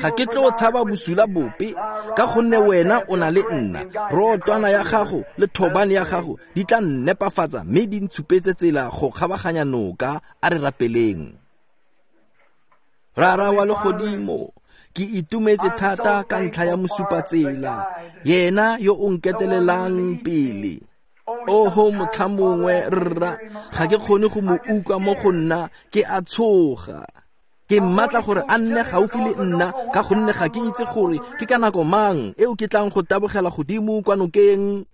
Ga ke tlo tshaba bosula bope, ka gonne wena o na le nna. Rotwana ya gago le thobane ya gago di tla nnepafatsa mme di ntshupetse tsela go kgabaganya noka. A re rapeleng. Rara wa legodimo, ke itumetse thata ka ntlha ya mosupatsela, yena yo o nketelelang pele. Oho motlha mongwe rra, ga ke kgone go mo utlwa mo go nna, ke a tshoga. Ke mmatla gore a nne gaufi le nna, ka gonne ga ke itse gore ke ka nako mang eo ke tlang go tabogela godimo kwa nokeng.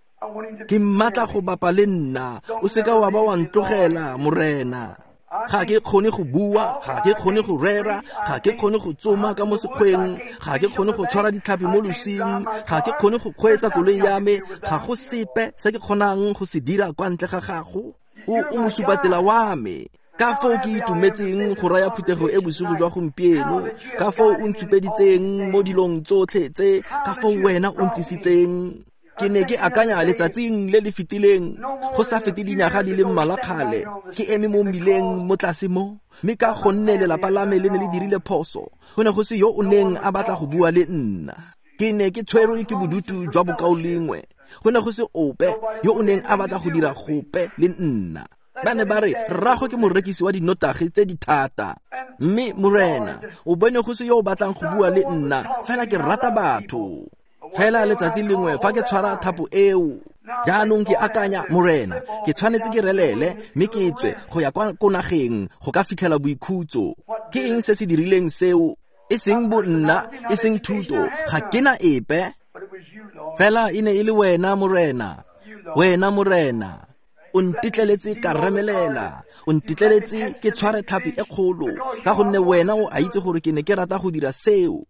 Ke mmatla go bapa le nna, o seka wa ba wa ntlogela, Morena. Ga ke kgone go bua, ga ke kgone go rera, ga ke kgone go tsoma ka mo sekgweng, ga ke kgone go tshwara ditlhapi mo losing, ga ke kgone go kgweetsa koloi ya me, ga go sepe se ke kgonang go se dira kwa ntle ga gago. O o mosupatsela wa me. Ka foo ke itumetseng go raya phuthego e bosigo jwa gompieno, ka foo o ntshupeditseng mo dilong tsotlhe tse, ka foo wena o ntlisitseng. Ke ne ke akanya letsatsing le le fetileng, go sa fete dinyaga di le mmalwa kgale, ke eme mo mmileng mo tlase mo, mme ka gonne lelapa la me le ne le dirile phoso, go ne go se yo o neng a batla go bua le nna. Ke ne ke tshwerwe ke bodutu jwa bokaulengwe, go ne go se ope yo o neng a batla go dira gope le nna. Ba ne ba re rrago ke morekisi wa dinotagi tse di thata, mme Morena o bone go se yo o batlang go bua le nna, fela ke rata batho. Fela letsatsi lengwe fa ke tshwara thapo eo, jaanong ke akanya, Morena, ke tshwanetse ke relele mme ke tswe go ya kwa ko nageng go ka fitlhela boikhutso. Ke eng se se dirileng seo? E seng bo nna, e seng thuto, ga ke na epe. Fela e ne e le wena Morena, wena Morena. O ntetleletse ka remelela, o ntetleletse ke tshware tlhapi e kgolo, ka gonne wena o a itse gore ke ne ke rata go dira seo.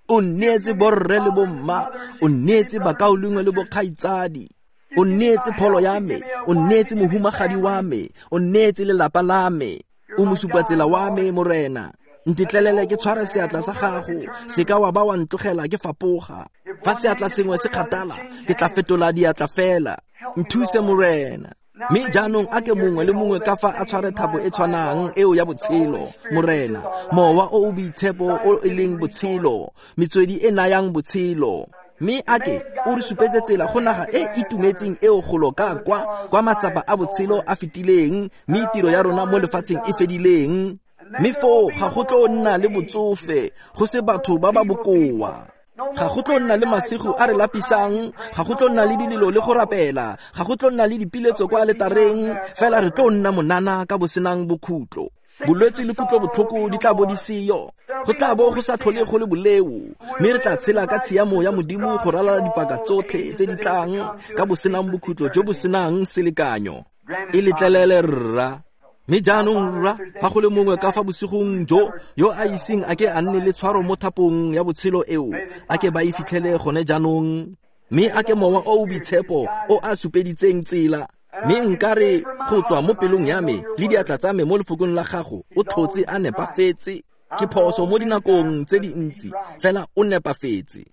O nneetse borre le bomma, o nneetse bakaulengwe le bokgaitsadi, o nneetse pholo ya me, o nneetse mohumagadi wa me, o nneetse lelapa la me, o mosupatsela wa me Morena. Ntetlelele ke tshware seatla sa gago, se ka wa ba wa ntlogela ke fapoga. Fa seatla sengwe se kgathala, ke tla fetola diatla fela. Nthuse Morena. Mme jaanong a ke mongwe le mongwe ka fa a tshware thapo e tshwanang eo ya botshelo, Morena. Mowa o o boitshepo o e leng botshelo, metswedi e nayang botshelo. Mme a ke o re supetse tsela go naga e itumetseng eo golo ka kwa, kwa matsapa a botshelo a fetileng, mme tiro ya rona mo lefatsheng e fedileng. Mme foo ga go tlo nna le botsofe, go se batho ba ba bokoa. Ga go tlo nna le masigo a re lapisang, ga go tlo nna le dilelo le go rapela, ga go tlo nna le dipiletso kwa aletareng, fela re tlo nna monana ka bosenang bokhutlo. Bolwetse le kutlobotlhoko di tla bo di seyo, go tla bo go sa tlhole go le boleo, mme re tla tshela ka tshiamo ya Modimo go ralala dipaka tsotlhe tse di tlang ka bosenang bokhutlo jo bo senang selekanyo. E letlelele rra. Mme jaanong rra, fa go le mongwe ka fa bosigong jo yo a iseng a ke a nne le tshwaro mo thapong ya botshelo eo, a ke ba e fitlhele gone jaanong. Mme a ke mowa o o boitshepo o a supeditseng tsela. Mme nkare go tswa mo pelong ya me le diatla tsa me mo lefokong la gago, o tlhotse a nepafetse. Ke phoso mo dinakong tse dintsi, fela o nepafetse.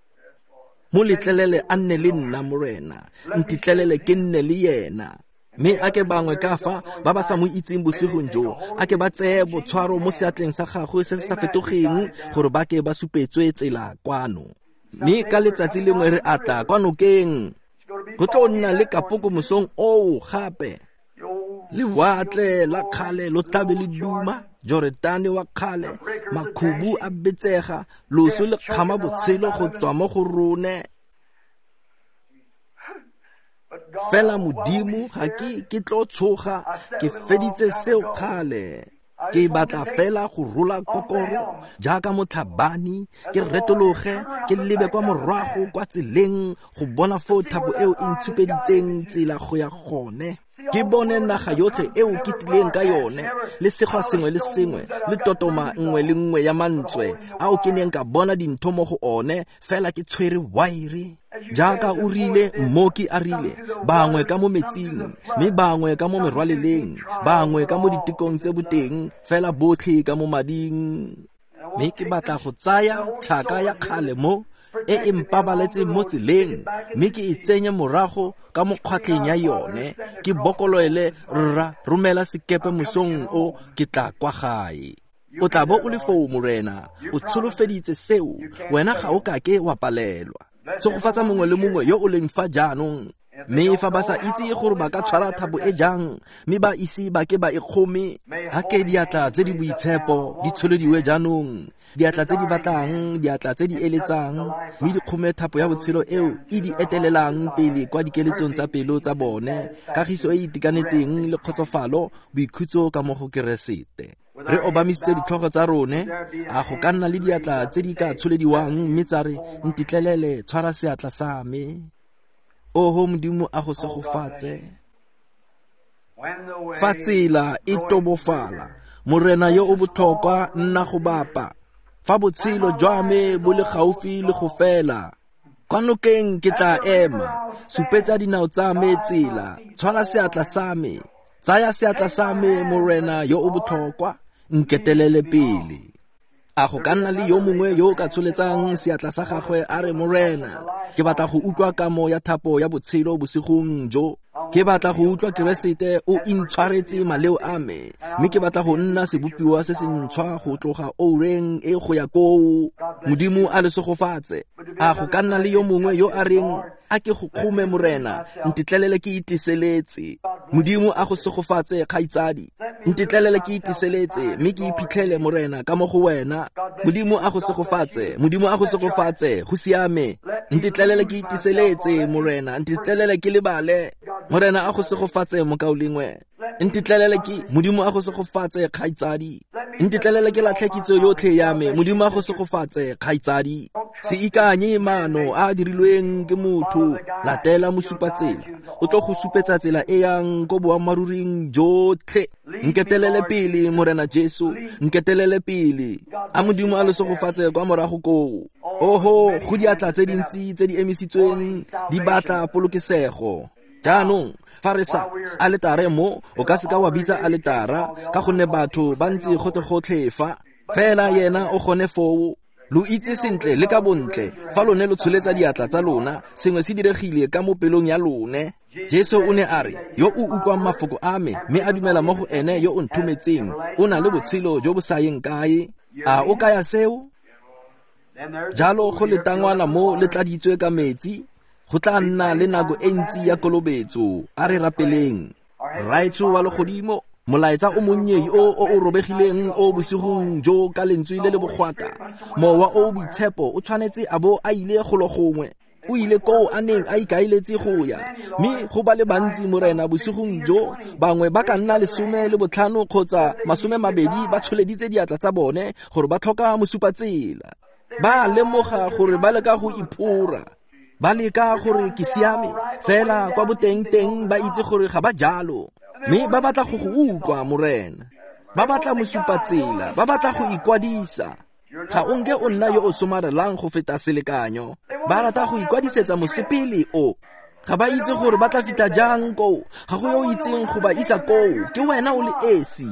Mo letlelele a nne le nna Morena, ntetlelele ke nne le yena. Mme a ke bangwe ka fa ba ba sa mo itseng bosigong jo, a ke ba tseye botshwaro mo seatleng sa gagwe se se sa fetogeng, gore ba ke ba supetswe tsela kwano. Mme ka letsatsi lengwe re atla kwa nokeng, go tlo nna le kapoko mosong oo gape. Lewatle la kgale lo tlabe le duma, Joretane wa kgale, makhubu a betsega, loso le kgama botshelo go tswa mo go rone. Fela Modimo ga ke ke tlo tshoga, ke feditse seo kgale. Ke batla fela go rola kokoro jaaka motlhabani, ke retologe, ke lebe kwa morago kwa tseleng go bona foo thapo eo e ntshupeditseng tsela go ya gone. Ke bone naga yotlhe eo ke tlileng ka yone, le segwa sengwe le sengwe, le totoma nngwe le nngwe ya mantswe ao ke neng ka bona dintho mo go one, fela ke tshwere waere. Jaaka o rile, mmoki a rile, bangwe ka mo metsing, mme bangwe ka mo merwaleleng, bangwe ka mo ditekong tse boteng, fela botlhe ka mo mading. Mme ke batla go tsaya tšhaka ya kgale mo e e mpabaletseng mo tseleng, mme ke e tsenye morago ka mo kgwatlheng ya yone, ke bokoloele rra, romela sekepe mosong o, ke tla kwa gae. O tla bo o le foo Morena, o tsholofeditse seo, wena ga o kake wa palelwa. Tshegofatsa mongwe le mongwe yo o leng fa jaanong. Mme fa ba sa itse gore ba ka tshwara thapo e jang, mme ba ise ba ke ba e kgome, a ke diatla tse di boitshepo di tsholediwe jaanong, diatla tse di batlang, diatla tse di eletsang, mme di kgome thapo ya botshelo eo e di etelelang pele kwa dikeletsong tsa pelo tsa bone, kagiso e itekanetseng le kgotsofalo, boikhutso ka mo go Keresete. Re obamisitse ditlhogo tsa rone, a go ka nna le diatla tse di ka tsholediwang mme tsa re, ntetlelele, tshwara seatla sa me. Oho Modimo a go segofatse. Fa tsela e tobofala, Morena yo o botlhokwa nna go bapa. Fa botshelo jwa me bo le gaufi le go fela, kwa nokeng ke tla ema, supetsa dinao tsa me tsela, tshwara seatla sa me, tsaya seatla sa me Morena yo o botlhokwa, nketelele pele. A go ka nna le yo mongwe yo o ka tsholetsang seatla sa gagwe a re, Morena, ke batla go utlwa kamo ya thapo ya botshelo bosigong jo. Ke batla go utlwa Keresete o intshwaretse maleo a me, mme ke batla go nna sebopiwa se se ntšhwa go tloga oureng e go ya koo. Modimo a le segofatse. A go ka nna le yo mongwe yo a reng, a ke go kgome Morena, ntetlelele ke iteseletse. Modimo a go segofatse kgaitsadi, ntetlelele ke iteseletse, mme ke iphitlhele Morena ka mo go wena. Modimo a go segofatse, Modimo a go segofatse, go siame. Ntetlelele ke iteseletse Morena, ntetlelele ke lebale. Morena a go segofatse mokaulengwe. Ntetlelele ke, Modimo a go segofatse kgaitsadi. Ntetlelele ke latlhe kitso yotlhe ya me, Modimo a go segofatse kgaitsadi. Se ikanye maano a a dirilweng ke motho, latela mosupatsela. O tlo go supetsa tsela e yang ko boammaaruring jotlhe. Nketelele pele, Morena Jesu, nketelele pele. A Modimo a le segofatse kwa morago koo. Oho, go diatla tse dintsi tse di emisitsweng di batla polokesego. Jaanong, fa re sa aletare mo, o ka seka wa bitsa aletara ka gonne batho ba ntse gotlhe-gotlhe fa. Fela yena o gone foo. Lo itse sentle le ka bontle fa lone lo tsholetsa diatla tsa lona, sengwe se diregile ka mo pelong ya lone. Jesu o ne a re, yo o utlwang mafoko a me mme a dumela mo go ene yo o nthometseng, o na le botshelo jo bo sa yeng kae. A o kaya seo? Jalo go letangwana mo le tladitswe ka metsi, go tla nna le nako e ntsi ya kolobetso. A re rapeleng. Rraetsho wa legodimo, molaetsa o monnye o o o robegileng o bosigong jo ka lentswe le le bogwata. Mowa o o boitshepo o tshwanetse a bo a ile golo gongwe. O ile koo a neng a ikaeletse go ya. Mme go ba le bantsi, Morena, bosigong jo, bangwe ba ka nna lesome le botlhano kgotsa masome mabedi ba tsholeditse diatla tsa bone gore ba tlhoka mosupatsela. Ba lemoga gore ba leka go iphora. Ba leka gore ke siame, fela kwa boteng-teng ba itse gore ga ba jalo. Mme ba batla go go utlwa, Morena. Ba batla mosupatsela, ba batla go ikwadisa. Ga o nke o nna yo o somarelang go feta selekanyo. Ba rata go ikwadisetsa mosepele o. Ga ba itse gore ba tla fitlha jang koo. Ga go yo o itseng go ba isa koo, ke wena o le esi.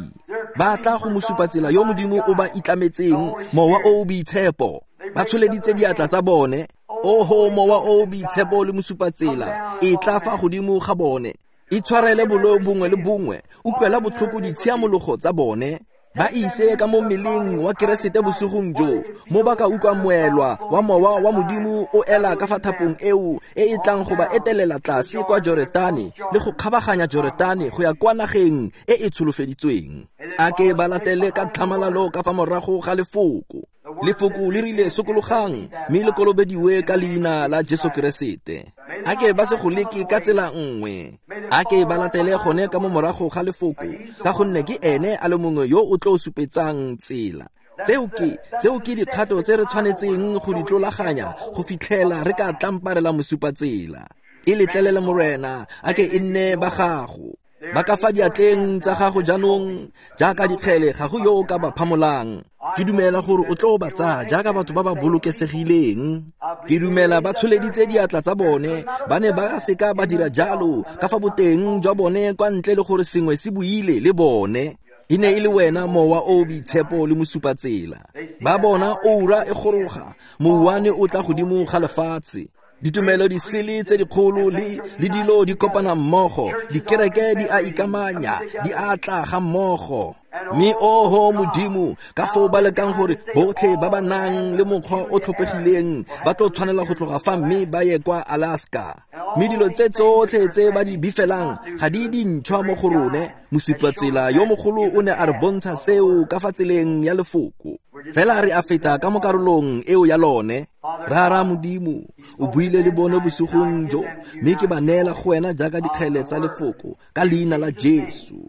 Ba tla go mosupatsela yo Modimo o ba itlametseng, Mowa o o Boitshepo. Ba tsholeditse diatla tsa bone. Oho, Mowa o o Boitshepo le mosupatsela, e tla fa godimo ga bone. Itshwarele boleo bongwe le bongwe, utlwela botlhoko ditshiamologo tsa bone. Ba ise ka mo mmeleng wa Keresete bosigong jo, mo ba ka utlwang moelwa wa mowa wa Modimo o ela ka fa thapong eo e e tlang go ba etelela tlase kwa Joretane le go kgabaganya Joretane go ya kwa nageng e e tsholofeditsweng. A ke ba latele ka tlhamalalo ka fa morago ga lefoko. Lefoko le rile sokologang mme le kolobediwe ka leina la Jesu Keresete. A ke ba se go leke ka tsela nngwe. A ke ba latele gone ka mo morago ga lefoko, ka gonne ke ene a le mongwe yo o tlo supetsang tsela. Tseo ke tseo ke dikgato tse re tshwanetseng go di tlolaganya go fitlhela re ka tlamparela mosupatsela. E letlelele, Morena, a ke e nne ba gago. Ba ka fa diatleng tsa gago jaanong jaaka dikgele, ga go yo o ka ba phamolang. Ke dumela gore o tlo ba tsaya jaaka batho ba ba bolokesegileng. Ke dumela ba tsholeditse diatla tsa bone, ba ne ba seka ba dira jalo ka fa boteng jwa bone kwa ntle le gore sengwe se buile le bone. E ne e le wena, Mowa o o Boitshepo le mosupatsela. Ba bona oura e goroga, mouwane o tla godimo ga lefatshe. Ditumelo di sele tse dikgolo le le dilo di kopana mmogo, dikereke di a ikamanya, di a tla ga mmogo. Mme oho Modimo, ka foo ba lekang gore botlhe ba ba nang le mokgwa o tlhophegileng ba tlo tshwanela go tloga fa mme ba ye kwa Alaska. Mme dilo tse tsotlhe tse ba di bifelang ga di dintšhwa mo go rone. Mosupatsela yo mogolo o ne a re bontsha seo ka fa tseleng ya lefoko. Fela re a feta ka mo karolong eo ya lone. Rara Modimo, o buile le bone bosigong jo, mme ke ba neela go wena jaaka dikgele tsa lefoko ka leina la Jesu.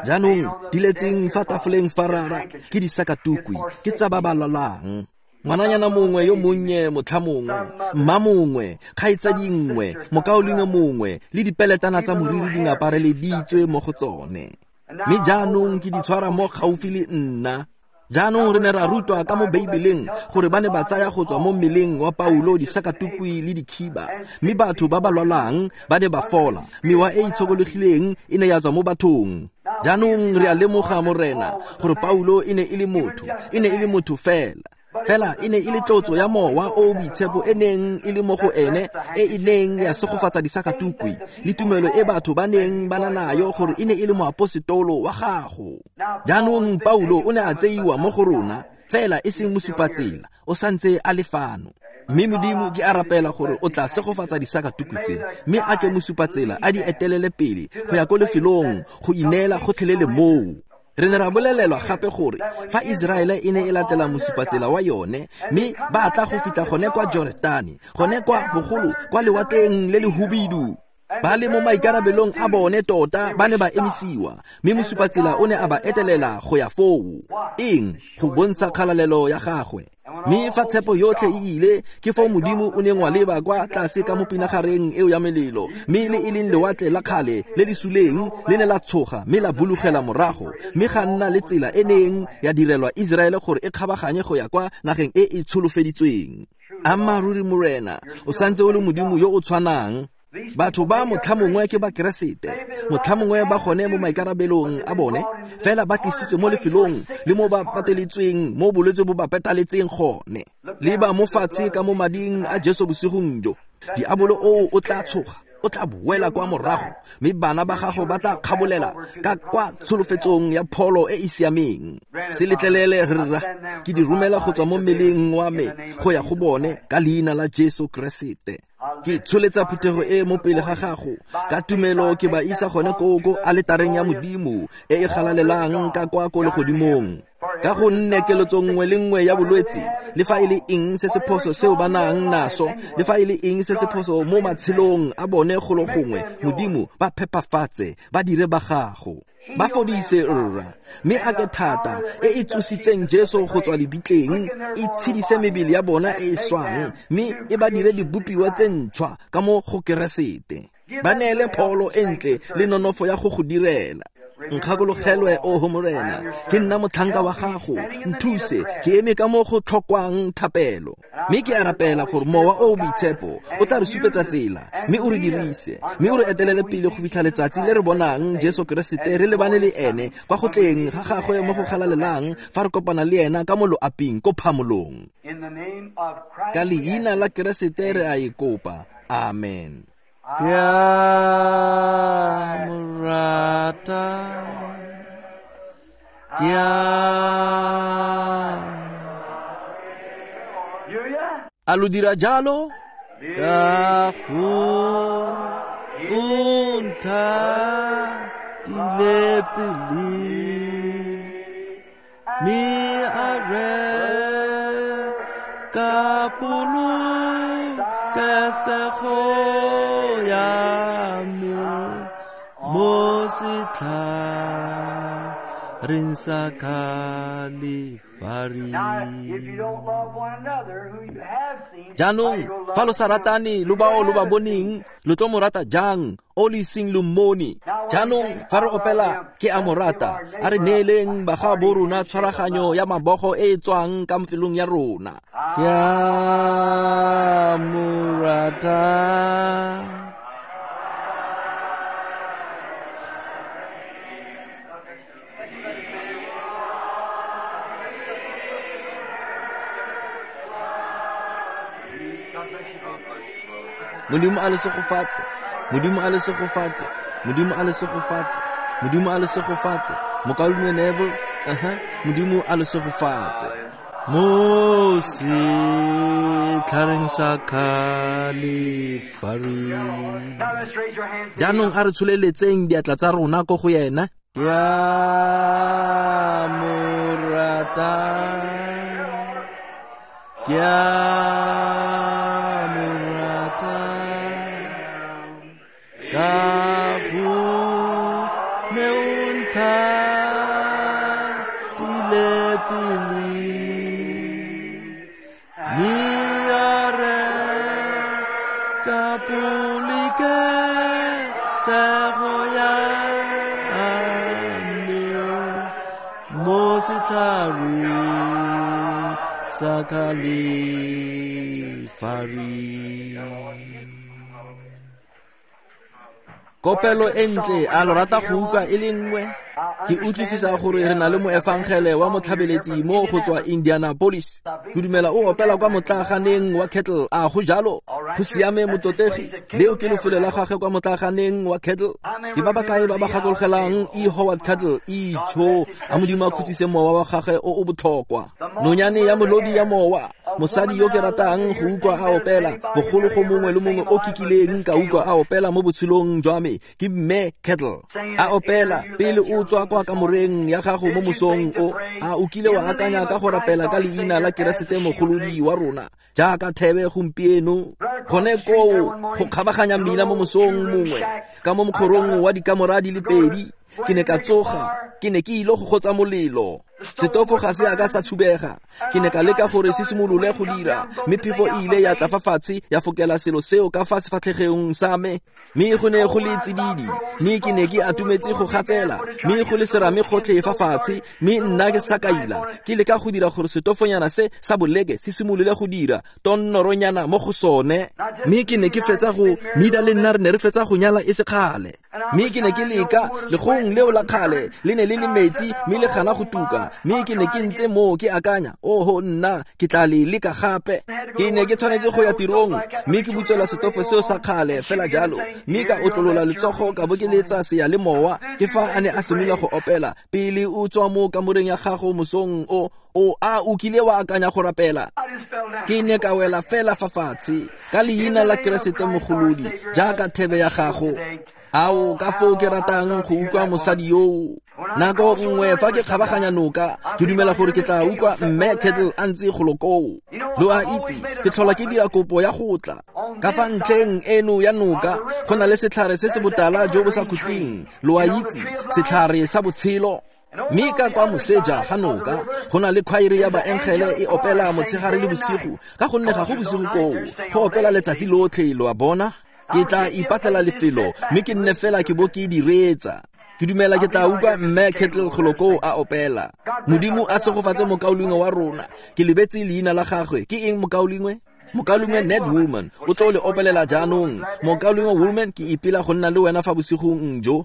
Jaanong di letseng fa tafoleng fa rara ke disakatukwi, ke tsa ba ba lwalang. Ngwananyana mongwe yo monnye, motlha mongwe, mma mongwe, kgaitsadi nngwe, mokaulengwe mongwe, le dipeletana tsa moriri di ngapareleditswe mo go tsone. Mme jaanong ke di tshwara mo gaufi le nna. Jaanong re ne ra rutwa ka mo Beibeleng gore ba ne ba tsaya go tswa mo mmeleng wa Paulo disakatukwi le dikhiba, mme batho ba ba lwalang ba ne ba fola, mewa e itshokologileng e ne ya tswa mo bathong. Jaanong re a lemoga, Morena, gore Paulo e ne e le motho, e ne e le motho fela. Fela e ne e le tlotso ya Mowa o o Boitshepo e neng e le mo go ene, e e neng ya segofatsa disakatukwi le tumelo e batho ba neng ba na nayo gore e ne e le moaposetolo wa gago. Jaanong Paulo o ne a tseiwa mo go rona, fela e seng mosupatsela, o santse a le fano. Mme Modimo, ke a rapela gore o tla segofatsa disakatukwi tse, mme a ke mosupatsela a di etelele pele go ya ko lefelong go ineela gotlhelele moo. Re ne ra bolelelwa gape gore fa Iseraele e ne e latela mosupatsela wa yone, mme ba tla go fitlha gone kwa Joretane, gone kwa bogolo kwa lewatleng le le hubidu, ba le mo maikarabelong a bone tota ba ne ba emisiwa, mme mosupatsela o ne a ba etelela go ya foo. Eng? Go bontsha kgalalelo ya gagwe. Mme fa tshepo yotlhe e ile, ke foo Modimo o neng wa leba kwa tlase ka mo pinagareng eo ya melelo, mme le e leng lewatle la kgale le le suleng le ne la tshoga mme la bulugela morago, mme ga nna le tsela e neng ya direlwa Iseraele gore e kgabaganye go ya kwa nageng e e tsholofeditsweng. Ammaaruri Morena, o santse o le Modimo yo o tshwanang. Batho ba motlhamongwe ke ba Keresete, motlhamongwe ba gone mo maikarabelong a bone, fela ba tlisitswe mo lefelong le mo ba pateletsweng mo bolwetse bo ba petaletseng gone. Leba mo fatshe ka mo mading a Jesu bosigong jo, diabolo oo o tla tshoga, o tla boela kwa morago, mme bana ba gago ba tla kgabolela ka kwa tsholofetsong ya pholo e e siameng. Se letlelele rra, ke di romela go tswa mo mmeleng wa me go ya go bone ka leina la Jesu Keresete. Ke tsholetsa phuthego e mo pele ga gago ka tumelo, ke ba isa gone koo ko aletareng ya Modimo e e galalelang ka kwa ko legodimong. Ka gonne keletso nngwe le nngwe ya bolwetse, le fa e le eng se se phoso seo ba nang naso, le fa e le eng se se phoso mo matshelong a bone golo gongwe, Modimo ba phepafatse, ba dire ba gago, ba fodise rra. Mme a ke thata e e tsositseng Jesu go tswa lebitleng e tshedise mebele ya bona e e swang, mme e ba dire dibopiwa tse ntšhwa ka mo go Keresete. Ba neele pholo e ntle le nonofo ya go go direla. Nkgakologelwe, oho Morena, ke nna motlhanka wa gago, nthuse ke eme ka mo go tlhokwang thapelo. Mme ke a rapela gore Mowa o o Boitshepo o tla re supetsa tsela, mme o re dirise, mme o re etelele pele go fitlha letsatsi le re bonang Jesu Keresete re lebane le ene kwa go tleng ga gagwe mo go galalelang, fa re kopana le ena ka mo loaping ko phamolong. Ka leina la Keresete re a e kopa, amen. Ke a mo rata, ke a A lo dira jalo? Ka go o nthatile pele, mme a reka polokesego ya me mo setlhareng sa Kalefari. Jaanong fa lo sa ratane lo bao lo ba boneng, lo tlo mo rata jang o le iseng lo mmone? Jaanong fa re opela ke a mo rata, a re neeleng bagaabo rona tshwaraganyo ya mabogo e e tswang ka pelong ya rona. Ke a mo rata, Modimo a le segofatse, Modimo a le segofatse, Modimo a le segofatse, Modimo a le segofatse. Mokaulengwe Neville, aha, Modimo a le segofatse. Mo setlhareng sa Kalefari. Jaanong a re tsholeletseng diatla tsa rona ko go yena. Ke a mo rata, ke a mo rata, ka go ne o nthatile pele, mme a reka polokesego ya me mo setlhareng sa Kalefari. Kopelo e ntle, a lo rata go utlwa e le nngwe? Ke utlwisisa gore re na le moefangele wa motlhabeletsi mo go tswa Indianapolis. Ke dumela o opela kwa motlaaganeng wa Kettle, a go jalo? Go siame mototegi, leo ke lefelo la gagwe kwa motlaaganeng wa Kettle. Ke ba ba kae ba ba gakologelang E. Howard Kettle? Itsho, a Modimo a khutsise mowa wa gagwe o o botlhokwa. Nonyane ya molodi ya mowa, mosadi yo ke ratang go utlwa a opela, bogolo go mongwe le mongwe o kikileng ka utlwa a opela mo botshelong jwa me, ke Mme Kettle. A opela pele o tswa kwa kamoreng ya gago mo mosong o, a o kile wa akanya ka go rapela ka leina la Keresete mogolodi wa rona jaaka thebe gompieno? Gone koo go kgabaganya mmila mo mosong mongwe ka mo mokgorong wa dikamora di le pedi, ke ne ka tsoga, ke ne ke ile go gotsa molelo. Setofo ga se a ka sa tshubega. Ke ne ka leka gore se simolole go dira, mme phefo e ile ya tla fa fatshe ya fokela selo seo ka fa sefatlhegong sa me. Mme go ne go le tsididi, mme ke ne ke atumetse go gatsela, mme go le serame gotlhe fa fatshe, mme nna ke sakaila, ke leka go dira gore setofonyana se sa boleke se simolole go dira tonnoronyana mo go sone. Mme ke ne ke fetsa go Mida le nna re ne re fetsa go nyala e se kgale. Mme ke ne ke leka legong leo la kgale le ne le le metsi mme le gana go tuka, mme ke ne ke ntse moo ke akanya, oho nna ke tla le leka gape. Ke ne ke tshwanetse go ya tirong, mme ke butswela setofo seo sa kgale fela jalo, mme ka otlolola letsogo ka bo ke letsa seyalemowa. Ke fa a ne a simolola go opela, pele o tswa mo kamoreng ya gago mosong o o a o kile wa akanya go rapela. Ke ne ka wela fela fa fatshe ka leina la Keresete Mogolodi jaaka thebe ya gago. Ao, ka foo ke ratang go utlwa mosadi yoo. Nako nngwe fa ke kgabaganya noka, ke dumela gore ke tla utlwa mme Kettle a ntse golo koo. Lo a itse, ke tlhola ke dira kopo ya go tla. Ka fa ntlheng eno ya noka, go na le setlhare se se botala jo bo sa khutleng. Lo a itse, setlhare sa botshelo. Mme ka kwa moseja ga noka, go na le khwaere ya baengele e opela motshegare le bosigo, ka gonne ga go bosigo koo, go opela letsatsi lotlhe, lo a bona. Ke tla ipatlela lefelo, mme ke nne fela ke bo ke direetsa. Ke dumela ke tla utlwa mme Kettle golo koo a opela. Modimo a segofatse mokaulengwe wa rona. Ke lebetse leina la gagwe. Ke eng mokaulengwe? Mokaulengwe Ned Woolman o tlo le opelela jaanong. Mokaulengwe Woolman, ke ipela go nna le wena fa bosigong jo.